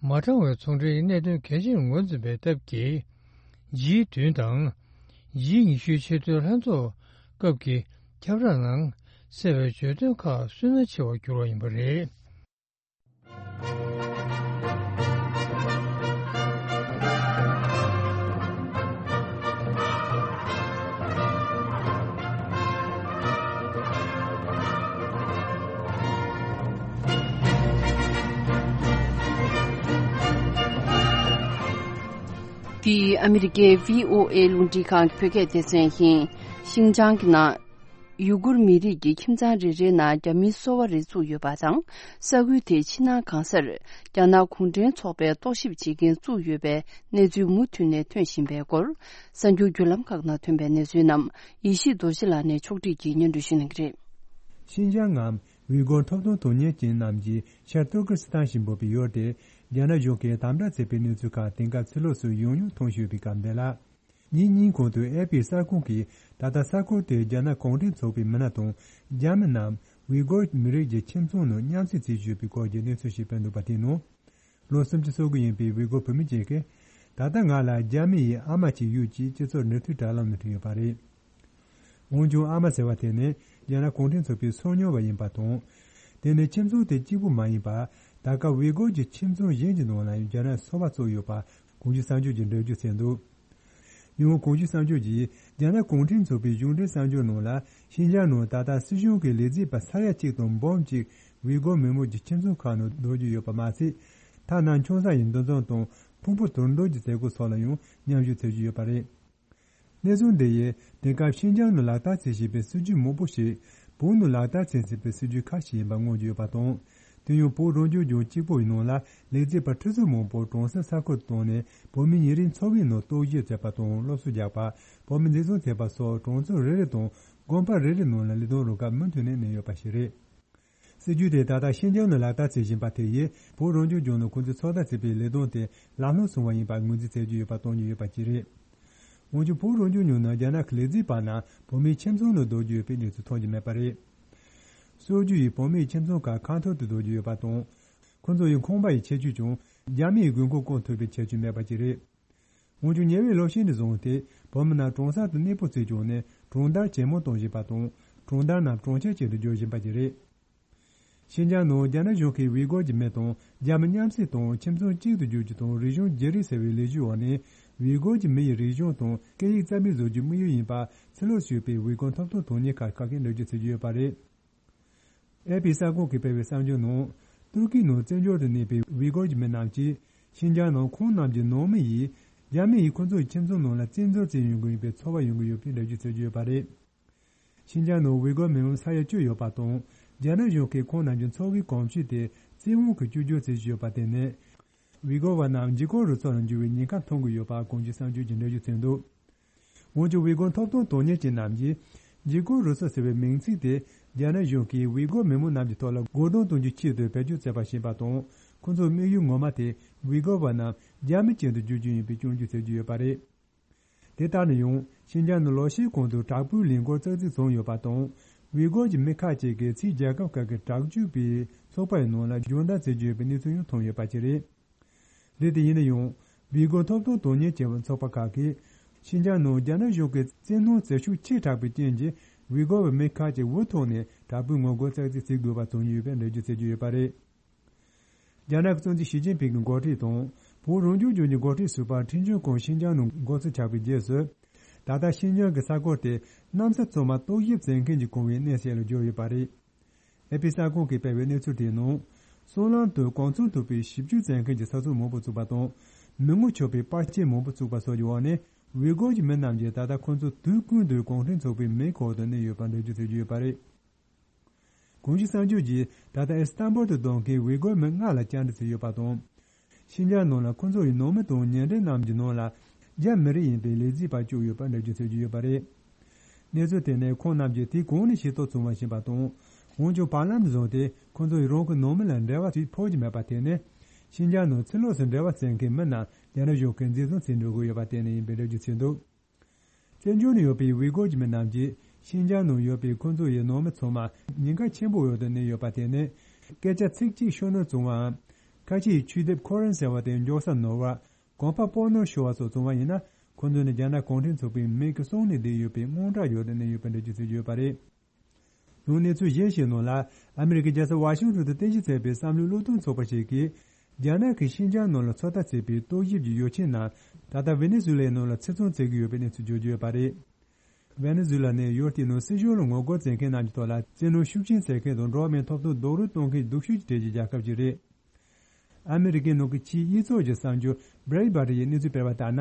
མ་དྲང་བའི་ཚོང་འབྲེལ་གྱི་གནད་དོན་གལ་ཆེར་ངོས་འཛིན་པའི་སྟབས་ཀྱིས། ཇི་བདུན་དང་། ཇི་ཉི་ཤུའི་ཆེས་མཐོའི་ལྷན་ཚོགས་སྐབས་ཀྱི་ཁྱབ་བསྒྲགས་ནང་གསལ་བའི་བརྗོད་དོན་ཁག་སུན་སྣང་ཆེ་བར་གྱུར་བ་ཡིན་པ་རེད། འདི་ཨ་མི་རི་ཀའི་བྷི་ཨོ་ཨེ་རླུང་འཕྲིན་ཁང་གི་བོད་སྐད་སྡེ་ཚན་ཡིན། ཤིན་ཅང་གི་ནང་། ཡུ་གུར་མི་རིགས་ཀྱི་ཁྱིམ་ཚང་རེ་རེའི་ནང་རྒྱ་མིའི་སོ་པ་རེ་བཙུགས་ཡོད་པ་དང་། ས་ཁུལ་དེའི་ཕྱི་ནང་གང་སར་རྒྱ་ནག་གུང་ཁྲན་ཚོགས་པའི་རྟོག་ཞིབ་བྱེད་མཁན་བཙུགས་ཡོད་པའི་གནས་ཚུལ་མུ་མཐུད་ནས་ཐོན་བཞིན་པའི་སྐོར། གསར་འགྱུར་བརྒྱུད་ལམ་ཁག་ནང་ཐོན་པའི་གནས་ཚུལ་རྣམས་ཡེ་ཤེས་རྡོ་རྗེ་ལགས་ནས་ཕྱོགས་སྒྲིག་གིས་སྙན་སྒྲོན་ཞུ་གནང་གི་རེད། ཤིན་ཅང་ངམ་ཝི་གོར་ཐོབ་ཐང་དོན་གཉེར་ཅན་རྣམས་ཀྱི་ཤར་ཏུར་ཀི་སི་ཐན་ཞེས་འབོད་པའི་ཡུལ་དེ་རྒྱ་ནག་གཞུང་གིས་དམ་དྲག་བྱས་པའི་གནས་ཚུལ་ཁག་དེང་སྐབས་ཕྱི་ལོགས་སུ་ཡང་ཡང་མཐོང་བཞིན་ཡོད་པའི་སྐབས་འདི་ལ། ཉིན་གཉིས་གོང་དུ་ཨེ་ཕི་གསར་ཁང་གིས་ད་ལྟ་ས་ཁུལ་དེའི་རྒྱ་ནག་གུང་ཁྲན་ཚོགས་པའི་མི་སྣ་དང་རྒྱ་མི་རྣམས་ཝི་གོར་མི་རིགས་ཀྱི་ཁྱིམ་ཚང་ནང་མཉམ་བསྲེས་བྱེད་བཞིན་ཡོད་པའི་སྐོར་གྱི་གནས་ཚུལ་ཞིག་སྤེལ་འདུག་པ་དེའི་ནང་། ལོ་སུམ་ཅུ་སོ་དགུ་ཡིན་པའི་ཝི་གོར་བུད་མེད་ཅིག་གིས། ད་ལྟ་ང་ལ་རྒྱ་མི་ཡི་ཨ་མ་ཅིག་ཡོད་ཅེས་སྤྱི་ཚོགས་འབྲེལ་མཐུད་དྲ་ལམ་ནང་བྲིས་ཡོད་པ་རེད། འོན་ཀྱང་ཨ་མ་ཟེར་བ་དེ་ནི་རྒྱ་ནག་གུང་ཁྲན་ཚོགས་པའི་སོ་ཉུལ་བ་ཡིན་པ་དང་། དེ་ནི་ཁྱིམ་ཚང་དེ་གཅིག་པུ་མ་ཡིན་པར། ད་སྐབས་ཝི་གོར་གྱི་ཁྱིམ་ཚང་གཞན་གྱི་ནང་ལ་ཡང་རྒྱ་ནག་སོ་པ་ཚོགས་ཡོད་པ་གོང་ཞུས་གསར་འགྱུར་གྱིས་འགྲེལ་བརྗོད་བྱས་འདུག། ཡང་གོང་ཞུས་གསར་འགྱུར་གྱིས་རྒྱ་ནག་གུང་ཁྲན་ཚོགས་པའི་གཞུང་འབྲེལ་གསར་འགྱུར་ནང་ལ། ཤིན་ཅང་ནང་ད་ལྟ་སྲིད་གཞུང་གི་ལས་བྱེད་པ་ས་ཡ་གཅིག་དང་འབུམ་གཅིག་ཝི་གོར་མི་མང་གི་ཁྱིམ་ཚང་ཁག་ནང་སྡོད་ཀྱི་ཡོད་པ་མ་ཟད། ཐ་ན་ཆུང་ས་ཡི་འདུ་འཛོམས་དང་ཕུང་པོ་དུར་འདོན་གྱི་མཛད་སྒོ་སོགས་ལ་ཡང་མཉམ་ཞུགས་བྱེད་ཀྱི་ཡོད་པ་རེད། གནས་ཚུལ་འདི་ཡིས་དེང་སྐབས་ཤིན་ཅང་ནང་ལག་བསྟར་བྱེད་བཞིན་པའི་སྲིད་ཇུས་མང་པོ་ཞིག་བོད་ནང་ལག་བསྟར་བྱེད་བཞིན་པའི་སྲིད་ཇུས་ཁག་ཞིག་ཡིན་པ་མངོན་གྱི་ཡོད་པ་དང་། དེ་ཡང་བོད་རང་སྐྱོང་ལྗོངས་གཅིག་པུའི་ནང་ལ་ལས་བྱེད་པ་ཁྲི་ཚོ་མང་པོ་གྲོང་གསེབ་ས་ཁུལ་བཏང་ནས་བོད་མི་ཉིན་རེའི་འཚོ་བའི་ནང་རྟོག་ཞིབ་བྱེད་པ་དང་སློབ་གསོ་རྒྱག་པ། བོད་མི་འཛིན་བཟུང་བྱེད་པ་སོགས་གྲོང་ཚོ་རེ་རེ་དང་དགོན་པ་རེ་རེ་ནང་ལ་ལས་དོན་རུ་ཁག་མུ་མཐུད་ནས་གནས་ཡོད་པ་ཞིག་རེད། སྲིད་ཇུས་དེ་ད་ལྟ་ཤིན་ཅང་ནང་ལག་བསྟར་བྱེད་བཞིན་པ་དེ་ཡིས་བོད་རང་སྐྱོང་ལྗོངས་ནང་ཁོང་ཚོས་ཚོད་ལྟ་བྱས་པའི་ལས་དོན་དེ་ལམ་ལྷོང་སོང་བ་ཡིན་པར་ངོས་འཛིན་བྱེད་ཀྱི་ཡོད་པ་སྟོན་གྱི་ཡོད་པ་བཅས་རེད། འོན་ཀྱང་བོད་རང་སྐྱོང་ལྗོངས་ནང་རྒྱ་ནག་གི་ལས་བྱེད་པ་རྣམས་བོད་མིའི་ཁྱིམ་ཚང་ནང་སྡོད་ཀྱི་ཡོད་པའི་གནས་ཚུལ་མཐོང་རྒྱུ་མེད་པ་རེད། སྲོལ་རྒྱུན་ཡིས་བོད་མིའི་ཁྱིམ་ཚང་ཁག་ཁ་ཐོར་དུ་སྡོད་ཀྱི་ཡོད་པ་དང་། ཁོང་ཚོ་ཡི་ཁང་པ་ཡི་ཁྱད་ཆོས་ཀྱང་རྒྱ་མི་ཡི་དགོས་མཁོ་སྐོང་ཐུབ་པའི་ཁྱད་ཆོས་མེད་པ་བཅས་རེད། འོན་ཀྱང་ཉེ་བའི་ལོ་ཤས་ནས་བཟུང་སྟེ་བོད་མི་རྣམས་གྲོང་གསེབ་ཏུ་གནས་སྤོ་བྱས་བྱུང་ནས་གྲོང་རྡལ་ཇེ་མང་གཏོང་བཞིན་པ་དང་གྲོང་རྡལ་རྣམས་གྲོང་ཁྱེར་ཅན་དུ་འགྱུར་བཞིན་པ་བཅས་རེད། ཤིན་ཅང་ནང་རྒྱ་ནག་གཞུང་གིས་ཝི་གོར་གྱི་མི་དང་རྒྱ་མི་མཉམ་བསྲེས་དང་ཁྱིམ་ཚང་གཅིག་ཏུ་འགྱུར་རྒྱུ་དང་རིག་གཞུང་བརྗེ་རེས་ཟེར་བའི་ལས་གཞིའི་འོག་ནས་ཝི་གོར་གྱི་མི་ཡི་རིག་གཞུང་དང་སྐད་ཡིག་རྩ་མེད་བཟོ་རྒྱུའི་དམིགས་ཡུལ་ཡིན་པ་ཕྱི་ལོགས་སུ་ཡོད་པའི་ཝི་གོར་ཐོབ་ཐང་དོན་གཉེར་ཁག་ཁག་གིས་འགྲེལ་བརྗོད་བྱེད་ཀྱི་ཡོད་པ་རེད། ཨེ་ཕི་གསར་ཁང་གིས་སྤེལ་བའི་གསར་འགྱུར་ནང་། ཏུར་ཀི་ནང་བཙན་བྱོལ་དུ་གནས་པའི་ཝི་གོར་གྱི་མི་རྣམས་ཀྱིས་ཤིན་ཅང་ནང་ཁོང་རྣམས་ཀྱི་ནང་མི་ཡིས་རྒྱ་མི་ཡིས་ཁོ་ཚོའི་ཁྱིམ་ཚང་ནང་ལ་བཙན་འཛུལ་བྱེད་ཡོང་གི་ཡོད་པའི་ཚོར་བ་ཡོང་གི་ཡོད་པའི་འགྲེལ་བརྗོད་བྱེད་ཀྱི་ཡོད་པ་རེད། ཤིན་ཅང་ནང་ཝི་གོར་མི་མང་ས་ཡ་བཅུ་ཡོད་པ་དང་། རྒྱ་ནག་གཞུང་གིས་ཁོང་རྣམས་ཀྱི་འཚོ་བའི་གོམས་གཤིས་དེ་བཙན་དབང་གིས་བཅོས་བསྒྱུར་བྱེད་བཞིན་ཡོད་པ་དེ་ནི། ཝི་གོར་བ་རྣམས་འཇིགས་སྐུལ་རུ་ཚོགས་ལ་འགྱུར་བའི་ཉེན་ཁ་མཐོང་གི་ཡོད་པ་གོང་ཞུས་གསར་འགྱུར་གྱིས་འགྲེལ་བརྗོད་བྱས་འདུག། འོན་ཀྱང་ཝི་གོར་ཐོབ་ཐང་དོན་གཉེར་ཅན་རྣམས་ཀྱིས། འཇིགས་སྐུལ་རུ་ཚོགས་ཟེར་བའི་མིང་ཚིག་དེ་རྒྱ་ནག་གཞུང་གིས་ཝི་གོར་མི་མང་རྣམས་ཀྱི་ཐོག་ལ་རྒོལ་རྡུང་གཏོང་རྒྱུའི་ཆེད་དུ་བེད་སྤྱོད་བྱས་པ་ཞིག་ཡིན་པ་དང་། ཁོ་ཚོའི་དམིགས་ཡུལ་ངོ་མ་དེ་ཝི་གོར་བ་རྣམས་རྒྱ་མི་ཅན་དུ་བསྒྱུར་རྒྱུ་ཡིན་པའི་སྐྱོན་བརྗོད་བྱེད་ཀྱི་ཡོད་པ་རེད། དེ་ལྟར་ན་ཡང་ཤིན་ཅང་ནང་ལོ་ཤས་གོང་དུ་དྲག་པོའི་ལས་འགུལ་ཙག་ཙིག་བྱུང་ཡོད་པ་དང་། ཝི་གོར་གྱི་མི་ཁག་ཅིག་གིས་ཕྱིའི་རྒྱལ་ཁབ་ཁག་གི་དྲག་སྤྱོད་པའི་ཚོགས་པ་ཡི་ནང་ལ་སྦྱོང་བརྡར་བྱེད་ཀྱི་ཡོད་པའི་གནས་ཚུལ་ཡང་ཐོན་ཡོད་པ་བཅས་རེད། འདི་དེ་ཡིན་ན་ཡང་། ཝི་གོར་ཐོབ་ཐང་དོན་གཉེར་བྱེད་པའི་ཚོགས་པ་ཁག་གིས། ཤིན་ཅང་ནང་རྒྱ་ནག་གཞུང་གིས་བཙན་གནོན་བྱེད་ཤུགས་ཆེ་དྲགས་པའི་རྐྱེན་གྱིས་ཝི་གོར་བའི་མི་ཁག་ཅིག་འུ་ཐུག་ནས་དྲག་པོའི་ངོ་རྒོལ་ཙག་ཙིག་བྱེད་དགོས་པ་བྱུང་ཡོད་པའི་འགྲེལ་བརྗོད་བྱེད་ཀྱི་ཡོད་པ་རེད། རྒྱ་ནག་གི་གཙོ་འཛིན་ཞི་ཅིན་ཕིང་གི་འགོ་ཁྲིད་དང་། བོད་རང་སྐྱོང་ལྗོངས་ཀྱི་འགོ་ཁྲིད་ཟུར་པ་ཁྲིན་ཆོན་ཀོང་ཤིན་ཅང་ནང་འགོ་འཛུགས་བྱས་པའི་རྗེས་སུ། ད་ལྟ་ཤིན་ཅང་གི་ས་ཁུལ་དེ་གནམ་ས་ཚང་མ་རྟོག་ཞིབ་བྱེད་མཁན་གྱི་གོང་བའི་གནས་ཤིག་ལ་གྱུར་ཡོད་པ་རེད། ཨེ་ཕི་གསར་ཁང་གིས་སྤེལ་བའི་གནས་ཚུལ་དེའི་ནང་། སྲང་ལམ་དུ་གོང་ཚང་ཐུབ་པའི་ཞིབ་འཇུག་བྱེད་མཁན་གྱི་ས་ཚིགས་མང་པོ་བཙུགས་པ་དང་། མི་ངོ་ཆོད་པའི་པར་ཆས་མང་པོ་བཙུགས་པ་སོགས་ཀྱི་འོག་ནས། ཝི་གོར་གྱི་མི་རྣམས་ཀྱིས་ད་ལྟ་ཁོ་ཚོ་དུས་ཀུན་ཏུ་གུང་ཁྲན་ཚོགས་པའི་མེ་འཁོར་དུ་གནས་ཡོད་པ་འགྲེལ་བརྗོད་བྱེད་ཀྱི་ཡོད་པ་རེད། གོང་ཞུས་གསར་འགྱུར་གྱིས་ད་ལྟ་ཨི་སི་ཐན་བུལ་དུ་སྡོད་མཁན་ཝི་གོར་མི་ལྔ་ལ་བཅར་འདྲི་བྱས་ཡོད་པ་དང་། ཤིན་ཅང་ནང་ལ་ཁོ་ཚོ་ཡི་ནང་མི་དང་ཉེ་འབྲེལ་རྣམས་ཀྱི་ནང་ལ་རྒྱ་མི་རིགས་ཡིན་པའི་ལས་བྱེད་པ་བཅུག་ཡོད་པ་འགྲེལ་བརྗོད་བྱེད་ཀྱི་ཡོད་པ་རེད། གནས་ཚུལ་དེ་ནི་ཁོང་རྣམས་ཀྱིས་དེ་གོང་ནས་ཤེས་རྟོགས་བྱུང་བ་ཞིག་ཡིན་པ་དང་། འོན་ཀྱང་བར་ལམ་དུ་བཟུང་སྟེ་ཁོ་ཚོ་ཡི་རང་གི་ནང་མི་ལ་འབྲེལ་བ་ཞིག་ཕོག་རྒྱུ་མེད་པ་དེ་ནི། ཤིན་ཅང་ནང་ཕྱི་ལོགས་སུ་འབྲེལ་བ་བཙལ་མཁན་མི་རྣམས་རྒྱ་ནག་གཞུང་གིས་འཛིན་བཟུང་བྱེད་འགྲོ་གི་ཡོད་པ་དེ་ནི་ཡིན་པའི་འགྲེལ་བརྗོད་བྱས་འདུག་བཙན་བྱོལ་ནང་ཡོད་པའི་ཝི་གོར་གྱི་མི་རྣམས་ཀྱིས་ཤིན་ཅང་ནང་ཡོད་པའི་ཁོ་ཚོ་ཡི་ནང་མི་ཚང་མ་ཉེན་ཁ་ཆེན་པོའི་འོག་ཏུ་གནས་ཡོད་པ་དེ་ནི། སྐད་ཆ་ཚིག་གཅིག་ཤོད་ན་བཙོང་བའམ། ཁ་ཆེའི་ཆུ་དེབ་ཁོ་རན་ཟེར་བ་དེ་མགྱོགས་ས་ནོར་བ། གོམ་པ་སྤོ་ནོར་ཤོར་བ་སོགས་བཙོང་བ་ཡིན་ན། ཁོ་ཚོ་ནི་རྒྱ་ནག་གུང་ཁྲན་ཚོགས་པའི་མིང་གི་གསུང་ནས་བསྡད་ཡོད་པའི་དངངས་སྐྲག་ཡོད་དུ་གནས་ཡོད་པའི་འགྲེལ་བརྗོད་བྱས་ཡོད་པ་རེད། ཡང་གནས་ཚུལ་གཞན་ཞིག་ནང་ལ། ཨ་མི་རི་ཀའི་རྒྱལ་ས་ཝ་ཤིང་ཊོན་དུ་རྟེན་གཞི་བྱས་པའི་བསམ་བློའི་བློས་གཏོང་ཚོགས་པ་ཞིག་གིས། རྒྱ་ནག་གིས་ཤིན་ཅང་ནང་ལ་ཚོད་ལྟ་བྱས་པའི་ཏོག་དབྱིབས་ཀྱི་ཡོ་བྱད་རྣམས་ད་ལྟ་ཝེ་ནེ་ཛུ་ལའི་ནང་ལ་ཕྱིར་ཚོང་བྱེད་ཀྱི་ཡོད་པའི་གནས་ཚུལ་བརྗོད་ཀྱི་ཡོད་པ་རེད། ཝེ་ནེ་ཛུ་ལ་ནི་ཡུལ་དེའི་ནང་སྲིད་གཞུང་ལ་ངོ་རྒོལ་བྱེད་མཁན་རྣམས་ཀྱི་ཐོག་ལ་བཙན་གནོན་ཤུགས་ཆེན་བྱེད་མཁན་དང་འགྲོ་བ་མིའི་ཐོབ་ཐང་རྡོག་རོལ་གཏོང་མཁན་སྡུག་ཤོས་ཀྱི་གྲས་ཀྱི་རྒྱལ་ཁབ་ཅིག་རེད། ཨ་མི་རི་ཀའི་ནང་གི་ཕྱིའི་དབྱེ་ཚོགས་ཀྱི་གསར་འགྱུར་བྷི་རེད་བྷར་ཊི་ཡིས་གནས་ཚུལ་སྤེལ་བ་ལྟར་ན།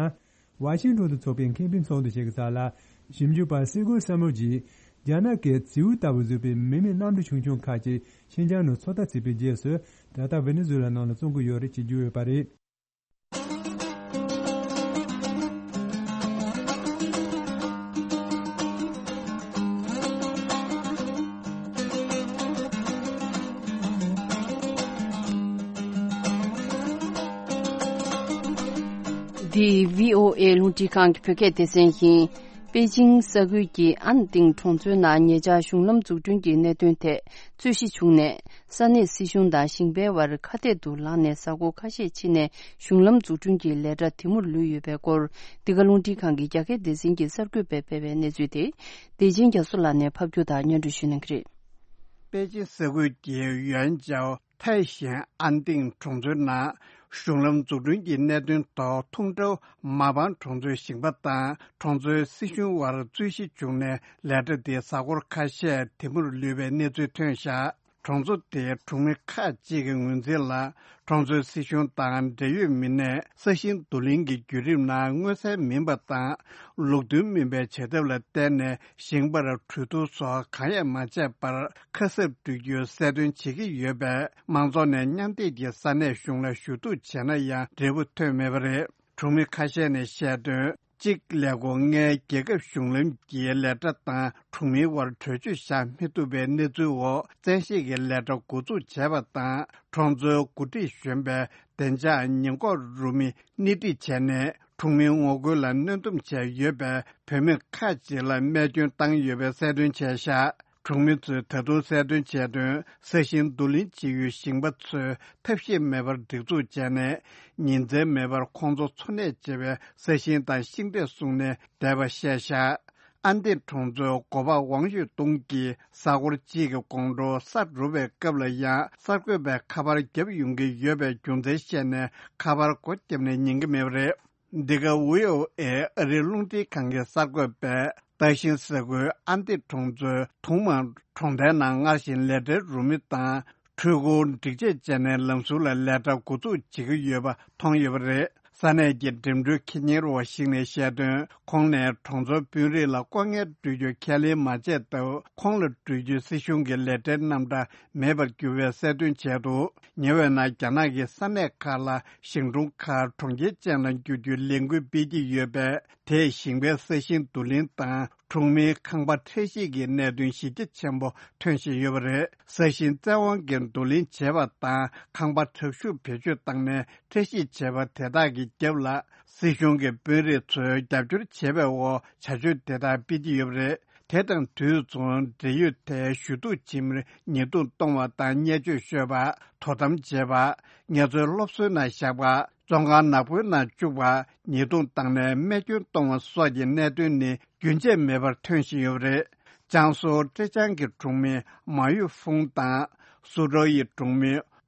ཝ་ཤིང་ཊོན་དུ་ཚོགས་པའི་ཁེ་ཕན་ཚོགས་འདུ་ཞིག་གི་རྩ་ལ། ཞིབ་འཇུག་པ་སི་གོ་སམ་མོ་གྱིས། རྒྱ་ནག་གིས་རྫི་བོ་ལྟ་བུ་བཟོས་པའི་མི་མེད་གནམ་གྲུ་ཆུང་ཆུང་ཁག་ཅིག་ཤིན་ཅང་ནང་ཚོད་ལྟ་བྱས་པའི་རྗེས་སུ། ད་ལྟ་ཝེ་ནེ་ཛུ་ལ་ནང་ལ་བཙོང་གི་ཡོད་རེད་ཅེས་བརྗོད་ཡོད་པ་རེད། འདི་བྷི་ཨོ་ཨེ་རླུང་འཕྲིན་ཁང་གི་བོད་སྐད་སྡེ་ཚན་ཡིན། པེ་ཅིང་ས་ཁུལ་གྱི་ཨན་ཏིང་གྲོང་ཚོའི་ནང་ཉེ་ཆར་གཞུང་ལམ་འཛུགས་སྐྲུན་གྱི་གནད་དོན་ཐད་རྩོད་གཞི་བྱུང་ནས། ས་གནས་སྲིད་གཞུང་དང་ཞིང་པའི་དབར་ཁ་གཏད་དུ་ལངས་ནས། གཟའ་འཁོར་ཁ་ཤས་ཕྱིན་ནས་གཞུང་ལམ་འཛུགས་སྐྲུན་གྱི་ལས་གྲྭ་དེ་མུར་ལུས་ཡོད་པའི་སྐོར། འདི་ག་རླུང་འཕྲིན་ཁང་གི་རྒྱ་སྐད་སྡེ་ཚན་གྱིས་གསར་འགོད་པས་སྤེལ་བའི་གནས་ཚུལ་དེ། བདེ་ཆེན་རྒྱ་མཚོ་ལགས་ནས་ཕབ་སྒྱུར་དང་སྙན་སྒྲོན་ཞུ་གནང་གི་རེད། པེ་ཅིན་ས་ཁུལ་གྱི་ཡོན་ཅའོ་ཐའེ་ཞན་ཨན་ཏིང་གྲོང་ཚོའི་ནང་གཞུང་ལམ་འཛུགས་སྐྲུན་གྱི་གནད་དོན་ཐོག་ཐུང་ཀྲོའུ་མ་པང་གྲོང་ཚོའི་ཞིང་པ་དང་གྲོང་ཚོའི་སྲིད་གཞུང་དབར་རྩོད་གཞི་བྱུང་ནས། ལས་གྲྭ་དེ་གཟའ་འཁོར་ཁ་ཤས་དེ་མུར་ལུས་པའི་གནས་ཚུལ་ཐོན་བཞག་གྲོང་ཚོ་དེའི་གྲོང་མི་ཁག་ཅིག་གི་ངོས་འཛིན་ལ། གྲོང་ཚོའི་སྲིད་གཞུང་དང་འབྲེལ་ཡོད་མི་སྣས་ས་ཞིང་བསྡུ་ལེན་གྱི་བརྒྱུད་རིམ་ནང་མངོན་གསལ་མིན་པ་དང་། ལུགས་མཐུན་མིན་པའི་བྱེད་ཐབས་ལ་བརྟེན་ནས། ཞིང་པར་གྲོས་བསྡུར་སོགས་གང་ཡང་མ་བྱས་པར། ཁ་གསབ་སྤྲོད་རྒྱུའི་གསལ་སྟོན་བྱེད་ཀྱི་ཡོད་པས། མང་ཚོགས་ནས་མཉམ་སྡེབ་ཀྱིས་ས་གནས་གཞུང་ལ་ཞུ་གཏུག་བྱས་ན་ཡང་། འབྲས་བུ་ཐོན་མེད་པ་རེད། གྲོང་མི་ཁ་ཤས་ནས་བཤད་དོན། གཅིག་ལས་ཁུངས་ལྔའི་རྒྱལ་ཁབ་གཞུང་ལམ་གྱི་ལས་གྲྭ་དང་གྲོང་མིའི་དབར་གྲོས་ཆོད་བཞག་མི་ཐུབ་པའི་གནས་ཚུལ་འོག་བཙན་ཤེད་ཀྱིས་ལས་གྲྭ་འགོ་འཛུགས་བྱས་པ་དང་། གྲོང་ཚོའི་འགོ་ཁྲིད་གཞོན་པས་བདེ་འཇགས་ཉེན་འགོག་རུ་མི་སྣེ་ཁྲིད་བྱས་ནས། གྲོང་མིའི་ངོ་རྒོལ་ལ་གནོན་སྡོམ་བྱས་ཡོད་པས། བུད་མེད་ཁག་ཅིག་ལ་རྨས་སྐྱོན་བཏང་ཡོད་པའི་གསལ་སྟོན་བྱས་བཞག་གྲོང་མི་ཚོས་ད་དུང་གསལ་སྟོན་བྱས་དོན། ས་ཞིང་བསྡུ་ལེན་བྱེད་ཡུལ་ཞིང་པ་ཚོས་ཐབས་ཤེས་མེད་པར་སྒྲིག་འཛུགས་བྱས་ནས། ཉིན་མཚན་མེད་པར་ཁོང་ཚོ་འཚོ་གནས་བྱེད་པའི་ས་ཞིང་དང་ཤིང་འབྲས་བཟུང་ནས་བསྡད་པ་བཤད་བཞག་ཨན་ཏི་གྲོང་ཚོའི་འགོ་པ་ཝང་ཡོད་ཏུང་གིས་གཟའ་འཁོར་གཅིག་གི་གོང་དྲོ་ས་རུབ་པའི་སྐབས་ལ་ཡང་གསར་འགོད་པས་ཁ་པར་བརྒྱབ་ཡོང་གི་ཡོད་པའི་རྒྱུ་མཚན་བཤད་ནས། ཁ་པར་སྒོ་བརྒྱབ་ནས་ཉན་གྱི་མེད་པ་རེད། འདི་ག་ཝི་ཨོ་ཨེ་ཨ་རིའི་རླུང་འཕྲིན་ཁང་གི་གསར་འགོད་པས། ཏཱ་ཤིང་ས་ཁུལ་ཨན་ཏི་གྲོང་ཚོའི་ཐུང་མང་གྲོང་རྡལ་ནང་སྔར་བཞིན་ལས་གྲྭའི་རུ་མི་དང་། འཕྲུལ་འཁོར་སྒྲིག་ཆས་བཅས་ནས་ལམ་ཟུར་ལ་ལས་གྲྭ་འགོ་འཛུགས་བྱེད་ཀྱི་ཡོད་པ་མཐོང་ཡོད་པ་རེད། ས་གནས་ཀྱི་འགྲིམ་འགྲུལ་ཁེ་གཉེར་བ་ཞིག་ནས་བཤད་དོན། ཁོང་ནས་གྲོང་ཚོའི་དཔོན་རིགས་ལ་ལྐོག་རྔན་སྤྲོད་རྒྱུ་ཁས་ལེན་མ་བྱས་སྟབས། ཁོང་ལ་སྤྲོད་རྒྱུའི་སྲིད་གཞུང་གི་ལས་གྲྭའི་རྣམ་གྲངས་མེད་པར་གྱུར་བའི་གསལ་སྟོན་བྱས་འདུག་ཉེ་བའི་ནང་རྒྱ་ནག་གིས་ས་གནས་ཁག་ལ་ཞིང་གྲོང་ཁག་གྲོང་ཁྱེར་ཅན་ལ་འགྱུར་རྒྱུའི་ལས་འགུལ་སྤེལ་གྱི་ཡོད་པས། དེས་ཞིང་པའི་ས་ཞིང་བསྡུ་ལེན་དང་། གྲོང་མིའི་ཁང་པ་ཁྲལ་བཤེར་གྱི་གནད་དོན་གཞི་རྒྱ་ཆེན་པོ་ཐོན་བཞིན་ཡོད་པ་རེད། ས་ཞིང་བཙན་དབང་གིས་བསྡུ་ལེན་བྱས་པ་དང་། ཁང་པ་དྲག་ཤུགས་བེད་སྤྱོད་བཏང་ནས་ཁྲལ་བཤེར་བྱས་པ་དེ་དག་གི་རྒྱབ་ལ། སྲིད་གཞུང་གི་དཔོན་རིགས་ཚོས་རྒྱབ་སྐྱོར་བྱས་པའི་འོག་བྱ་སྤྱོད་དེ་དག་སྤེལ་གྱི་ཡོད་པ་རེད། དེ་དང་དུས་མཚུངས། འབྲེལ་ཡོད་དེ་ཞུ་གཏུག་བྱེད་མིར་ཉེས་རྡུང་གཏོང་བ་དང་། བརྙས་བཅོས་ཤོད་པ། དོ་དམ་བྱེད་པ། ངལ་རྩོལ་སློབ་གསོའི་ནང་བཞག་པ། བཙོན་ཁང་ནག་པོའི་ནང་བཅུག་པ། ཉེས་རྡུང་བཏང་ནས་རྨས་སྐྱོན་གཏོང་བ་སོགས་ཀྱི་གནད་དོན་ནི་རྒྱུན་ཆད་མེད་པར་ཐོན་བཞིན་ཡོད་པ་རེད། ཅང་སུའུ་ཀྲེ་ཅང་གི་གྲོང་མི་མ་ཡུས་ཧྥུང་དང་། སུའུ་ཀྲོའུ་ཡི་གྲོང་མི་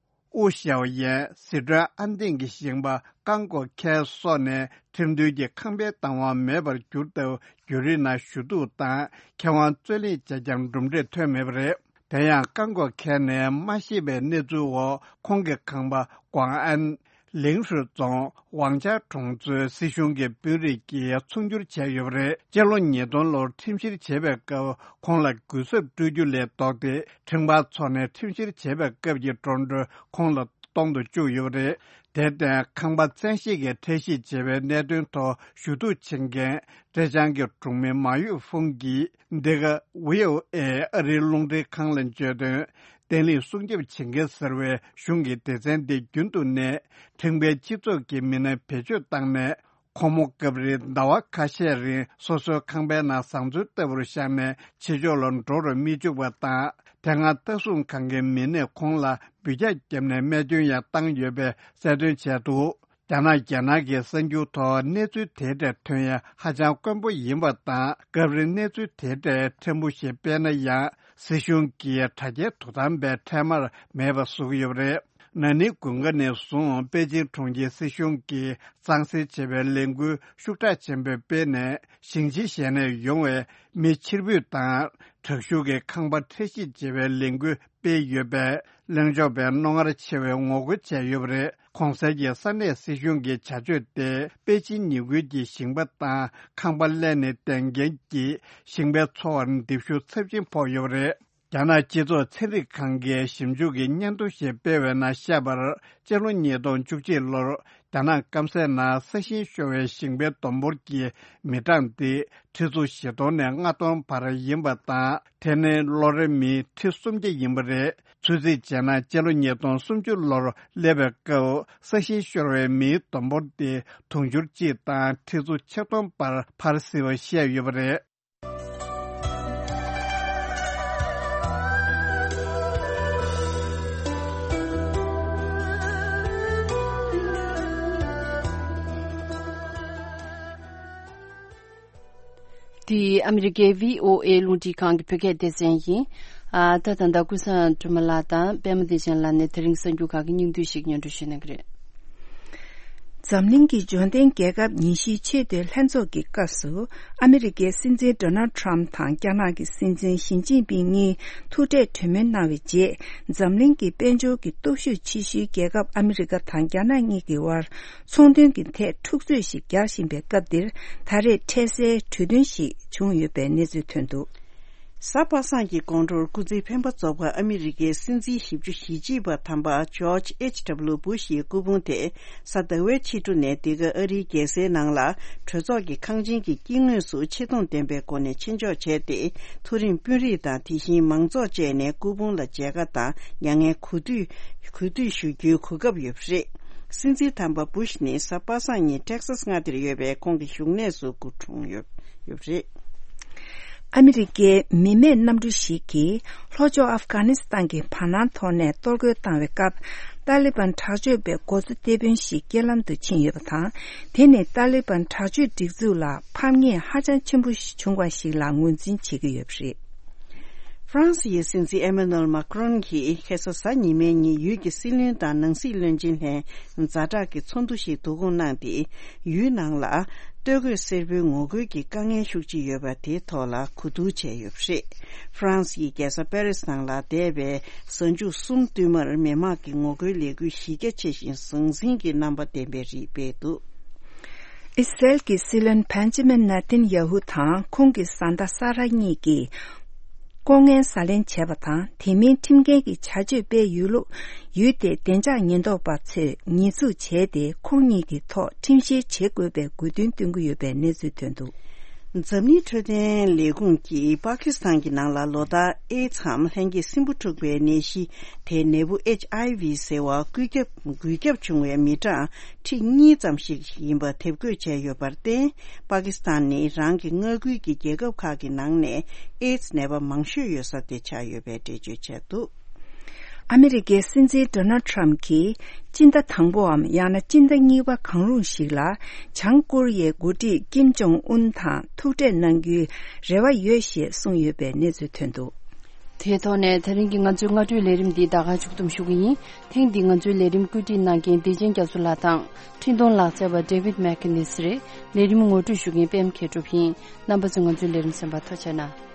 ཨུ་ཞའོ་ཡན། ཟི་ཁྲོན་ཨན་ཏིང་གི་ཞིང་པ་ཀང་གོ་ཁེ་སོགས་ནས་ཁྲིམས་མཐུན་གྱི་ཁང་པའི་བདག་དབང་མེད་པར་གྱུར་སྟབས། བརྒྱུད་རིམ་ནང་ཞུ་གཏུག་དང་ཁེ་དབང་རྩོད་ལེན་བྱས་ཀྱང་གྲུབ་འབྲས་ཐོན་མེད་པ་རེད། དེ་ཡང་ཀང་གོ་ཁེ་ནས་མ་ཤེས་པའི་གནས་ཚུལ་འོག་ཁོང་གི་ཁང་པ་ཀོང་ཨན། ལིང་ཧྲུའེ་རྫོང་ཝང་ཅཱ་གྲོང་ཚོའི་སྲིད་གཞུང་གི་དཔོན་རིགས་ཀྱིས་ཚོང་བསྒྱུར་བྱས་ཡོད་པ་རེད། སྤྱི་ལོ་ཉིས་སྟོང་ལོར་ཁྲིམས་བཤེར་བྱས་པའི་སྐབས་ཁོང་ལ་གུན་གསབ་སྤྲོད་རྒྱུ་ལས་ལྡོག་སྟེ། ཁྲིམས་འགལ་ཚོགས་ནས་ཁྲིམས་བཤེར་བྱས་པའི་སྐབས་ཀྱི་འགྲོ་གྲོན་ཁོང་ལ་གཏོང་དུ་བཅུག་ཡོད་པ་རེད། དེར་བརྟེན་ཁང་པ་བཙན་ཤེད་ཀྱིས་ཁྲལ་བཤེར་བྱས་པའི་གནད་དོན་ཐོག་ཞུ་གཏུག་བྱེད་མཁན་ཀྲེ་ཅང་གི་གྲོང་མི་མ་ཡུས་ཧྥུང་གིས། འདི་ག་ཝི་ཨོ་ཨེ་ཨ་རིའི་རླུང་འཕྲིན་ཁང་ལ་བརྗོད་དོན། བརྟན་ལྷིང་སྲུང་སྐྱོབ་བྱེད་མཁན་ཟེར་བའི་གཞུང་གི་སྡེ་ཚན་འདི་རྒྱུན་དུ་ནས་ཁྲིམས་འགལ་སྤྱི་ཚོགས་ཀྱི་མི་སྣ་བེད་སྤྱོད་བཏང་ནས། ཁོ་མོ་སྐབས་རེ་ཟླ་བ་ཁ་ཤས་རིང་སོ་སོའི་ཁང་པའི་ནང་བཟའ་ཚང་ལྟ་བུར་བཞག་ནས་ཕྱི་ཕྱོགས་ལ་འགྲོ་རུ་མི་འཇུག་པ་དང་། དེ་སྔ་ལྟ་སྲུང་ཁང་གི་མི་སྣས་ཁོང་ལ་འབུད་རྒྱག་བརྒྱབ་ནས་རྨས་སྐྱོན་ཡང་བཏང་ཡོད་པའི་གསལ་སྟོན་བྱས་འདུག་རྒྱ་ནག་རྒྱལ་ནང་གི་གསར་འགྱུར་ཐོག་གནས་ཚུལ་དེ་འདྲ་ཐོན་ཡ་ཧ་ཅང་དཀོན་པོ་ཡིན་པ་དང་། སྐབས་རེ་གནས་ཚུལ་དེ་འདྲ་ཕྲན་བུ་ཞིག་སྤེལ་ན་ཡང་། སྲིད་གཞུང་གིས་དྲ་རྒྱའི་དོ་དམ་པས་འཕྲལ་མར་མེད་པ་བཟོ་གི་ཡོད་པ་རེད། ན་ནིང་དགུན་ཁ་ནས་བཟུང་པེ་ཅིང་གྲོང་ཁྱེར་སྲིད་གཞུང་གིས་གཙང་སེལ་བྱེད་པའི་ལས་འགུལ་ཤུགས་དྲག་ཆེན་པོས་སྤེལ་ནས། ཞིང་ཆེན་གཞན་ནས་ཡོང་བའི་མི་ཕྱིར་འབུད་དང་། དྲག་ཤུགས་ཀྱིས་ཁང་པ་འཕྲལ་བཤིག་བྱེད་པའི་ལས་འགུལ་སྤེལ་ཡོད་པས། གླེང་ཕྱོགས་པས་རྣོ་ངར་ཆེ་བའི་ངོ་རྒོལ་བྱས་ཡོད་པ་རེད། གོང་གསལ་གྱི་ས་གནས་སྲིད་གཞུང་གི་བྱ་སྤྱོད་དེ། པེ་ཅིན་ཉེ་ཁུལ་གྱི་ཞིང་པ་དང་ཁང་པ་ལས་ནས་ལྡན་མཁན་གྱི་ཞིང་པའི་འཚོ་བར་འདེབས་ཤུགས་ཚབས་ཆེན་ཕོག་ཡོད་པ་རེད། རྒྱ་ནག་སྤྱི་ཚོགས་ཚན་རིག་ཁང་གིས་ཞིབ་འཇུག་གི་སྙན་ཐོ་ཞིག་སྤེལ་བའི་ནང་བཤད་པར། སྤྱི་ལོ་ཉིས་སྟོང་བཅུ་གཅིག་ལོར་རྒྱ་ནག་སྐམ་སའི་ནང་ས་ཞིང་ཤོར་བའི་ཞིང་པའི་བསྡོམས་འབོར་གྱི་མི་གྲངས་དེ་ཁྲི་ཚོ་བཞི་སྟོང་ནས་ལྔ་སྟོང་བར་ཡིན་པ་དང་། དེ་ནི་ལོ་རེར་མི་ཁྲི་སུམ་བརྒྱ་ཡིན་པ་རེད། ཚོད་རྩིས་བྱས་ན། སྤྱི་ལོ་ཉིས་སྟོང་སུམ་ཅུ་ལོར་སླེབས་པའི་སྐབས་ས་ཞིང་ཤོར་བའི་མིའི་བསྡོམས་འབོར་དེ་དུང་ཕྱུར་གཅིག་དང་ཁྲི་ཚོ་ཆིག་སྟོང་བར་འཕར་སྲིད་པ་བཤད་ཡོད་པ་རེད། འདི་ཨ་མི་རི་ཀའི་བྷི་ཨོ་ཨེ་རླུང་འཕྲིན་ཁང་གི་བོད་སྐད་སྡེ་ཚན་ཡིན། ཨ། ད་ད་ལྟ་ཀུན་བཟང་སྒྲོལ་མ་ལགས་དང་པད་མ་བདེ་ཆེན་ལགས་ནས་དེ་རིང་གསར་འགྱུར་ཁག་གི་སྙིང་བསྡུས་ཤིག་སྙན་སྒྲོན་ཞུ་གནང་གི་རེད། འཛམ་གླིང་གི་འབྱོར་ལྡན་རྒྱལ་ཁབ་ཉི་ཤུའི་ཆེས་མཐོའི་ལྷན་ཚོགས་ཀྱི་སྐབས་སུ། ཨ་མི་རི་ཀའི་སྲིད་འཛིན་ཌོ་ནལ་ཊམ་དང་རྒྱ་ནག་གི་སྲིད་འཛིན་ཞི་ཅིན་ཕིང་གཉིས་ཐུག་འཕྲད་གྲོས་མོལ་གནང་བའི་རྗེས། འཛམ་གླིང་གི་དཔལ་འབྱོར་གྱི་སྟོབས་ཤུགས་ཆེ་ཤོས་རྒྱལ་ཁབ་ཨ་མི་རི་ཀ་དང་རྒྱ་ནག་གཉིས་ཀྱི་དབར་ཚོང་དོན་གྱི་ཐད་འཁྲུག་རྩོད་ཞིག་རྒྱག་བཞིན་པའི་སྐབས་འདིར། ད་རེས་འཕྲལ་སེལ་གྲོས་མཐུན་ཞིག་བྱུང་ཡོད་པའི་གནས་ཚུལ་ཐོན་འདུག། གཟའ་པ་སངས་ཀྱི་དགོང་དྲོར་སྐུ་ཚེ་འཕེན་པ་རྫོགས་པ་ཨ་མི་རི་ཀའི་སྲིད་འཛིན་ཞེ་བཅུ་ཞེ་གཅིག་པ་དམ་པ་ཇོརྗ་ཨེཆ་ཌབ་ལུ་བུ་ཤ་ཡི་སྐུ་ཕུང་དེ་གཟའ་ཟླ་བའི་ཕྱི་དྲོ་ནས་འདི་ག་ཨ་རིའི་རྒྱལ་སའི་ནང་ལ་གྲོས་ཚོགས་ཀྱི་ཁང་ཆེན་གྱི་དཀྱིལ་ངོས་སུ་ཆེ་མཐོང་ལྡན་པའི་སྒོ་ནས་ཆེད་འཇོག་བྱས་ཏེ། མཐོ་རིམ་དཔོན་རིགས་དང་དེ་བཞིན་མང་ཚོགས་བཅས་ནས་སྐུ་ཕུང་ལ་མཇལ་ཁ་དང་མྱ་ངན་གུས་འདུད་གུས་འདུད་ཞུ་རྒྱུའི་གོ་སྐབས་ཡོད་པ་རེད། སྲིད་འཛིན་དམ་པ་བུ་ཤ་ནི་གཟའ་པ་སངས་ཉིན་ཊེག་སཱས་མངའ་སྡེར་ཡོད་པའི་ཁོང་གི་བཞུགས་གནས་སུ་སྐུ་འཁྲུངས་ཡོད་ཡོད་པ་རེད། ཨ་མི་རི་ཀའི་མི་མེད་གནམ་གྲུ་ཞིག་གིས་ལྷོ་ཕྱོགས་ཨབ་གྷ་ནི་སི་ཐན་གྱི་བར་སྣང་ཐོག་ནས་གཏོར་རྒོལ་བཏང་བའི་སྐབས། ཏཱ་ལི་བན་དྲག་སྤྱོད་པའི་འགོ་གཙོ་སྡེ་དཔོན་ཞིག་རྐྱེན་ལམ་དུ་ཕྱིན་ཡོད་པ་དང་། དེ་ནི་ཏཱ་ལི་བན་དྲག་སྤྱོད་སྒྲིག་འཛུགས་ལ་ཕམ་ཉེས་ཧ་ཅང་ཆེན་པོ་བྱུང་བ་ཞིག་ལ་ངོས་འཛིན་བྱེད་ཀྱི་ཡོད་པ་རེད། ཧྥ་རན་སི་ཡི་སྲིད་འཛིན་ཨེ་མ་ནུ་ཨེལ་མཱ་ཀྲོན་གྱིས་ཁ་སང་གཟའ་ཉི་མའི་ཉིན་ཡུལ་གྱི་སྲིད་བློན་དང་ནང་སྲིད་བློན་ཆེན་ལྷན་ཛ་དྲག་གི་ཚོགས་འདུ་ཞིག་བསྡུ་སྐོང་གནང་སྟེ། ཡུལ་ནང་ལ་སྟོད་གོས་སེར་པོའི་ངོ་རྒོལ་གྱི་དཀའ་ངལ་ཤུགས་ཆེ་ཡོད་པ་དེའི་ཐོག་ལ་གོ་བསྡུར་བྱས་ཡོད་པ་རེད། ཧྥ་རན་སི་ཡི་རྒྱལ་ས་པེ་རིས་ནང་ལ་འདས་པའི་གཟའ་མཇུག་གསུམ་བསྟུད་མར་མི་མང་གི་ངོ་རྒོལ་ལས་འགུལ་གཞི་རྒྱ་ཆེ་ཞིང་ཟང་ཟིང་གི་རྣམ་པ་ལྡན་པའི་རིགས་སྤེལ་འདུག། ཨི་སི་རལ་གྱི་སྲིད་བློན་བན་ཇི་མིན་ནེ་ཐན་ཡ་ཧུ་དང་ཁོང་གི་བཟའ་ཟླ་ས་ར་གཉིས་ཀྱིས་ལྐོག་རྔན་ཟ་ལེན་བྱས་པ་དང་། དེ་མིན་ཁྲིམས་འགལ་གྱི་བྱ་སྤྱོད་སྤེལ་ཡོད་ལུགས་ཡུལ་དེའི་བདེ་འཇགས་ཉེན་རྟོག་པ་ཚོས་ཉེས་འཛུགས་བྱས་ཏེ། ཁོང་གཉིས་ཀྱི་ཐོག་ཁྲིམས་བཤེར་བྱེད་དགོས་པའི་དགོས་འདུན་བཏོན་གྱི་ཡོད་པའི་གནས་ཚུལ་ཐོན་འདུག། འཛམ་གླིང་འཕྲོད་བསྟེན་ལས་ཁུངས་ཀྱིས་པ་ཀི་སི་ཐན་གྱི་ནང་ལ་ལོ་ལྟར་ཨེ་ཛི་འམ་ལྷན་སྐྱེས་སྲིན་འབུ་འཁྲུགས་པའི་ནད་གཞི་དེའི་ནད་འབུ་ཨེཆ་ཨའི་ཝི་ཟེར་བ་འགོས་ཁྱབ་འགོས་ཁྱབ་བྱུང་བའི་མི་གྲངས་ཁྲི་གཉིས་ཙམ་ཞིག་ཡིན་པ་དེབ་འགོད་བྱས་ཡོད་པར་བརྟེན། པ་ཀི་སི་ཐན་ནི་རང་གི་མངའ་ཁུལ་གྱི་རྒྱལ་ཁབ་ཁག་གི་ནང་ནས་ཨེ་ཛི་ནད་པ་མང་ཤོས་ཡོད་ས་དེ་ཆགས་ཡོད་པའི་འགྲེལ་བརྗོད་བྱས་འདུག། ཨ་མི་རི་ཀའི་སྲིད་འཛིན་ཌོ་ནལ་ཊམ་གྱིས་སྤྱི་ཟླ་དང་པོའམ་ཡང་ན་སྤྱི་ཟླ་གཉིས་པ་གང་རུང་ཞིག་ལ་བྱང་ཀོ་རི་ཡའི་འགོ་ཁྲིད་ཀིམ་ཇོང་ཨུན་དང་ཐུག་འཕྲད་གནང་རྒྱུའི་རེ་བ་ཡོད་ཞེས་གསུངས་ཡོད་པའི་གནས་ཚུལ་ཐོན་འདུག། དེའི་ཐོག་ནས་དེ་རིང་གི་ང་ཚོའི་སྔ་དྲོའི་ལས་རིམ་འདི་ད་ག་མཇུག་བསྡོམས་ཞུ་གི་ཡིན། ཐེངས་འདིའི་ང་ཚོའི་ལས་རིམ་བཀོད་སྒྲིག་གནང་མཁན་བདེ་ཆེན་རྒྱ་མཚོ་ལགས་དང་། འཕྲིན་གཏོང་ལག་རྩལ་བ་ཌེ་ཝིད་མེག་ནིས་རེད། ལས་རིམ་ངོ་སྤྲོད་ཞུ་མཁན་པད་མ་མཁས་གྲུབ་ཡིན། རྣམ་པ་ཚོས་ང་ཚོའི་ལས་རིམ་གསན་པར་ཐུགས་རྗེ་གནང་།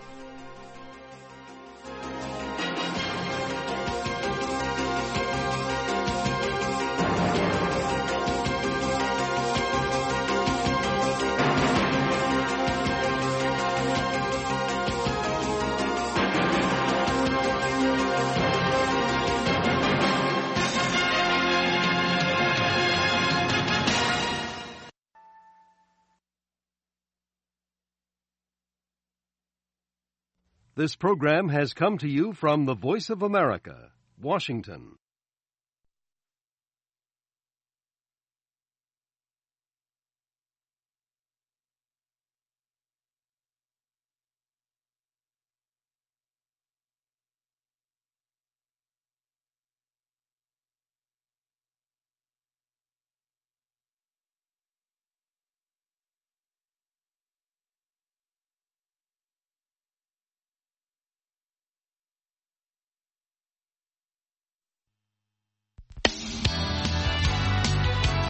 This program has come to you from the Voice of America, Washington.